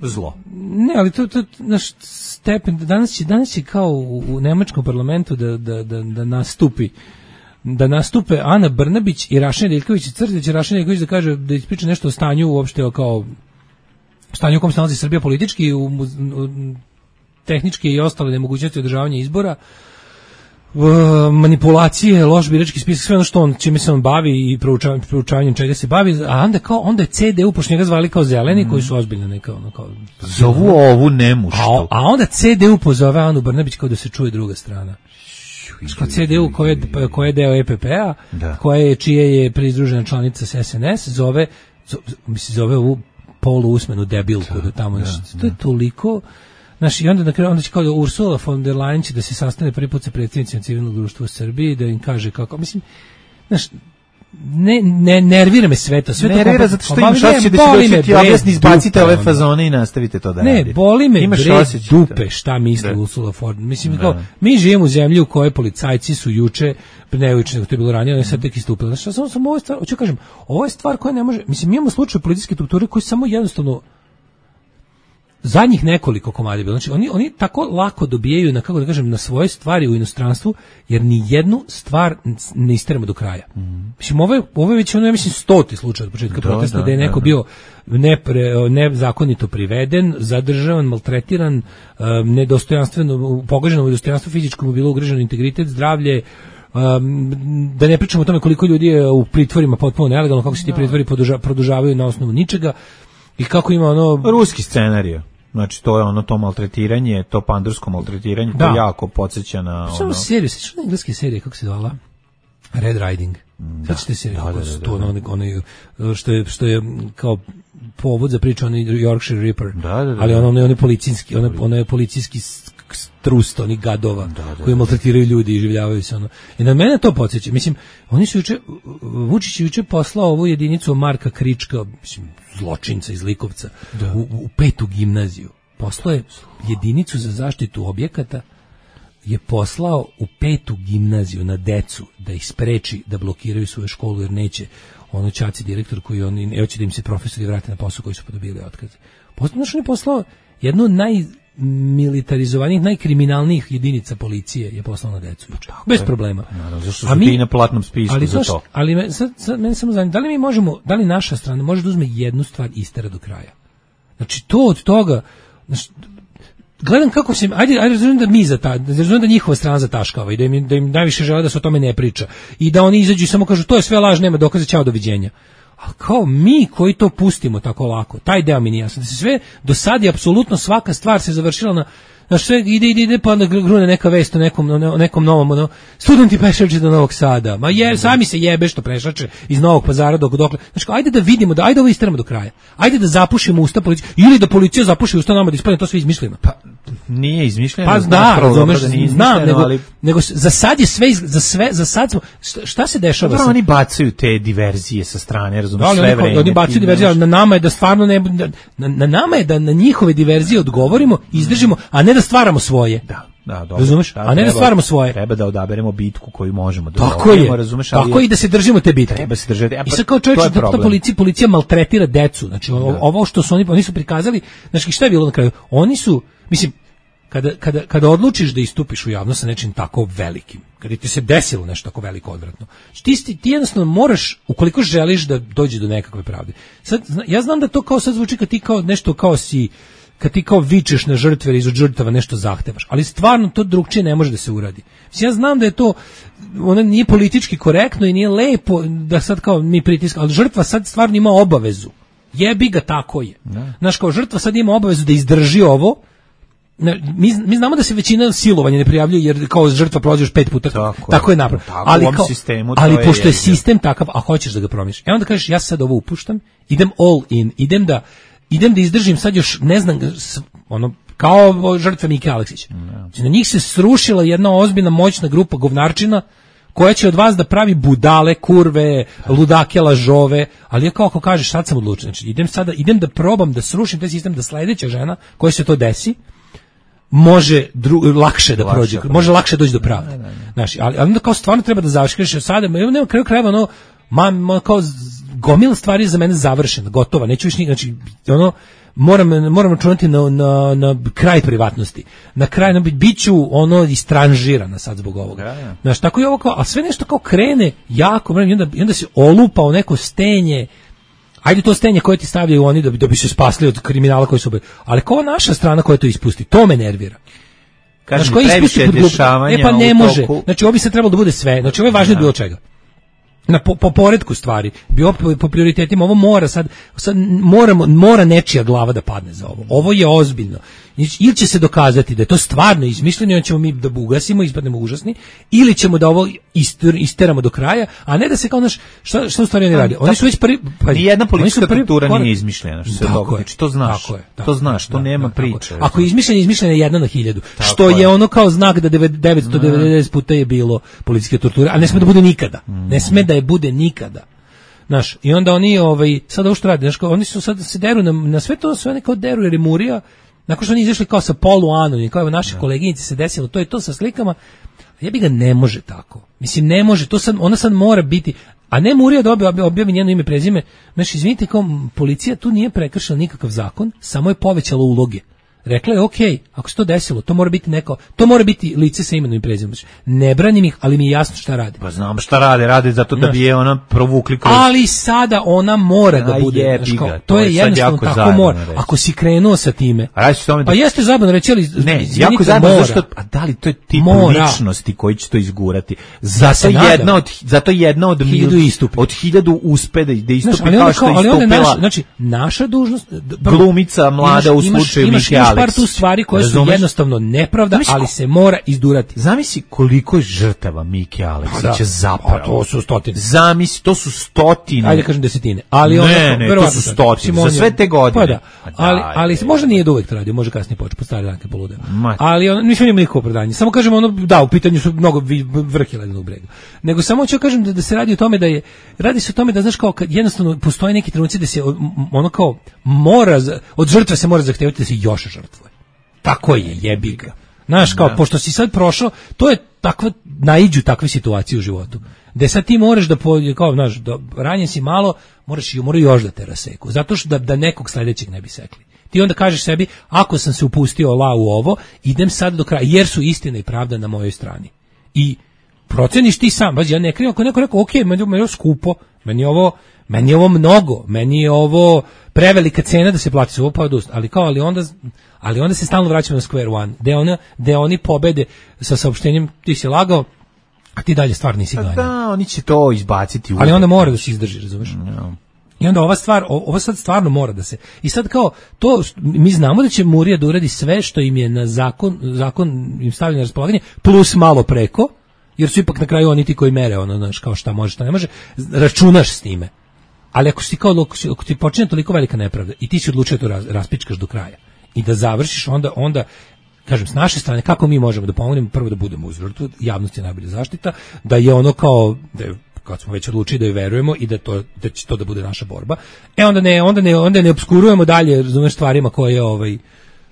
S7: zlo.
S8: Ne, ali to, to naš stepen, danas će, danas će kao u, u nemačkom parlamentu da, da, da, da nastupi da nastupe Ana Brnabić i Raša Nedeljković i Crtić, Raša Nedeljković da kaže, da ispriča nešto o stanju uopšte kao stanju u kom se nalazi Srbija politički, u, u, u tehničke i ostale nemogućnosti održavanja izbora, manipulacije, loš birački spisak, sve ono što on, čime se on bavi i proučavanjem, proučavanjem čega se bavi, a onda kao, onda je C D U, pošto njega zvali kao zeleni, mm. koji su ozbiljno neka, ono kao...
S7: Zovu ovu nemuštu.
S8: A, a onda C D U pozove Anu Brnabić kao da se čuje druga strana. C D U koja je, koja je deo E P P-a, koja je, čije je pridružena članica s S N S, zove, mislim, zove ovu poluusmenu debilku da tamo, to je toliko. Znaš, i onda na kraju, onda će kao da Ursula von der Leyen će da se sastane prvi put sa predsjednicima civilnog društva u Srbiji, da im kaže kako, mislim, znaš, ne, ne nervira me sve to. Sve
S7: nervira zato što imaš osjećaj da će doći ti objasni, izbacite ove fazone i nastavite to da
S8: ne,
S7: radite.
S8: Ne, boli me bre dupe šta misli da. Ursula von. Mislim, da. Kao, mi živimo u zemlji u kojoj policajci su juče, ne juče, nego to je bilo ranije, oni sad tek istupili. Znači, samo sam ovo stvar, hoću kažem, ovo je stvar koja ne može, mislim, mi imamo slučaj policijske strukture koji samo jednostavno zadnjih nekoliko komada bilo. Znači, oni, oni tako lako dobijaju na, kako da kažem, na svoje stvari u inostranstvu, jer ni jednu stvar ne isteramo do kraja. Mm. Mislim, ovo je, ovo je već, ono, ja mislim, stoti slučaj od početka da, protesta, da, da je neko da, da. bio nepre, nezakonito priveden, zadržavan, maltretiran, um, nedostojanstveno, pogaženo u dostojanstvo fizičko mu bilo ugroženo integritet, zdravlje, um, da ne pričamo o tome koliko ljudi je u pritvorima potpuno nelegalno, kako se ti pritvori produža, produžavaju na osnovu ničega. I kako ima ono
S7: ruski scenarijo. Znači to je ono to maltretiranje, to pandursko maltretiranje, da. To jako podsjeća na ono.
S8: Samo seriju, sećaš na engleske serije kako se zvala? Red Riding. Da, sećate se da, da, da, da, to ono, ono što je što je kao povod za priču onaj Yorkshire Ripper.
S7: Da, da, da,
S8: ali ono onaj policijski, ono onaj policijski trust onih gadova da, da, koji maltretiraju ljudi i življavaju se ono. I na mene to podsjeća. Mislim, oni su juče, Vučić je juče poslao ovu jedinicu Marka Krička, mislim, zločinca iz Likovca, da. u, u petu gimnaziju. Poslao je jedinicu za zaštitu objekata, je poslao u petu gimnaziju na decu da ih spreči da blokiraju svoju školu jer neće ono ćaci direktor koji oni ne hoće da im se profesori vrate na posao koji su podobili otkaz. Poslao, znači on je poslao jednu od najmilitarizovanijih, najkriminalnijih jedinica policije je poslao na decu. Tako bez je. Problema.
S7: Naravno, zašto su ti na platnom spisku
S8: ali
S7: za to?
S8: Ali me, sad, sad, mene samo zanima, da li mi možemo, da li naša strana može da uzme jednu stvar i istera do kraja? Znači, to od toga, znači, gledam kako se, ajde, ajde razumijem da mi za ta, razumijem da njihova strana zataškava i da im, da im najviše žele da se o tome ne priča i da oni izađu i samo kažu to je sve laž, nema dokaza, ćao, doviđenja. Ali kao mi koji to pustimo tako lako, taj deo mi nije jasno, da se sve do sad je apsolutno svaka stvar se završila na, na sve ide, ide, ide, pa onda grune neka vest o nekom, o nekom novom, ono, studenti prešače do Novog Sada, ma je, sami se jebe što prešače iz Novog Pazara dok dokle, znači kao, ajde da vidimo, da, ajde ovo isteramo do kraja, ajde da zapušimo usta policije, ili da policija zapuši usta nama da ispadne to sve izmišljeno.
S7: Pa, nije izmišljeno.
S8: Pa da, razumeš, da znam, nego, ali... nego za sad je sve, za sve, za sad smo, šta se dešava?
S7: Dobro, oni bacaju te diverzije sa strane, razumeš, da, sve vreme.
S8: Oni bacaju diverzije, ali na nama je da stvarno ne, na, na nama je da na njihove diverzije odgovorimo, izdržimo, a ne da stvaramo svoje.
S7: Da. Da, dobro.
S8: Razumeš? Da, a ne treba, da stvaramo svoje.
S7: Treba da odaberemo bitku koju možemo da
S8: tako je, razumeš, ali tako je i da se držimo te bitke.
S7: Treba se držati.
S8: I sad kao čovječ, da ta policija, policija maltretira decu. Znači, da. Ovo što su oni, oni su prikazali, znači šta je bilo na kraju? Oni su, mislim, kada, kada, kada odlučiš da istupiš u javnost sa nečim tako velikim, kada ti se desilo nešto tako veliko odvratno, ti, ti jednostavno moraš, ukoliko želiš da dođe do nekakve pravde. Sad, ja znam da to kao sad zvuči kad ti kao nešto kao si kad ti kao vičeš na žrtve iz od žrtava nešto zahtevaš, ali stvarno to drugčije ne može da se uradi. Ja znam da je to, ono nije politički korektno i nije lepo da sad kao mi pritiskamo, ali žrtva sad stvarno ima obavezu. Jebi ga, tako je. Ne. Znaš, kao žrtva sad ima obavezu da izdrži ovo. Mi, mi znamo da se većina silovanja ne prijavljuje jer kao žrtva prolazi još pet puta. Tako, tako je napravljeno. Ali, kao, sistemu, ali je pošto je sistem takav, a hoćeš da ga promijeniš. E onda kažeš, ja sad ovo upuštam, idem all in, idem da idem da izdržim sad još, ne znam, ono, kao žrtve Mike Aleksića. Znači, na njih se srušila jedna ozbiljna, moćna grupa govnarčina koja će od vas da pravi budale, kurve, ludake, lažove, ali ja kao ako kažeš, sad sam odlučen, znači idem sada, idem da probam da srušim taj sistem, da sledeća žena koja se to desi, može dru, lakše da lakše prođe, prođe, može lakše doći do pravde. Znači, ali, ali onda kao stvarno treba da završiš, sada, nema kraju krajeva, ono, ma, ma, kao gomila stvari za mene završena, gotova, neću više, znači, ono, moram, moram računati na, na, na kraj privatnosti, na kraj, na, bit ću ono istranžirana sad zbog ovoga. Ja, ja. Znaš, tako je ovo kao, a sve nešto kao krene jako, i onda, i onda se olupa u neko stenje, ajde to stenje koje ti stavljaju oni da bi, da bi se spasli od kriminala koji su, ali kao naša strana koja to ispusti, to me nervira.
S7: Kažem, znaš, koji ispusti pod dešavanja
S8: e pa ne može, znači ovo bi se trebalo da bude sve, znači ovo je važno od bilo čega. Na po, po poredku stvari, bio po, po prioritetima, ovo mora sad, sad moramo, mora nečija glava da padne za ovo. Ovo je ozbiljno. ili će se dokazati da je to stvarno izmišljeno i on ćemo mi da ugasimo, ispadnemo užasni, ili ćemo da ovo ister, isteramo do kraja, a ne da se kao naš, šta, šta u stvari oni radi? Oni su već prvi... Pa,
S7: nijedna politička kultura nije izmišljena, što se događa. To znaš,
S8: tako je, tako,
S7: to znaš, to
S8: da,
S7: nema
S8: da,
S7: priče.
S8: Ako je izmišljeno, izmišljeno je jedna na hiljadu,
S7: tako
S8: što je.
S7: je
S8: ono kao znak da devetsto devedeset puta je bilo političke torture, a ne sme da bude nikada. Ne sme da je bude nikada. Znaš, i onda oni, ovaj, sad ovo što radi, znaš, oni su sad se deru na, na sve to, sve neko deru, jer je Murija, nakon što oni izašli kao sa polu-anonim, kao naše ja. koleginice se desilo, to je to sa slikama, ja bi ga ne može tako. Mislim, ne može, to sad, ona sad mora biti, a ne Murija da objavi, objavi njeno ime, prezime, znaš, izvinite, kao policija tu nije prekršila nikakav zakon, samo je povećala uloge. Rekla je, ok, ako se to desilo, to mora biti neko, to mora biti lice sa imenom i prezimenom. Ne branim ih, ali mi je jasno šta rade.
S7: Pa znam šta rade, rade zato da bi je ona provukli kroz...
S8: Ali sada ona mora da bude.
S7: Jebi
S8: kao,
S7: ga,
S8: to, to je jednostavno tako mora.
S7: Reći.
S8: Ako si krenuo sa time,
S7: da...
S8: pa jeste zabavno reći, ali
S7: ne, jako zabavno, zašto, a da li to je tip mora. ličnosti koji će to izgurati? Zato jedna od, zato jedna od
S8: hiljadu istupi.
S7: Od hiljadu uspe da istupi
S8: znaš,
S7: kao što je istupila.
S8: Naša, znači, naša dužnost...
S7: Glumica mlada u slučaju Miki Aleksić.
S8: Imaš par tu stvari koje su jednostavno nepravda, zamisli, ali se mora izdurati.
S7: Zamisli koliko je žrtava Miki Aleksića da. zapravo.
S8: A to su stotine.
S7: Zamisli, to su stotine.
S8: Ajde kažem desetine. Ali
S7: ne,
S8: onda,
S7: ne, to su stotine. Za sve te godine.
S8: Pa da. Ali, ali se možda nije uvek to radio, može kasnije početi, po stare danke polude. Ali on, nisam imao nikakvo opravdanje. Samo kažem, ono, da, u pitanju su mnogo vrh je ledenog brega. Nego samo ću kažem da, da se radi o tome da je, radi se o tome da, znaš, kao, kad jednostavno postoje neki trenuci da se, ono kao, mora, od žrtve se mora zahtevati da se još žrtvuje. Tako je, jebi ga. Znaš, kao, da. Pošto si sad prošao, to je takva, naiđu takve situacije u životu. Gde sad ti moraš da, kao, znaš, da ranjen si malo, moraš i mora još da te raseku. Zato što da, da nekog sledećeg ne bi sekli. Ti onda kažeš sebi, ako sam se upustio la u ovo, idem sad do kraja, jer su istina i pravda na mojoj strani. I proceniš ti sam, baš ja ne krijem, ako neko rekao, ok, meni je ovo skupo, meni je ovo, meni je ovo mnogo, meni je ovo prevelika cena da se plati se ovo pa odust, ali kao, ali onda, ali onda se stalno vraćamo na square one, gde, ona, gde oni pobede sa saopštenjem, ti si lagao, a ti dalje stvar nisi ganjao.
S7: Da, oni će to izbaciti.
S8: Ali onda mora da se izdrži, razumeš? No. I onda ova stvar, ovo sad stvarno mora da se... I sad kao, to, mi znamo da će Murija da uradi sve što im je na zakon, zakon im stavlja na raspolaganje, plus malo preko, jer su ipak na kraju oni ti koji mere, ono, znaš, kao šta može, šta ne može, računaš s time. Ali ako si kao, ako ti počine toliko velika nepravda i ti si odlučio to raz, raspičkaš do kraja i da završiš, onda, onda kažem, s naše strane, kako mi možemo da pomognemo, prvo da budemo uz žrtvu, javnost je najbolja zaštita, da je ono kao, da je, kad smo već odlučili da joj verujemo i da to da će to da bude naša borba. E onda ne onda ne onda ne opskurujemo dalje, razumeš, stvarima koje ovaj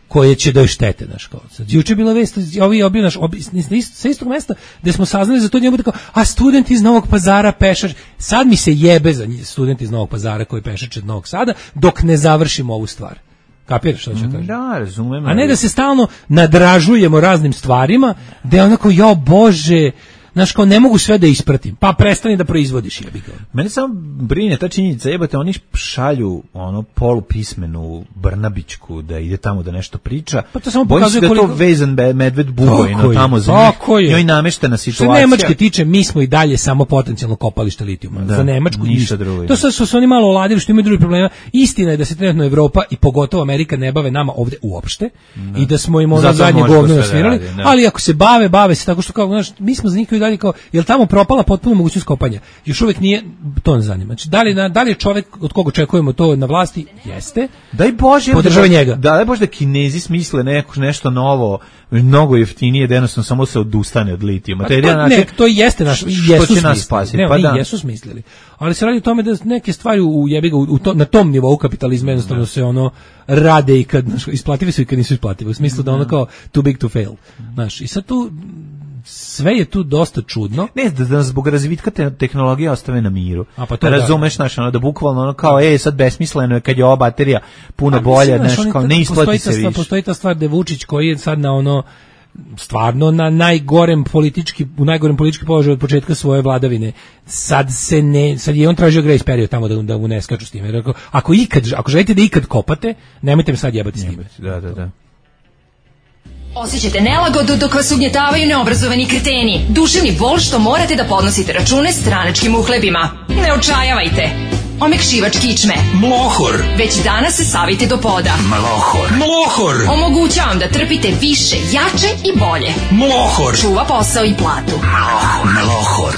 S8: koje će da joj štete, znaš, kao. Sad juče bila vest, ovi obio naš obi, sa istog mesta gde smo saznali za to, njemu tako, a student iz Novog Pazara pešač. Sad mi se jebe za student iz Novog Pazara koji pešače od Novog Sada dok ne završimo ovu stvar. Kapiraš što ću kažem?
S7: Da, razumem.
S8: A ne da se stalno nadražujemo raznim stvarima, da je onako, jo Bože, znaš, kao ne mogu sve da ispratim, pa prestani da proizvodiš, jebi ga.
S7: Mene samo brine ta činjenica, jebate, oni šalju ono polupismenu Brnabićku da ide tamo da nešto priča.
S8: Pa to samo
S7: bojim se da
S8: koliko...
S7: to vezan medved Bugojno tamo za njih. Njoj nameštena situacija.
S8: Što Nemačke tiče, mi smo i dalje samo potencijalno kopalište litijuma. Da, za Nemačku ništa drugo. To sad su oni malo oladili što imaju drugi problema. Istina je da se trenutno Evropa i pogotovo Amerika ne bave nama ovde uopšte da. I da smo im ono zadnje govno nasvirali, da ali ako se bave, bave se tako što kao, znaš, mi smo za njih dalje kao, jel tamo propala potpuno mogućnost kopanja? Još uvijek nije, to ne zanima. Znači, da li, da li je čovjek od koga očekujemo to na vlasti? Jeste.
S7: Daj Bože,
S8: podržava njega.
S7: Da, daj Bože da Kinezi smisle neko, nešto novo, mnogo jeftinije, da jednostavno samo se odustane od litijuma.
S8: Pa, to, način, ne, to jeste naš, jesu smislili. Ne,
S7: pa da.
S8: Jesu smislili. Ali se radi o tome da neke stvari u jebi ga, u to, na tom nivou kapitalizma jednostavno se ono rade i kad, znaš, isplative su i kad nisu isplative. U smislu da ono kao too big to fail. Znaš, i sad tu sve je tu dosta čudno.
S7: Ne, da, da zbog razvitka te, tehnologije ostave na miru.
S8: A pa to
S7: razumeš, znaš, ono, da bukvalno ono kao, ej, sad besmisleno je kad je ova baterija puno bolja, znaš, kao, ne isplati se više.
S8: Postoji ta stvar da je Vučić koji je sad na ono, stvarno na najgorem politički, u najgorem politički položaju od početka svoje vladavine. Sad se ne, sad je on tražio grace period tamo da, da mu ne skaču s time. Ako, ako ikad, ako želite da ikad kopate, nemojte me sad jebati s time.
S7: Da, da, da.
S15: Osjećate nelagodu dok vas ugnjetavaju neobrazovani kreteni. Duševni bol što morate da podnosite račune stranačkim uhlebima. Ne očajavajte. omekšivač kičme,
S8: Mlohor.
S15: Već danas se savite do poda.
S8: Mlohor. Mlohor.
S15: Omogućavam da trpite više, jače i bolje.
S8: Mlohor.
S15: Čuva posao i platu.
S8: Mlohor.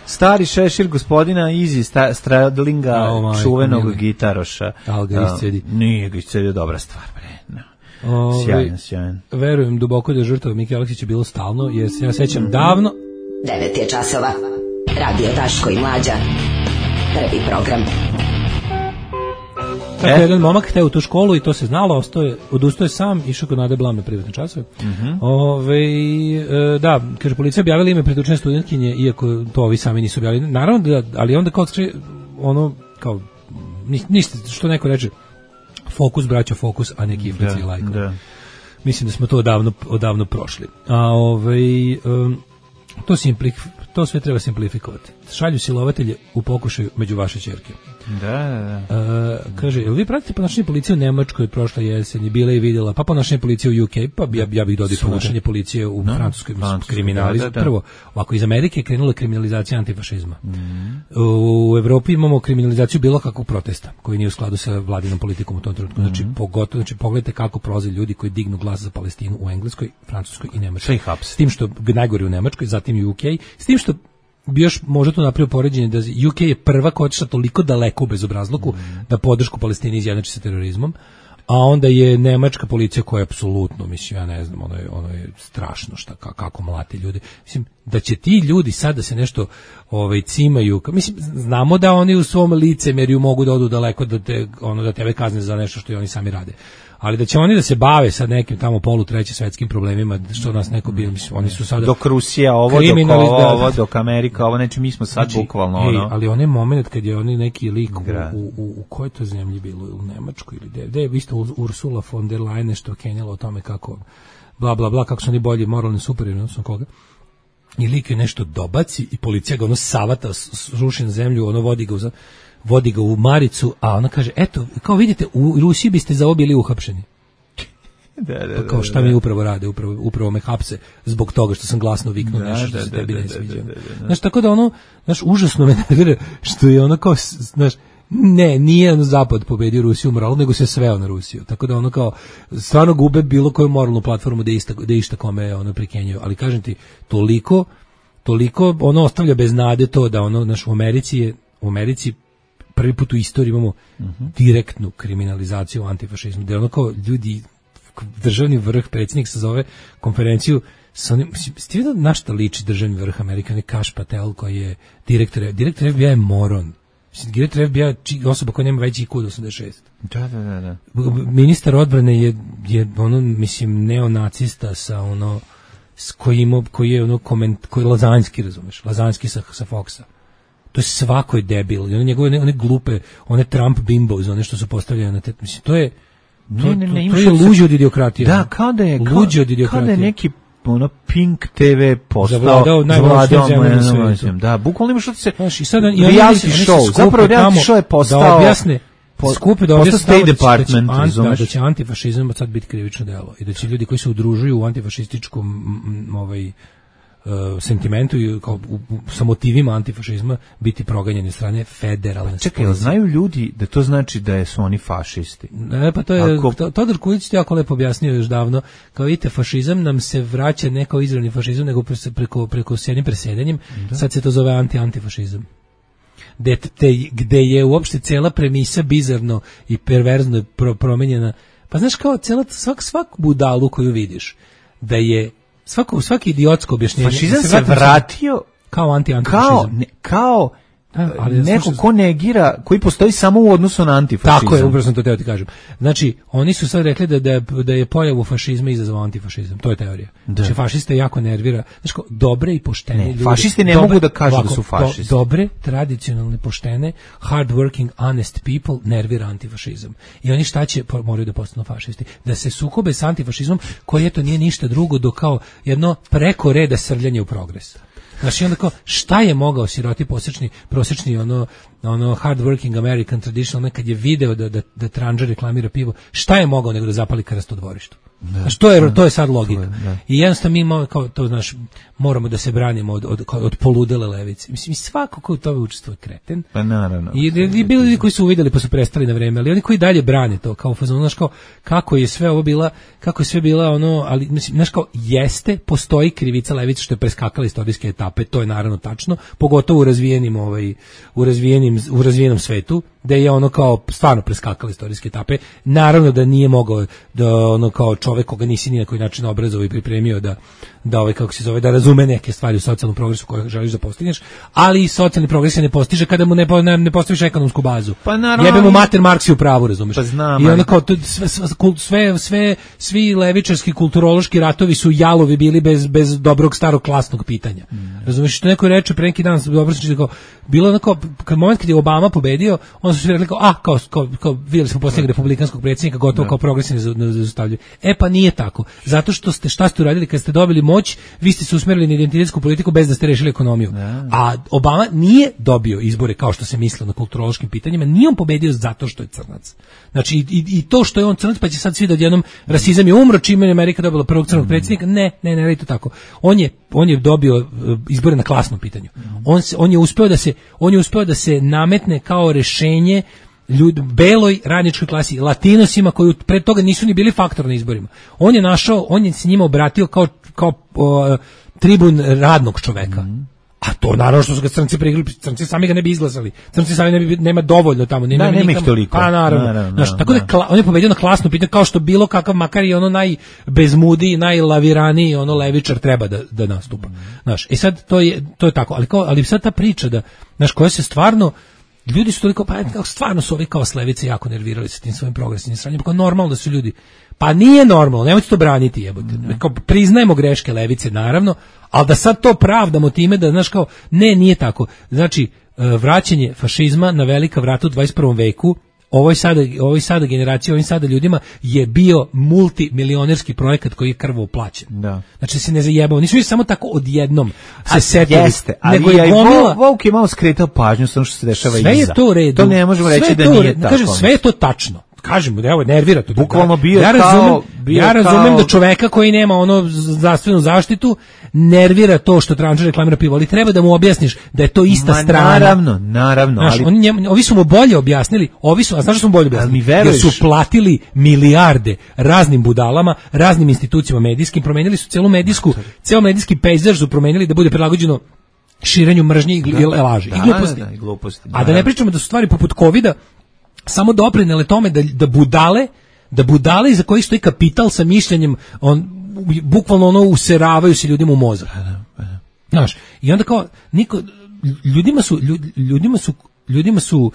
S7: Stari šešir gospodina Izi Stradlinga,
S8: oh,
S7: čuvenog
S8: mili.
S7: gitaroša.
S8: Ali ga iscedi.
S7: Uh, nije ga iscedio, dobra stvar, bre. No.
S8: Ove,
S7: sjajan, sjajan.
S8: Verujem duboko da je žrtava Mike Aleksića bilo stalno, jer se ja sećam davno.
S5: devet je časova. Radio Daško i Mlađa. Prvi program.
S8: Tako e? jedan momak hteo u tu školu i to se znalo, ostaje, odustaje sam, išao kod Nade Blam na privatne časove. Mm-hmm. Ove, e, da, kaže, policija objavila ime pretučene studentkinje, iako to ovi sami nisu objavili. Naravno, da, ali onda kao, ono, kao, ništa, što neko reče, fokus, braća, fokus, a neki iflici i lajkovi. Da. Mislim da smo to odavno, odavno prošli. A ovaj, um, to, simpli, to sve treba simplifikovati. Šalju silovatelje u pokušaju među vaše ćerke.
S7: Da, da, da.
S8: Uh, kaže, jel vi pratite ponašanje policije u Nemačkoj od prošle jeseni, bila i vidjela, pa ponašanje policije u U K, pa ja, ja bih dodao ponašanje policije u no, Francuskoj, kriminalizam. Da, da, da. Prvo, ovako, iz Amerike je krenula kriminalizacija antifašizma. Mm. U Evropi imamo kriminalizaciju bilo kakvog protesta, koji nije u skladu sa vladinom politikom u tom trenutku. Znači, mm. pogotovo, znači, pogledajte kako prolaze ljudi koji dignu glas za Palestinu u Engleskoj, Francuskoj i Nemačkoj. S tim što najgori u Nemačkoj, zatim i U K, s tim što bi još možda tu napravio poređenje da U K je prva koja otišla toliko daleko u bezobrazluku mm. da podršku Palestini izjednači sa terorizmom, a onda je nemačka policija koja je apsolutno, mislim, ja ne znam, ono je, ono je strašno šta, kako mlati ljudi. Mislim, da će ti ljudi sad da se nešto ovaj, cimaju, mislim, znamo da oni u svom licemerju mogu da odu daleko da, te, ono, da tebe kazne za nešto što i oni sami rade. Ali da će oni da se bave sa nekim tamo polu treće svetskim problemima, što nas neko bilo, mislim, oni su sada
S7: dok Rusija ovo, dok ovo, ovo, dok Amerika ovo, znači mi smo sad znači, bukvalno ono.
S8: Ej, ali onaj moment kad je oni neki lik u, u, u, u kojoj to zemlji bilo, u Nemačkoj ili gde, gde je isto Ursula von der Leyen što kenjala o tome kako bla bla bla, kako su oni bolji moralni superiorni, odnosno koga. I lik je nešto dobaci i policija ga ono savata, ruši na zemlju, ono vodi ga u vodi ga u maricu, a ona kaže, eto, kao vidite, u Rusiji biste za ovo bili uhapšeni.
S7: Da, da,
S8: pa kao šta mi upravo rade, upravo, upravo me hapse zbog toga što sam glasno viknuo da, nešto što da, se tebi da, ne sviđa. Da, da, da. Znaš, tako da ono, znaš, užasno me nervira što je ono kao, znaš, ne, nije ono zapad pobedio Rusiju u moralu, nego se sveo na Rusiju. Tako da ono kao, stvarno gube bilo koju moralnu platformu da išta, da išta kome ono prikenjaju. Ali kažem ti, toliko, toliko ono ostavlja bez nade to da ono, znaš, u Americi je, u Americi prvi put u istoriji imamo uh-huh. direktnu kriminalizaciju antifašizma, da je ono kao ljudi, državni vrh, predsjednik se zove konferenciju sa onim, ste vidio na šta liči državni vrh Amerika, ne Kash Patel koji je direktor, direktor F B I je moron. Direktor F B I je osoba koja nema veći I Q od osamdeset šest.
S7: Da, da, da, da.
S8: Ministar odbrane je, je ono, mislim, neonacista sa ono, s kojim, koji je ono koment, koji je lazanjski, razumeš, lazanjski sa, sa Foxa. To je svako je debil. I one njegove, one glupe, one Trump bimbos, one što su postavljene na te, mislim, to je, to,
S7: ne, ne, ne,
S8: to, to je luđe od idiokratije.
S7: Da, kao da je,
S8: luđe od idiokratije.
S7: Kao da je neki ono Pink T V postao
S8: zavladao najvažnijim zemljama na svijetu.
S7: Da, bukvalno ima što ti se
S8: znaš, i sad i
S7: reality show, zapravo reality show je postao
S8: da objasne po, skupe da objasne
S7: State Department,
S8: da će, da, da će antifašizam sad biti krivično delo i da će ljudi koji se udružuju u antifašističkom m, m, ovaj Uh, sentimentu i kao u, u, sa motivima antifašizma biti proganjeni strane federalne.
S7: Pa čekaj, znaju ljudi da to znači da su oni fašisti?
S8: Ne, pa to je, Ako... to, Todor Kulić to jako lepo objasnio još davno, kao vidite, fašizam nam se vraća ne kao izravni fašizam, nego preko, preko s jednim presedanjem, da. Sad se to zove anti-antifašizam. Gde, te, gde je uopšte cela premisa bizarno i perverzno pro, promenjena. Pa znaš, kao cela, svak, svak budalu koju vidiš, da je Svako, svaki idiotsko objašnjenje.
S7: Fašizam se, se vratio
S8: kao anti-antifašizam.
S7: Kao, ne, kao da, ali neko slušaj, ko negira, koji postoji samo u odnosu na antifašizam.
S8: Tako je, upravo sam to teo ti kažem. Znači, oni su sad rekli da, da, da je pojavu fašizma izazvao antifašizam. To je teorija. Da. Znači, fašiste jako nervira. Znači, kao, dobre i poštene ne, ljudi.
S7: Fašisti ne dobre, mogu da kažu ovako, da su fašisti.
S8: Do, dobre, tradicionalne, poštene, hard working, honest people nervira antifašizam. I oni šta će, moraju da postanu fašisti? Da se sukobe s antifašizmom, koji eto nije ništa drugo do kao jedno preko reda srljanje u progres. Znači onda kao, šta je mogao siroti prosječni, prosječni ono, ono hard working American traditional, kad je video da, da, da Tranža reklamira pivo, šta je mogao nego da zapali krst u dvorištu? Znači, to je to je sad logika. I jednostavno mi imamo, kao to, znaš, moramo da se branimo od od od poludele levice. Mislim, svako ko u tome učestvuje kreten.
S7: Pa naravno.
S8: I, i bili ljudi koji su uvideli pa su prestali na vreme, ali oni koji dalje brane to kao fazon, znaš, kao kako je sve ovo bila, kako je sve bila ono, ali mislim, znaš, kao jeste, postoji krivica levice što je preskakala istorijske etape, to je naravno tačno, pogotovo u razvijenim ovaj u razvijenim u razvijenom svetu, da je ono kao stvarno preskakala istorijske etape. Naravno da nije mogao da ono kao čovjek koga nisi ni na koji način obrazovao i pripremio da da ovaj kako se zove da razume neke stvari u socijalnom progresu koje želiš da postigneš, ali i socijalni progres se ne postiže kada mu ne ne, ne postaviš ekonomsku bazu.
S7: Pa naravno.
S8: Jebe mu mater Marks je u pravu, razumeš?
S7: Pa znam,
S8: I onda kao to, sve, sve sve svi levičarski kulturološki ratovi su jalovi bili bez bez dobrog starog klasnog pitanja. Mm. Razumeš, što neko reče pre neki dan dobro se kao bilo onako kad moment kad je Obama pobedio, on su rekli kao a kao kao, kao videli smo posljednjeg republikanskog predsjednika gotovo da. Kao progresivni zaustavljaju. E pa nije tako. Zato što ste šta ste uradili kad ste dobili moć, vi ste se usmerili na identitetsku politiku bez da ste rešili ekonomiju. Da. A Obama nije dobio izbore kao što se mislilo na kulturološkim pitanjima, nije on pobedio zato što je crnac. Znači i, i to što je on crnac, pa će sad svi da odjednom rasizam je umro čime je Amerika dobila prvog crnog predsjednika. Ne, ne, ne, ne, to tako. On je on je dobio izbore na klasnom pitanju. On se, on je uspeo da se on je uspeo da se nametne kao rešenje ljudi, beloj radničkoj klasi, latinosima koji pre toga nisu ni bili faktor na izborima. On je našao, on je se njima obratio kao, kao o, tribun radnog čoveka. Mm. A to naravno što su ga crnci prigli, crnci sami ga ne bi izglasali. Crnci sami ne bi, nema dovoljno tamo. Nema,
S7: da, nema ih toliko.
S8: Pa naravno. naravno, Znaš, naravno tako da, da on je pobedio na klasno pitanje kao što bilo kakav makar i ono najbezmudiji, najlaviraniji ono levičar treba da, da nastupa. Znaš, i sad to je, to je tako. Ali, kao, ali sad ta priča da, znaš, koja se stvarno ljudi su toliko, pa kao stvarno su ovi kao s levice jako nervirali sa tim svojim progresivnim sranjem, kao normalno da su ljudi, pa nije normalno, nemojte to braniti, jebote, kao priznajemo greške levice, naravno, ali da sad to pravdamo time da, znaš, kao, ne, nije tako, znači, vraćanje fašizma na velika vrata u dvadeset prvom veku, ovoj sada, ovoj sada generaciji, ovim sada ljudima je bio multimilionerski projekat koji je krvavo plaćen. Da. Znači se ne zajebao, nisu samo tako odjednom se setili,
S7: jeste, ali nego je gomila. Vuk je malo skretao pažnju sa ono što se dešava
S8: sve
S7: iza.
S8: Sve je to u redu.
S7: To ne možemo reći da nije tako.
S8: Kažem, sve je to tačno. Kažemo da evo nervira to.
S7: Bukvalno bio
S8: ja razumem,
S7: kao, bio
S8: ja razumem
S7: kao...
S8: da čoveka koji nema ono zdravstvenu zaštitu nervira to što Trančar reklamira pivo, ali treba da mu objasniš da je to ista Ma, strana.
S7: Naravno, naravno.
S8: Znaš,
S7: ali...
S8: oni njem, ovi su mu bolje objasnili, ovi su, a znaš što su mu bolje objasnili?
S7: Jer
S8: su platili milijarde raznim budalama, raznim institucijama medijskim, promenili su celu medijsku, ceo medijski pejzaž su promenili da bude prilagođeno širenju mržnje i da, laži
S7: da,
S8: i gluposti.
S7: Da, da, i gluposti.
S8: A da ne pričamo da su stvari poput kovida samo doprinele tome da, da budale, da budale iza kojih stoji kapital sa mišljenjem, on bukvalno ono useravaju se ljudima u mozak. Znaš, i onda kao niko, ljudima su ljudima su ljudima su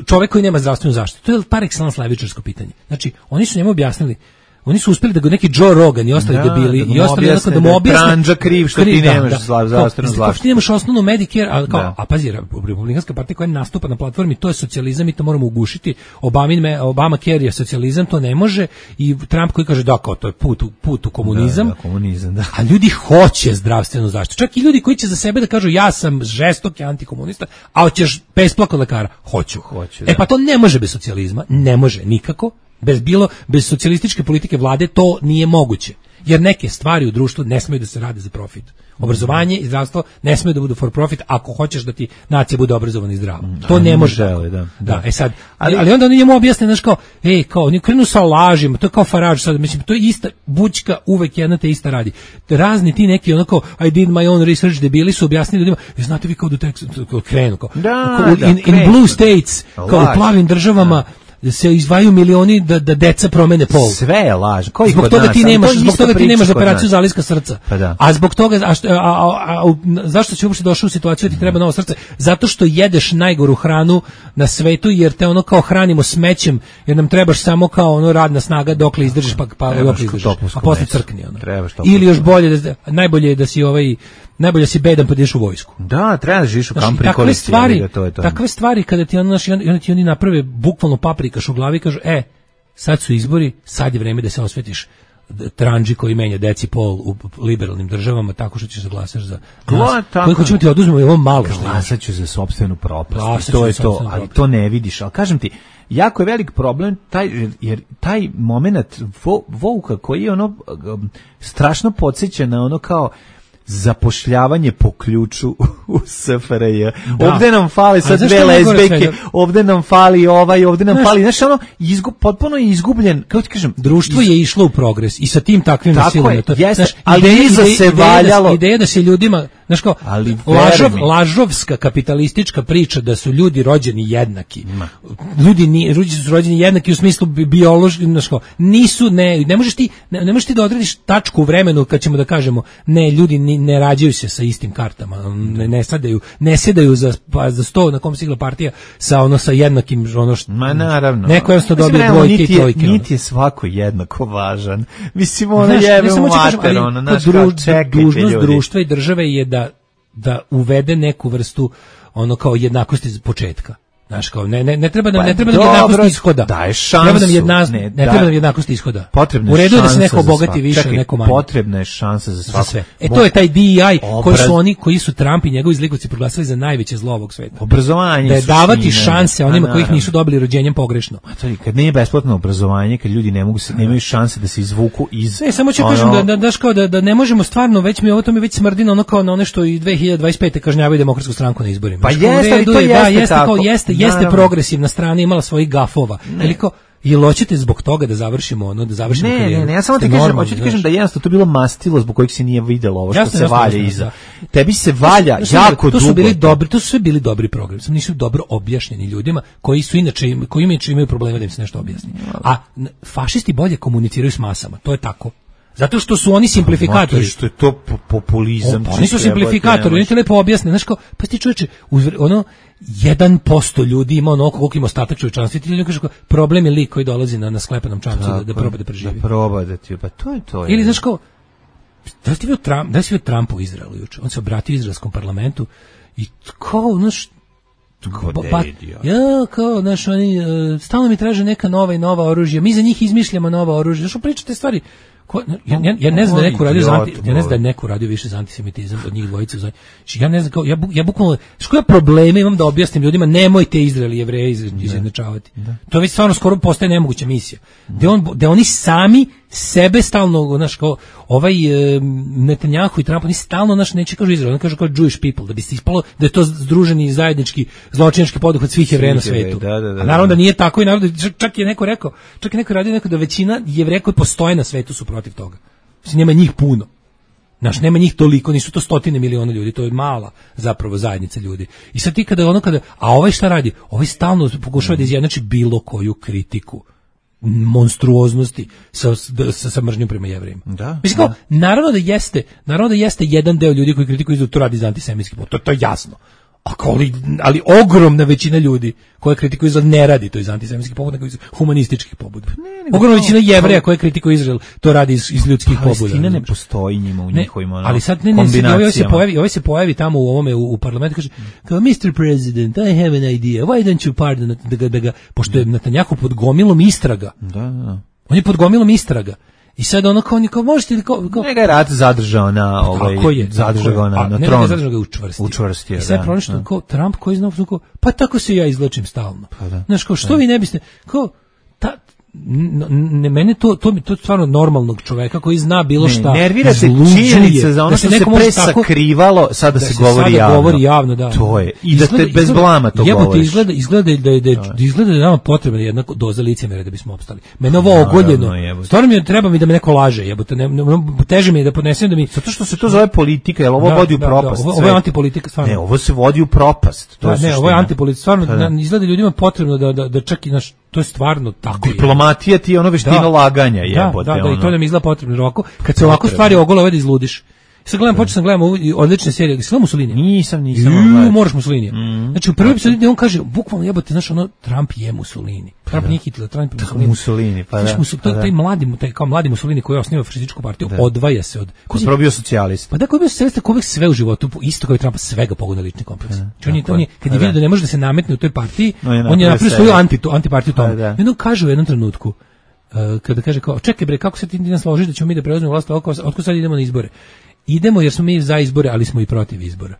S8: čovjek koji nema zdravstvenu zaštitu. To je par excellence levičarsko pitanje. Znači, oni su njemu objasnili, oni su uspeli da ga neki Joe Rogan i ostali da, debili da i ostali onako da mu objasne
S7: Tranđa kriv što kriv, ti nemaš da, zdravstvenu zaštitu.
S8: Kao ti nemaš osnovnu Medicare, a, kao, a pazi, Republikanska partija koja nastupa na platformi, to je socijalizam i to moramo ugušiti. Obama, Obama Care je socijalizam, to ne može, i Trump koji kaže da, kao to je put, put u komunizam,
S7: da, da, komunizam da.
S8: A ljudi hoće zdravstvenu zaštitu. Čak i ljudi koji će za sebe da kažu ja sam žestoki antikomunista, a hoćeš besplatno lekara, hoću.
S7: hoću
S8: e pa to ne može bez socijalizma, ne može nikako. Bez bilo bez socijalističke politike vlade to nije moguće. Jer neke stvari u društvu ne smeju da se rade za profit. Obrazovanje i zdravstvo ne smeju da budu for profit ako hoćeš da ti nacija bude obrazovana i zdrava. To ne može.
S7: Žele, da,
S8: da. da, e sad, ali, ali onda oni njemu objasne, znaš, kao, ej, kao, oni krenu sa lažima, to je kao Farage sad, mislim, to je ista, bućka uvek jedna te ista radi. Razni ti neki, onako, I did my own research, debili su objasnili ljudima, znate vi kao do tekstu, krenu, kao,
S7: da,
S8: kao,
S7: da,
S8: in, in blue states, kao u plavim državama, da se izdvajaju milioni da da deca promene pol.
S7: Sve je laž. Koji
S8: zbog toga ti nemaš, to zbog toga ti nemaš operaciju zaliska srca.
S7: Pa da.
S8: A zbog toga a, a, a, a zašto si uopšte došao u situaciju da ti treba novo srce? Zato što jedeš najgoru hranu na svetu, jer te ono kao hranimo smećem, jer nam trebaš samo kao ono radna snaga dokle izdržiš, pa pa dokle izdržiš. A posle crkni ono. Ili još bolje da najbolje je da si ovaj najbolje si bedan pa ideš u vojsku.
S7: Da, treba da živiš u kampu i
S8: takve stvari, to je to. Takve stvari kada ti ono, oni ti oni naprave bukvalno paprikaš u glavi i kažu, e, sad su izbori, sad je vreme da se osvetiš Tranđi koji menja deci pol u liberalnim državama tako što ćeš da glasaš za nas. Koji hoćemo ti oduzmemo i ovo malo što
S7: glasat ću za sopstvenu propast. To je to, ali to ne vidiš. Ali kažem ti, jako je velik problem taj, jer taj moment vo, Vouka koji je ono um, strašno podsjeća na ono kao zapošljavanje po ključu u S F R J. Da. Ovde nam fale sad dve lezbejke, ovde nam fali ovaj, ovde nam znaš, fali, znaš, ono, izgub, potpuno je izgubljen, kako ti kažem,
S8: društvo
S7: iz...
S8: je išlo u progres i sa tim takvim nasilom.
S7: To, jeste, ali iza se valjalo.
S8: Ideja da se ljudima, znaš kao, lažov, lažovska kapitalistička priča da su ljudi rođeni jednaki. Ma. Ljudi, ni, ljudi su rođeni jednaki u smislu biološki, znaš kao, nisu, ne, ne možeš ti, ne, ne možeš ti da odrediš tačku u vremenu kad ćemo da kažemo, ne, ljudi ni, ne rađaju se sa istim kartama, ne, ne sadaju, ne sedaju za, pa, za sto na kom sigla partija sa ono sa jednakim ono što,
S7: ma naravno.
S8: Neko jednostavno dobije dvojke i trojke.
S7: Niti je svako jednako važan. Mislim, ono jebe u mater, ono, naš kao čekajte
S8: dužnost društva i države je da da uvede neku vrstu ono kao jednakosti iz početka. Znaš, kao, ne, ne, ne treba nam, pa, ne treba nam jednakost ishoda.
S7: Daje šansu.
S8: Treba nam jedna, ne, ne treba nam jednakost ishoda.
S7: Potrebna
S8: u redu je da se neko obogati više,
S7: čekaj,
S8: neko manje.
S7: Potrebna je šansa za svako. Za sve.
S8: E to je taj D E I koji su oni, koji su Trump i njegovi zlikovci proglasili za najveće zlo ovog sveta.
S7: Obrazovanje.
S8: Da je davati šanse onima koji ih nisu dobili rođenjem pogrešno.
S7: A to je kad nije besplatno obrazovanje, kad ljudi ne mogu se, nemaju šanse da se izvuku iz.
S8: Ne, samo ću ono... kažem da da daš kao da da ne možemo stvarno, već mi ovo to mi već smrdi na ono kao na one što i dve hiljade dvadeset pete kažnjavaju Demokratsku stranku na izborima.
S7: Pa jeste, to jeste tako.
S8: Jeste, jeste progres na strani imala svojih gafova. Veliko jel hoćete zbog toga da završimo ono, da završimo
S7: ne,
S8: karijeru?
S7: Ne, ne, ja samo ti kažem, hoću ti kažem da jednostavno to bilo mastilo zbog kojeg se nije videlo ovo što jasne, se jasne, valja jasne, iza. Da. Tebi se valja to, to jako
S8: to
S7: dugo.
S8: Su bili dobri, to su sve bili dobri programi, samo nisu dobro objašnjeni ljudima koji su inače koji inače imaju problema da im se nešto objasni. A fašisti bolje komuniciraju s masama, to je tako. Zato što su oni simplifikatori.
S7: Zato što je to populizam.
S8: O, oni su simplifikatori, oni ti lepo objasne. Znaš kao, pa ti čovječe, ono, jedan posto ljudi ima ono koliko ima ostatak čovječanstva. Ti ljudi kažu kao, problem je lik koji dolazi na, na sklepanom čamcu da, da proba da preživi.
S7: Da proba da ti, pa to je to. Je.
S8: Ili, znaš kao, da li ti bio Trump, da li si bio Trump u Izraelu juče? On se obratio izraelskom parlamentu i kao, znaš,
S7: Pa,
S8: ja, kao, znaš, oni, uh, stalno mi traže neka nova i nova oružja, mi za njih izmišljamo nova oružja, znaš, pričate stvari, ko, ja, ja, ja ne znam da neko radio za anti, ja ne znam da neko radio više za antisemitizam od njih dvojice, znači, ja ne znam, kao, ja, ja bukvalno, što ja probleme imam da objasnim ljudima, nemojte Izrael i Jevreje izjednačavati, to već stvarno skoro postaje nemoguća misija, da on, da oni sami sebe stalno, znaš, kao ovaj e, Netanjahu i Trump, oni stalno, znaš, neće kažu Izrael, oni kažu kao Jewish people, da bi se ispalo da je to združeni zajednički zločinački poduhvat svih Jevreja na svetu.
S7: Da, da, da,
S8: a naravno da nije tako i naravno, čak je neko rekao, čak je neko radio neko da većina Jevreja koji postoje na svetu su protiv toga. Mislim, nema njih puno. Znaš, nema njih toliko, nisu to stotine miliona ljudi, to je mala zapravo zajednica ljudi. I sad ti kada ono kada, a ovaj šta radi? Ovaj stalno pokušava da izjednači bilo koju kritiku monstruoznosti sa, sa, sa mržnjom prema Jevrejima.
S7: Da,
S8: mislim kao, da. naravno da jeste, naravno da jeste jedan deo ljudi koji kritikuju da to radi za antisemitski povod, to, to je jasno. Ali, ali ogromna većina ljudi koje kritikuju Izrael ne radi to iz antisemitskih pobuda, nego iz humanističkih pobuda. Ogromna većina Jevreja koje kritikuju Izrael to radi iz, iz ljudskih pobuda.
S7: Palestina ne postoji njima u njihovim ono,
S8: ali sad ne, ne, ne ovaj se pojavi, ovaj se pojavi tamo u ovome u, u parlamentu kaže kao mister President, I have an idea. Why don't you pardon da ga, da ga pošto je Netanjahu pod gomilom istraga.
S7: Da, da.
S8: On je pod gomilom istraga. I sad ono kao, kao možete li kao... kao...
S7: Njega je rat zadržao na, ovaj,
S8: je,
S7: zadržao na, na
S8: ne,
S7: tron.
S8: Ne, zadržao ga učvrstio.
S7: Učvrstio,
S8: I sad
S7: da.
S8: pronašao kao Trump koji zna, kao, pa tako se ja izlačim stalno.
S7: Pa da.
S8: Znaš, kao, što
S7: da.
S8: vi ne biste... Kao, ta, ne, mene to, to, to je stvarno normalnog čoveka koji zna bilo šta.
S7: Ne, nervirate činjenica za ono da što se pre sakrivalo, sada
S8: da
S7: se,
S8: se
S7: govori
S8: sada
S7: javno.
S8: govori javno, da.
S7: To je. I izgleda, da te bez
S8: izgleda,
S7: blama to
S8: jebote,
S7: govoriš.
S8: Izgleda, izgleda da je, da je, izgleda da je nama potrebna jedna doza licemera da bismo opstali. Mene ovo ogoljeno. Stvarno mi je, treba mi da me neko laže, jebote. Ne, ne, teže mi je da podnesem da mi...
S7: Zato što se to zove politika, jel ovo
S8: da,
S7: vodi u
S8: da,
S7: propast.
S8: Da, ovo, ovo je antipolitika, stvarno.
S7: Ne, ovo se vodi u propast. To
S8: da,
S7: je
S8: ne, ovo je antipolitika, stvarno. Da. Izgleda ljudima potrebno da, da, da čak i naš... To je stvarno tako.
S7: Diplomatija ti je ono veština da, laganja, jebote.
S8: Da, da, da,
S7: ono.
S8: I to nam izgleda potrebno roko. Kad se ovako stvari ogole, ovaj da izludiš. Sad gledam, počeo sam gledam ovu odlične serije. Gledam Mussolinija?
S7: Nisam, nisam.
S8: Juuu, moraš Mussolinija. Mm, znači, u prvoj epizodi on kaže, bukvalno jebote, znaš, ono, Trump je Mussolini. Trump nije Hitler, Trump je Mussolini.
S7: Mussolini, pa da.
S8: Znaš, pa da. Taj mladi, taj, kao mladi Mussolini koji osniva fašističku partiju, da. Odvaja se od...
S7: Ko je probio socijalist?
S8: Pa da, ko je bio socijalista, ko uvijek sve u životu, isto kao i Trumpa, svega pogoda lični kompleks. Znači, on je, on je, kad je vidio da ne može da se nametne u toj partiji, on je napravio svoju anti, antipartiju tome. I onda kaže u jednom trenutku, kada kaže kao, čekaj bre, kako se ti nas složiš da ćemo mi da preuzmemo vlast, otko sad idemo na izbore. Idemo jer smo mi za izbore, ali smo i protiv izbora.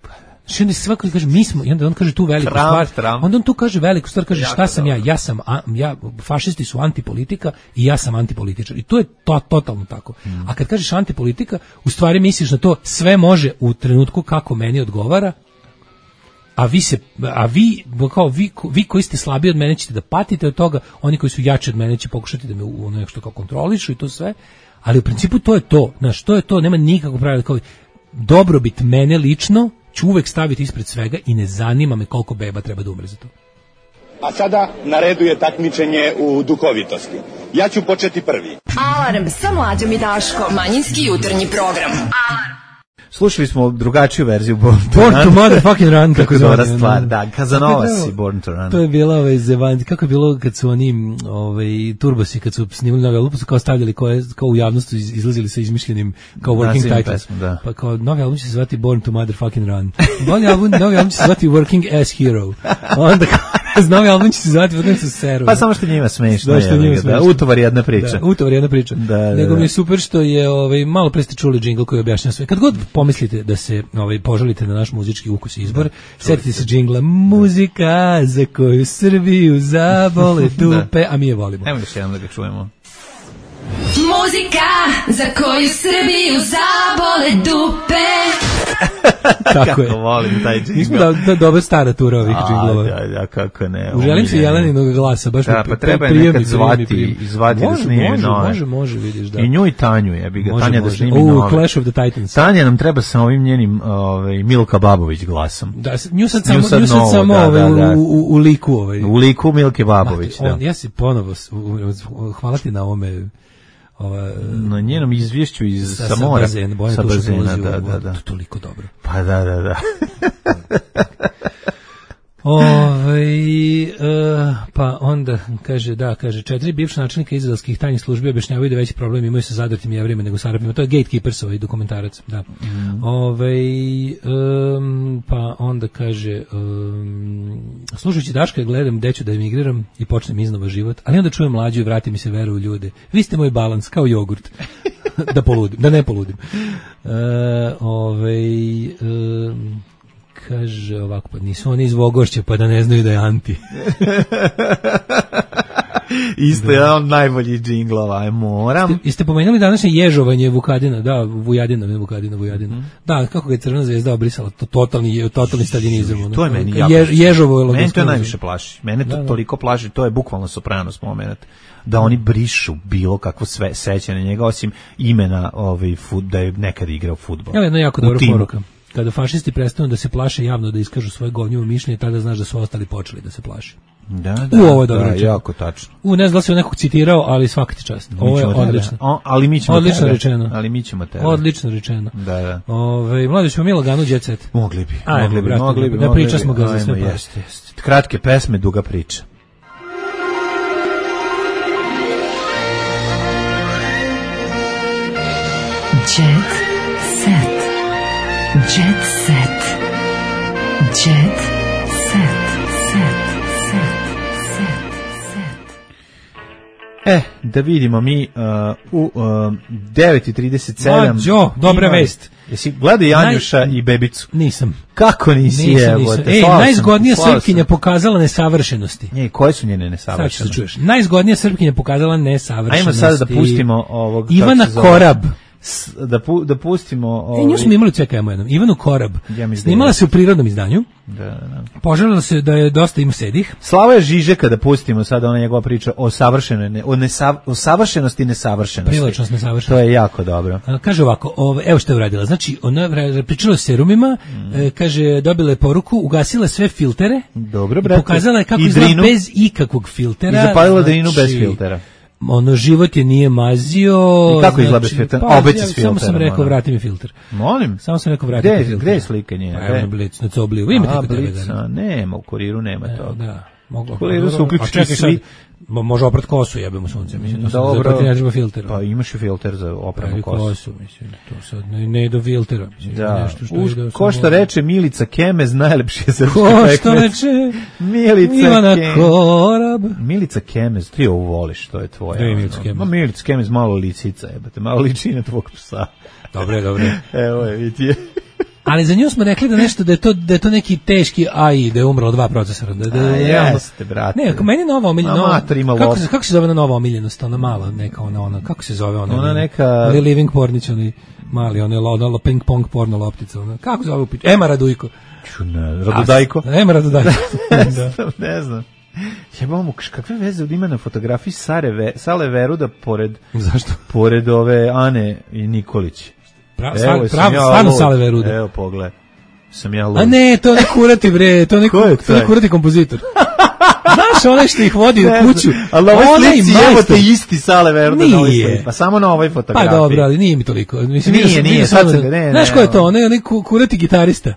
S8: Znači onda se svako kaže mi smo, i onda on kaže tu veliku
S7: Trump,
S8: stvar,
S7: Trump.
S8: onda on tu kaže veliku stvar, kaže
S7: Jako
S8: šta sam
S7: dobro.
S8: ja, ja sam, a, ja, fašisti su antipolitika i ja sam antipolitičar i to je to, totalno tako. A kad kažeš antipolitika, u stvari misliš na to sve može u trenutku kako meni odgovara, a vi se, a vi, kao vi, vi koji ste slabiji od mene ćete da patite od toga, oni koji su jači od mene će pokušati da me u nešto kao kontrolišu i to sve, ali u principu to je to, znaš, to je to, nema nikakvog pravila, kao dobrobit mene lično ću uvek staviti ispred svega i ne zanima me koliko beba treba da umre za to.
S16: A sada na redu je takmičenje u duhovitosti. Ja ću početi prvi.
S15: Alarm sa Mlađom i Daškom. Manjinski jutarnji program. Alarm.
S7: Slušali smo drugačiju verziju Born to
S8: Born
S7: Run.
S8: to motherfucking run,
S7: kako
S8: kako
S7: dobra
S8: zove,
S7: stvar,
S8: no.
S7: da, Casanovas i Born to Run.
S8: To je bila ovaj zevan, kako je bilo kad su oni ovaj turbosi kad su snimali novi album, su kao stavljali koje kao u javnosti iz- izlazili sa izmišljenim kao working
S7: Nazivim
S8: titles.
S7: pesmu, da.
S8: Pa kao novi album će se zvati Born to motherfucking run. Novi album, novi album će se zvati Working as Hero. Onda kao, novi album će se zvati Working as Hero.
S7: Pa samo što njima smešno
S8: Da, što
S7: je,
S8: njima
S7: da,
S8: smešno.
S7: utovar jedna priča.
S8: Da, utovar jedna priča.
S7: Da, da,
S8: Nego
S7: da.
S8: mi je super što je ovaj malo pre ste čuli džingl koji objašnjava sve. Kad god pomislite da se ovaj požalite na naš muzički ukus i izbor, setite se džingla muzika za koju Srbiju zabole dupe, a mi je volimo.
S7: Ajmo još jednom da ga čujemo.
S15: Muzika za koju Srbiju zabole dupe.
S8: Tako je.
S7: Kako volim taj džingl.
S8: Mi smo da, da dobra stara tura ovih
S7: A,
S8: džinglova.
S7: Da, da, kako ne.
S8: Uželim se
S7: omiljeni.
S8: Jeleninog glasa, baš
S7: Da,
S8: mi
S7: pa
S8: pri-
S7: treba je
S8: prijemi,
S7: nekad
S8: prijemi,
S7: zvati,
S8: prijemi.
S7: zvati da
S8: Može,
S7: snije
S8: može,
S7: nove.
S8: Može, može, vidiš, da.
S7: I nju i Tanju je, bi ga
S8: Može,
S7: Tanja da
S8: može.
S7: snimi
S8: U,
S7: nove.
S8: Clash of the Titans.
S7: Tanja nam treba sa ovim njenim ovaj, Milka Babović glasom.
S8: Da, s- nju sad
S7: Nju
S8: samo,
S7: sad
S8: nju sad
S7: novo,
S8: samo
S7: da,
S8: ovaj,
S7: da, da.
S8: U, u, u liku ovaj.
S7: U liku Milke Babović,
S8: Mate, on,
S7: da.
S8: ja si ponovo, s- u- u- hvala ti na ovome, ova,
S7: Na njenom izvješću iz
S8: sa,
S7: sa
S8: sa
S7: mora.
S8: bazena, Bojana
S7: Sa
S8: Tuša
S7: bazena,
S8: dolazi u
S7: da,
S8: ovo,
S7: da, da.
S8: to je toliko dobro.
S7: Pa da, da, da.
S8: Ovaj e, pa onda kaže da kaže četiri bivša načelnika izraelskih tajnih službi objašnjavaju da veći problem imaju sa zadrtim Jevrejima nego sa Arapima. To je Gatekeepers, ovaj dokumentarac, da.
S7: Mm.
S8: Ovaj em, pa onda kaže um, slušajući Daška gledam gde ću da emigriram i počnem iznova život, ali onda čujem Mlađu i vrati mi se veru u ljude. Vi ste moj balans kao jogurt. da poludim, da ne poludim. E, ovaj em, kaže ovako, pa nisu oni iz Vogošća, pa da ne znaju da je anti.
S7: Isto je jedan od najboljih džinglova, aj moram.
S8: Ste, jeste pomenuli današnje ježovanje Vukadina, da, Vujadina, ne Vukadina, Vujadina.
S7: Mm.
S8: Da, kako ga je Crvena zvezda obrisala, to totalni, totalni staljinizam. ono.
S7: To je meni
S8: Kad
S7: jako.
S8: Jež, ježovo je
S7: Mene to
S8: logoskroz.
S7: najviše plaši. Mene to
S8: Da, da.
S7: toliko plaši, to je bukvalno Sopranos moment. Da oni brišu bilo kakvo sve sećanje na njega, osim imena ovaj, fut, da je nekad igrao fudbal.
S8: Evo jedna jako
S7: U
S8: dobra
S7: timu.
S8: poruka. Kada fašisti prestanu da se plaše javno da iskažu svoje govnjivo mišljenje, tada znaš da su ostali počeli da se plaše.
S7: Da, da,
S8: U, ovo je dobro
S7: da,
S8: rečeno.
S7: jako tačno.
S8: U, ne znam da li se nekog citirao, ali svaka ti čast.
S7: Mi
S8: Ovo je
S7: ćemo tebe.
S8: odlično.
S7: O, ali mi ćemo
S8: Odlično
S7: tebe.
S8: rečeno.
S7: Ali mi ćemo tebe.
S8: Odlično rečeno.
S7: Da, da.
S8: Ove, mladi ćemo mi lagano jet set.
S7: Mogli bi,
S8: Ajmo,
S7: mogli bi,
S8: brate,
S7: mogli bi.
S8: da
S7: mogli
S8: priča
S7: bi.
S8: smo ga za
S7: Ajmo,
S8: sve pare.
S7: jeste, jeste. Kratke pesme, duga priča.
S15: Jet set. Jet set. Jet set. Set. Set. Set.
S7: E, da vidimo mi uh, u uh, devet i trideset sedam.
S8: Mađo, dobra
S7: ima-
S8: vest.
S7: Jesi gledao Janjuša i Bebicu?
S8: Nisam.
S7: Kako nisi,
S8: Nisam,
S7: evo
S8: nisam.
S7: te,
S8: Ej,
S7: slao sam,
S8: najzgodnija
S7: slao sam.
S8: Srpkinja pokazala nesavršenosti.
S7: Nje, koje su njene
S8: Sad ću
S7: nesavršenosti?
S8: se čuješ. Najzgodnija Srpkinja pokazala nesavršenosti.
S7: Ajmo sada da pustimo ovog...
S8: Ivana
S7: kako se zove?
S8: Korab.
S7: S- Da, pu, da pustimo...
S8: E,
S7: Ovaj,
S8: nju smo imali u C K M-u jednom. Ivanu Korab.
S7: Ja mislim da
S8: Snimala
S7: je.
S8: se u prirodnom izdanju.
S7: Da, da, da.
S8: Poželjela se da je dosta ima sedih.
S7: Slava Žižeka da pustimo sada ona njegova priča o savršenoj ne, o, nesav, o savršenosti i nesavršenosti.
S8: Privlačnost, nesavršenost.
S7: To je jako dobro.
S8: A, kaže ovako, ove, evo što je uradila. Znači, ona je vra- pričala o serumima,
S7: Mm.
S8: e, kaže, dobila je poruku, ugasila sve filtere.
S7: Dobro,
S8: I
S7: brate.
S8: pokazala je kako
S7: I
S8: izgleda
S7: drinu.
S8: bez ikakvog filtera.
S7: I zapalila drinu
S8: Znači,
S7: bez filtera.
S8: Ono, život je nije mazio.
S7: I kako izgleda bez filtera?
S8: Pa,
S7: Opet
S8: ja,
S7: s
S8: samo sam
S7: filterom,
S8: rekao,
S7: ono.
S8: vrati mi filter.
S7: Molim?
S8: Samo sam rekao, vrati
S7: Gde,
S8: mi filter.
S7: gde je slika njena?
S8: Pa, evo na
S7: Gde?
S8: Blic, na Cobliju. Imate
S7: A,
S8: kod tebe,
S7: Blic,
S8: da.
S7: a, nema, u kuriru nema
S8: Evo,
S7: toga.
S8: da. Moglo.
S7: U kuriru su
S8: A
S7: uključeni
S8: čekaj
S7: svi.
S8: sad, mo- može oprat kosu, jebemo sunce, mislim. To sad
S7: Dobro.
S8: zato ti ne treba filter.
S7: Pa imaš i filter za opranu
S8: Pravi
S7: kosu.
S8: kosu, mislim. To sad ne, ne do filtera. Mislim,
S7: Da.
S8: nešto što
S7: Uz,
S8: ide
S7: ko što
S8: samo-
S7: reče Milica Kemez, najlepši je srpski
S8: Ko
S7: pekmez.
S8: što reče
S7: Milica
S8: Ivana
S7: Kemez.
S8: Korab.
S7: Milica Kemez, ti ovo voliš, to je tvoje.
S8: Gde je
S7: ono.
S8: Milica Kemez?
S7: Ma Milica Kemez malo licica, jebate, malo liči na tvog psa.
S8: Dobre, dobre.
S7: Evo je, vidi je.
S8: Ali za nju smo rekli da nešto da je to da je to neki teški A I, da je umrlo dva procesora, da da
S7: A, jeste, brate.
S8: Ne, ako meni je nova omiljena, nova,
S7: ima
S8: kako se kako se zove nova omiljenost, ona mala, neka ona ona kako se zove ona?
S7: Ona neka
S8: ali Living Pornić, oni mali, ona je ona ping pong porno loptica, ona. Kako se zove? Ema Radujko.
S7: Ne, Radudajko.
S8: Ema Radudajko.
S7: ne znam, ne znam. Jebamo, kakve veze ima na fotografiji Sare Ve, Sale Veruda pored
S8: zašto?
S7: Pored ove Ane i Nikolić.
S8: Prav, Evo, prav, ja stvarno Sale Veruda.
S7: Evo, pogledaj. Sam ja lud.
S8: A ne, to ne kurati bre, to ne kurati kompozitor. Znaš, onaj što ih vodi u kuću.
S7: Ali ovaj slici, evo te isti Sale Veruda na ovoj slici. Pa samo na ovoj fotografiji.
S8: Pa dobro, ali nije mi toliko. Mislim,
S7: nije, nije, sad se, ne, ne.
S8: Znaš ko je to? Onaj, onaj kurati gitarista.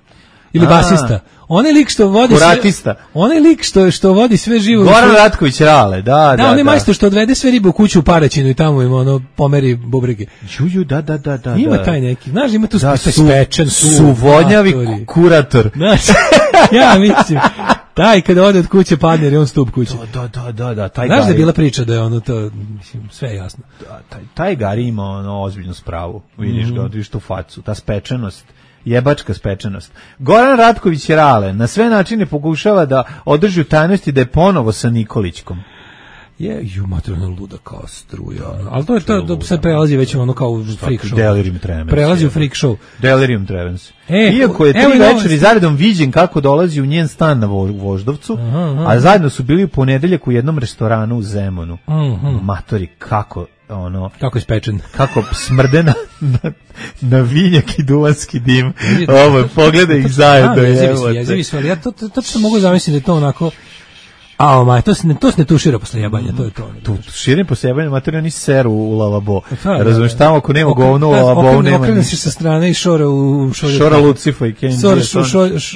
S8: Ili A, basista. Onaj lik što vodi
S7: kuratista.
S8: Sve, onaj lik što što vodi sve živo.
S7: Goran Ratković Rale, da, da.
S8: Da, onaj
S7: da.
S8: majstor što odvede sve ribe u kuću u Paraćinu i tamo im ono pomeri bubrege.
S7: Juju, da, da, da, da.
S8: Ima
S7: da.
S8: taj neki. Znaš, ima tu
S7: da,
S8: spečen
S7: su, su vonjavi kurator.
S8: Znaš, ja mislim. Taj kada ode od kuće padne jer je on stup kuće.
S7: Da, da, da, da, taj.
S8: Znaš da je bila priča da je ono to, mislim, sve je jasno.
S7: Da, taj, taj Gari ima ono ozbiljnu spravu. Vidiš mm. ga, vidiš tu facu, ta spečenost. Jebačka spečenost. Goran Ratković Rale na sve načine pokušava da održi u tajnosti da je ponovo sa Nikolićkom.
S8: Je, ju materijalno luda kao struja. Ali to je to, da sad prelazi već ono kao u freak show.
S7: Delirium tremens.
S8: Prelazi u freak show.
S7: Delirium tremens.
S8: E,
S7: Iako je tri večeri zaredom viđen kako dolazi u njen stan na Voždovcu, aha, aha. a zajedno su bili u ponedeljak u jednom restoranu u Zemunu.
S8: Aha.
S7: Matori, kako ono
S8: kako je spečen,
S7: kako smrde na, na, na vinjak i duvanski dim. Ovo, pogledaj ih zajedno.
S8: Jezivi su, ali ja to, to, to što mogu zamisliti da je to onako. A, ma, to se ne, to se ne tušira posle jebanja, to je to.
S7: Tu tuširanje posle jebanja, materija ni seru u lavabo. Razumeš, tamo ako nema govno u lavabo, nema
S8: okrene se sa strane i šora u šolju.
S7: Šora Lucifa i Kenji.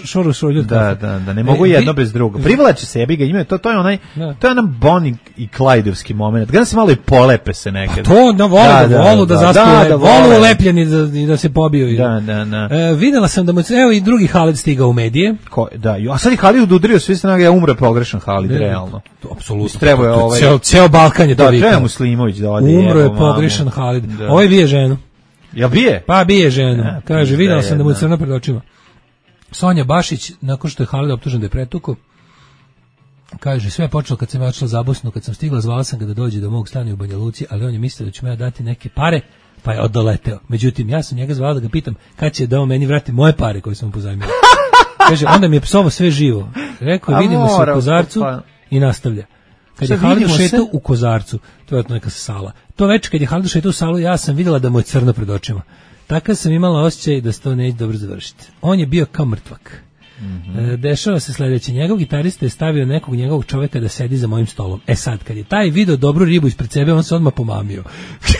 S8: Šora u šolju.
S7: Da, da, da, ne mogu jedno bez drugo. Privlači se, jebi ga, imaju, to, to je onaj, to je onaj Bonnie i Clydeovski moment. Gledam se malo i polepe se nekad.
S8: To, da volu, da, da volu da zaspuje, volu lepljeni i da se pobiju.
S7: Da, da, da.
S8: Videla sam da mu, evo i drugi Halid stigao u medije.
S7: Da, a sad i Halid udrio sve strane, ja umre pogrešan Halid. Realno.
S8: Apsolutno.
S7: Treba je ovaj
S8: ceo ceo Balkan je to vikao.
S7: Da, treba Muslimović da ode.
S8: Umro je pogrešan Halid. Ovaj bije ženu.
S7: Ja bije?
S8: Pa bije ženu. Ja, kaže, videla sam da mu je crno pred očima. Sonja Bašić, nakon što je Halid optužen da je pretukao, kaže, sve je počelo kad sam ja odšla za Bosnu, kad sam stigla, zvala sam ga da dođe do mog stana u Banja Luci, ali on je mislio da će me dati neke pare, pa je odoleteo. Međutim, ja sam njega zvala da ga pitam kad će da on meni vrati moje pare koje sam mu pozajmila. Kaže, onda mi je psovo sve živo. Rekao, vidimo se u Kozarcu i nastavlja. Kad je Halid šetao u Kozarcu, to je neka sala. To večer kad je Halid šetao u salu, ja sam vidjela da mu je crno pred očima. Tako sam imala osjećaj da se to neće dobro završiti. On je bio kao mrtvak. Mm-hmm. Dešava se sledeće. Njegov gitarista je stavio nekog njegovog čoveka da sedi za mojim stolom. E sad, kad je taj video dobru ribu ispred sebe, on se odmah pomamio.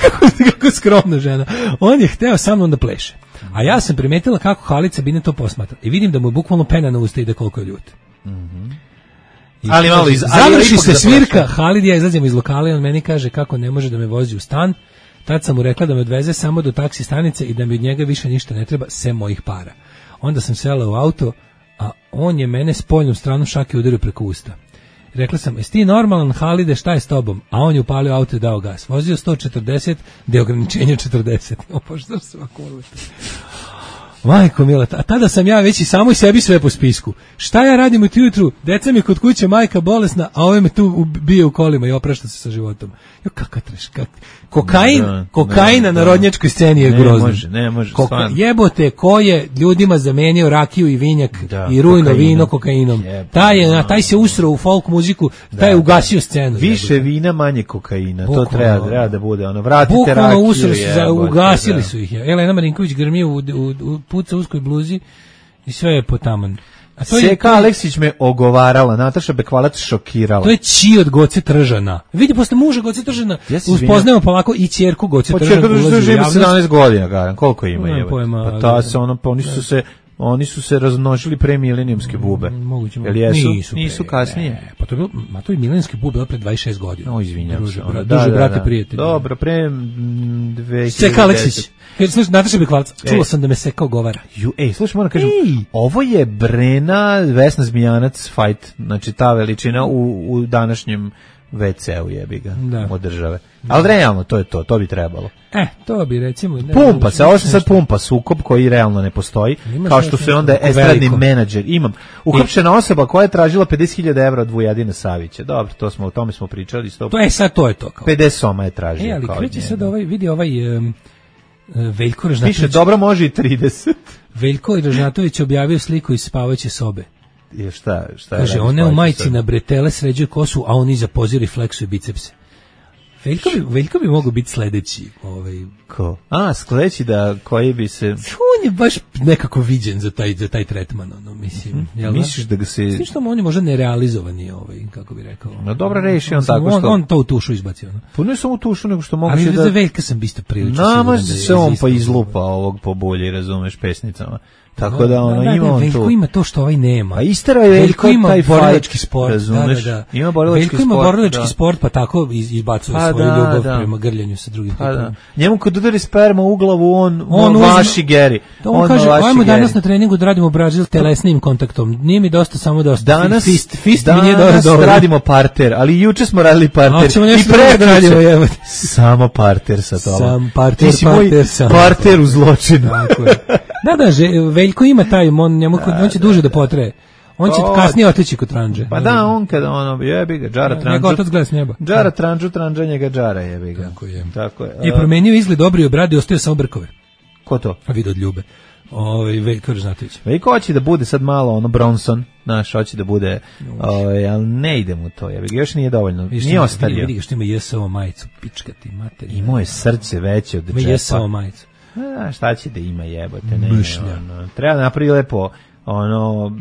S8: kako, kako skromna žena. On je hteo sa mnom da pleše. A ja sam primetila kako Halid Sabine to posmatra. I vidim da mu je bukvalno pena na usta i da koliko je ljut.
S7: Mm-hmm. Ali malo iz,
S8: završi se svirka, Halid ja izlazimo iz lokala i on meni kaže kako ne može da me vozi u stan. Tad sam mu rekla da me odveze samo do taksi stanice i da mi od njega više ništa ne treba, sem mojih para. Onda sam sela u auto, a on je mene spoljnom stranom šake udario preko usta. Rekla sam, jesi ti normalan, Halide, šta je s tobom? A on je upalio auto i dao gas. Vozio sto četrdeset, gde je ograničenje četrdeset. O, pa što se ovako urvete? Majko mila, a tada sam ja već i samoj sebi sve po spisku. Šta ja radim u jutru? Deca mi kod kuće, majka bolesna, a ove me tu bije u kolima i oprašta se sa životom. Jo, kakav treš, kak... Kokain, da, kokaina da, na rodnjačkoj sceni je grozno. Ne može,
S7: ne može.
S8: Koka... Jebote, ko je ljudima zamenio rakiju i vinjak da, i rujno kokainom. Vino kokainom. Jeb, taj, je, da, taj se usro u folk muziku, da, taj je ugasio scenu.
S7: Više jebote. Vina, manje kokaina. Bukvalno, to treba, treba da bude. Ono, vratite rakiju.
S8: Usro su, za, ugasili da. Su ih. Elena Marinković grmi u, u, u puca uskoj bluzi i sve je potaman.
S7: A to Seka je, Aleksić me ogovarala, Nataša Bekvalac šokirala.
S8: To je čiji od Goce Tržana. Vidi, posle muža Goce Tržana, uspoznajemo polako i ćerku Goce Tržana.
S7: Pa ćerku Tržana ima sedamnaest godina, garan. Koliko ima je? Pa ta se, ono, pa oni su se, oni su se razmnožili pre milenijumske bube.
S8: Moguće,
S7: jel jesu?
S8: Nisu,
S7: nisu kasnije.
S8: Ne, pa to je bilo, ma to je milenijske bube bilo pre dvadeset šest godina.
S7: O, izvinjam se.
S8: Druže, da, da, brate, prijatelji.
S7: Dobro, pre dve hiljade deset.
S8: Seka Aleksić. Slušaj, Nataša Bekvalac, čulo sam da me Seka ogovara.
S7: Ju, ej, slušaj, moram kažem, ej. Ovo je Brena, Vesna Zmijanac fight, znači ta veličina u, u današnjem ve ce u jebi ga
S8: Da.
S7: od države. Ali realno, to je to, to bi trebalo.
S8: E, to bi recimo... Ne,
S7: Pumpa se, ovo se sad
S8: nešto.
S7: pumpa sukob koji realno ne postoji,
S8: Imaš
S7: kao što
S8: nešto
S7: se onda
S8: veliko?
S7: estradni menadžer, imam. Uhapšena osoba koja je tražila pedeset hiljada evra od Vujadina Savića. Dobro, to smo, o tome smo pričali. sto
S8: To je sad, to je to. Kao.
S7: pedeset soma je tražio.
S8: E, ali
S7: kao
S8: kreće
S7: njega.
S8: sad ovaj, vidi ovaj um, Veljko Ražnatović.
S7: Piše, dobro može i trideset.
S8: Veljko Ražnatović objavio sliku iz spavaće sobe.
S7: Je šta, šta je
S8: Kaže,
S7: radio
S8: one u
S7: spavajući
S8: majici
S7: sobi?
S8: na bretele sređuje kosu, a on iza pozira i fleksuje bicepse. Veljko bi, Veljko bi mogao biti sledeći. Ovaj.
S7: Ko? A, sledeći da koji bi se...
S8: On je baš nekako viđen za taj, za taj tretman, ono, mislim.
S7: Mm-hmm.
S8: Jel da?
S7: Misliš da ga se...
S8: Mislim što on je možda nerealizovani, ovaj, kako bi rekao.
S7: No dobro reši on
S8: Mislim,
S7: tako što...
S8: On, on to u tušu izbacio. Ono.
S7: Pa ne samo u tušu, nego što mogu
S8: Ali
S7: se
S8: da...
S7: da...
S8: za Veljka sam isto prilično
S7: Namazi
S8: siguran da je
S7: se on
S8: isto-
S7: pa izlupa ovog po bolji, razumeš, pesnicama. Tako da ono,
S8: da, da,
S7: ima
S8: da,
S7: on
S8: Veljko
S7: tu...
S8: ima to što ovaj nema.
S7: A istera je Veljko
S8: ima
S7: taj
S8: borilački
S7: fight,
S8: sport,
S7: razumeš?
S8: da, da, da.
S7: Ima borilački
S8: Veljko ima
S7: sport,
S8: borilački
S7: da.
S8: sport, pa tako iz- izbacuje
S7: Pa
S8: svoju
S7: da,
S8: ljubav
S7: da.
S8: prema grljanju sa drugim
S7: Pa da.
S8: tipom.
S7: Njemu kad udari sperma u glavu, on,
S8: On
S7: on
S8: uzme-
S7: vaši Geri.
S8: On, kaže, ajmo danas na treningu da radimo Brazil telesnim kontaktom. Nije mi dosta samo dosta.
S7: Danas,
S8: fist, fist
S7: danas
S8: mi nije dosta dobro.
S7: radimo parter, ali juče smo radili parter.
S8: A ćemo nešto
S7: I prekjuče
S8: drugo da radimo, jebote.
S7: Samo parter sa tobom.
S8: Sam parter,
S7: Ti si moj
S8: parter, sam
S7: parter u zločinu.
S8: Tako je. Da, da, že, Veljko ima taj, on, njemu, on će duže da potraje. On će
S7: To-
S8: kasnije otići kod Tranđe.
S7: Pa da, on kada ono, jebi ga, džara
S8: Ja,
S7: tranđu.
S8: njega otac gleda s neba.
S7: Džara tranđu, tranđa njega džara, jebi ga.
S8: Tako je.
S7: Tako je.
S8: I
S7: A,
S8: promenio izgled obrio brade, ostaje samo brkove.
S7: ko to?
S8: A vidi od ljube. Ovaj Veljko Ražnatović.
S7: Veljko hoće da bude sad malo ono Bronson, znaš, hoće da bude, ovaj, ali ne ide mu to, jebi ga, još nije dovoljno,
S8: Vidiš,
S7: nije
S8: ima-
S7: ostario.
S8: Vidi ga što ima J S O majicu, pička ti materija.
S7: Imao je srce veće od
S8: Ima J S O
S7: džepa.
S8: majicu.
S7: A, šta će da ima, jebote, ne,
S8: Mršlja.
S7: ono, treba napravi lepo, ono,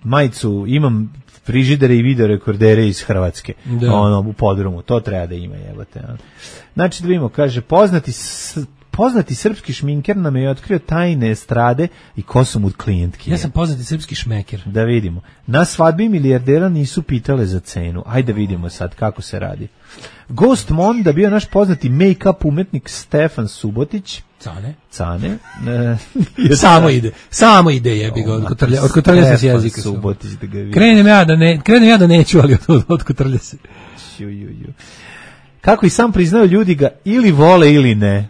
S7: majicu, imam frižidere i video rekordere iz Hrvatske,
S8: Da.
S7: ono, u podrumu, to treba da ima, jebote. ono. Znači, da vidimo, kaže, poznati, s- poznati srpski šminker nam je otkrio tajne estrade i ko su mu klijentki.
S8: Ja sam poznati srpski šmeker.
S7: Da vidimo. Na svadbi milijardera nisu pitale za cenu. Ajde da vidimo sad kako se radi. Ghost Monda bio naš poznati make-up umetnik Stefan Subotić.
S8: Cane.
S7: Cane. E,
S8: Samo ide. Samo ide, jebi ga, od kotrlja, od kotrlja se s
S7: Stefan
S8: jezika.
S7: Subotić, da ga vidim.
S8: Krenem ja da ne, krenem ja da neću, ali od, od kotrlja se.
S7: Ju, ju, ju. Kako i sam priznaju, ljudi ga ili vole ili ne.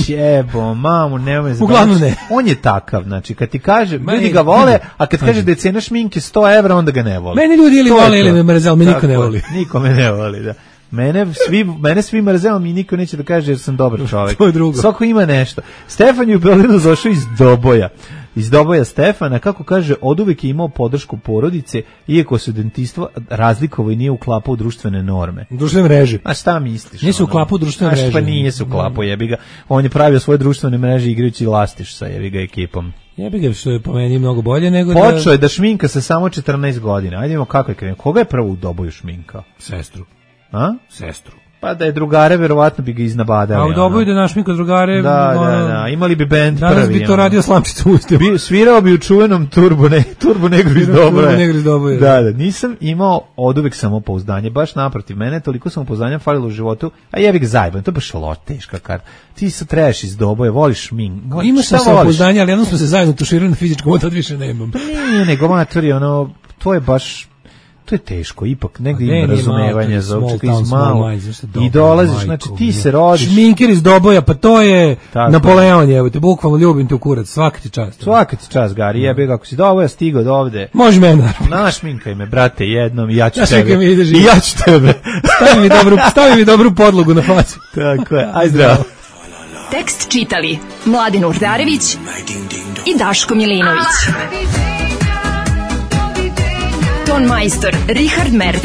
S7: Jebo, mamu, nemoj zabaviti.
S8: Uglavnom ne.
S7: On je takav, znači, kad ti kaže,
S8: Meni-
S7: ljudi ga vole, a kad
S8: Kažem.
S7: kaže da je cena šminke sto evra, onda ga ne vole.
S8: Meni ljudi ili
S7: To je
S8: vole
S7: to.
S8: ili me mrze, ali me niko
S7: Tako
S8: ne
S7: je.
S8: voli.
S7: Niko me ne voli, da. Mene svi, mene svi mrze, ali mi niko neće da kaže jer sam dobar čovjek.
S8: To je drugo.
S7: Svako ima nešto. Stefan je u Beogradu došao iz Doboja. Iz Doboja Stefana, kako kaže, oduvek je imao podršku porodice, iako se dentistvo razlikovao i nije uklapao u društvene norme.
S8: Društvene mreže.
S7: A šta misliš?
S8: Nije se
S7: ono?
S8: uklapao u društvene
S7: Znaš,
S8: mreže.
S7: Pa nije se uklapao, jebi ga. On je pravio svoje društvene mreže igrajući lastiš sa jebi ga ekipom.
S8: Jebi ga, što je po meni mnogo bolje nego da...
S7: Počeo je da šminka sa samo četrnaest godina. Ajde vidimo kako je krenuo. Koga je prvo u Doboju šminkao?
S8: Sestru.
S7: A?
S8: Sestru.
S7: Pa da je drugare, verovatno bi ga iznabadali.
S8: A u Doboju
S7: ono.
S8: da naš Miko drugare...
S7: Da,
S8: ono,
S7: da, da. Imali bi bend prvi.
S8: Danas bi to
S7: ono.
S8: radio Slamčica Ustio.
S7: Bi, svirao bi u čuvenom Turbo, ne, Turbo Negru iz
S8: Turbo
S7: Doboja.
S8: Negru iz Doboja.
S7: Da, da, nisam imao oduvek samopouzdanje, baš naprotiv mene, toliko samopouzdanja falilo u životu, a jebi ga zajban, to je baš lo, teška karta. Ti se trebaš iz Doboja, voliš min.
S8: Imaš
S7: Šta
S8: sam
S7: voliš?
S8: samopouzdanje, ali jednom smo se zajedno tuširali na fizičkom, od tad više nemam.
S7: Pa nije, nego matori, ono, to je baš, to je teško, ipak negdje
S8: Ne,
S7: ima
S8: nije
S7: razumevanja
S8: malo,
S7: za
S8: small
S7: učeka
S8: town,
S7: iz
S8: small
S7: malo.
S8: minds, znaš šta,
S7: I
S8: dobro,
S7: dolaziš,
S8: majko,
S7: znači ti
S8: ne.
S7: se rodiš.
S8: Šminker iz Doboja, pa to je
S7: Tako
S8: Napoleon, evo te, bukvalno ljubim te u kurac, svaka ti čast.
S7: Svaka ti čast, Gari, jebe ga, ako si Doboja stigao do ovde.
S8: Može mene, naravno.
S7: Našminkaj me, brate, jednom i ja ću
S8: Ja
S7: tebe.
S8: čekam, ideš
S7: I ja ću tebe.
S8: Stavi mi dobru, stavi mi dobru podlogu na facu.
S7: Tako je, aj zdravo.
S15: Tekst čitali Mladin Urdarević i Daško Milinović. Ton majstor Richard Merc.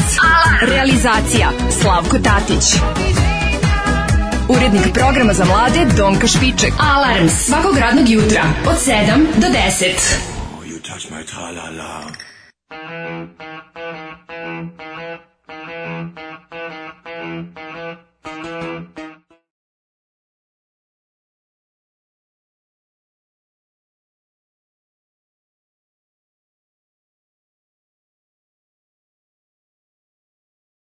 S15: Realizacija Slavko Tatić. Urednik programa za mlade Donka Špiček. Alarms svakog radnog jutra od sedam do deset.
S14: You touch my tra-la-la.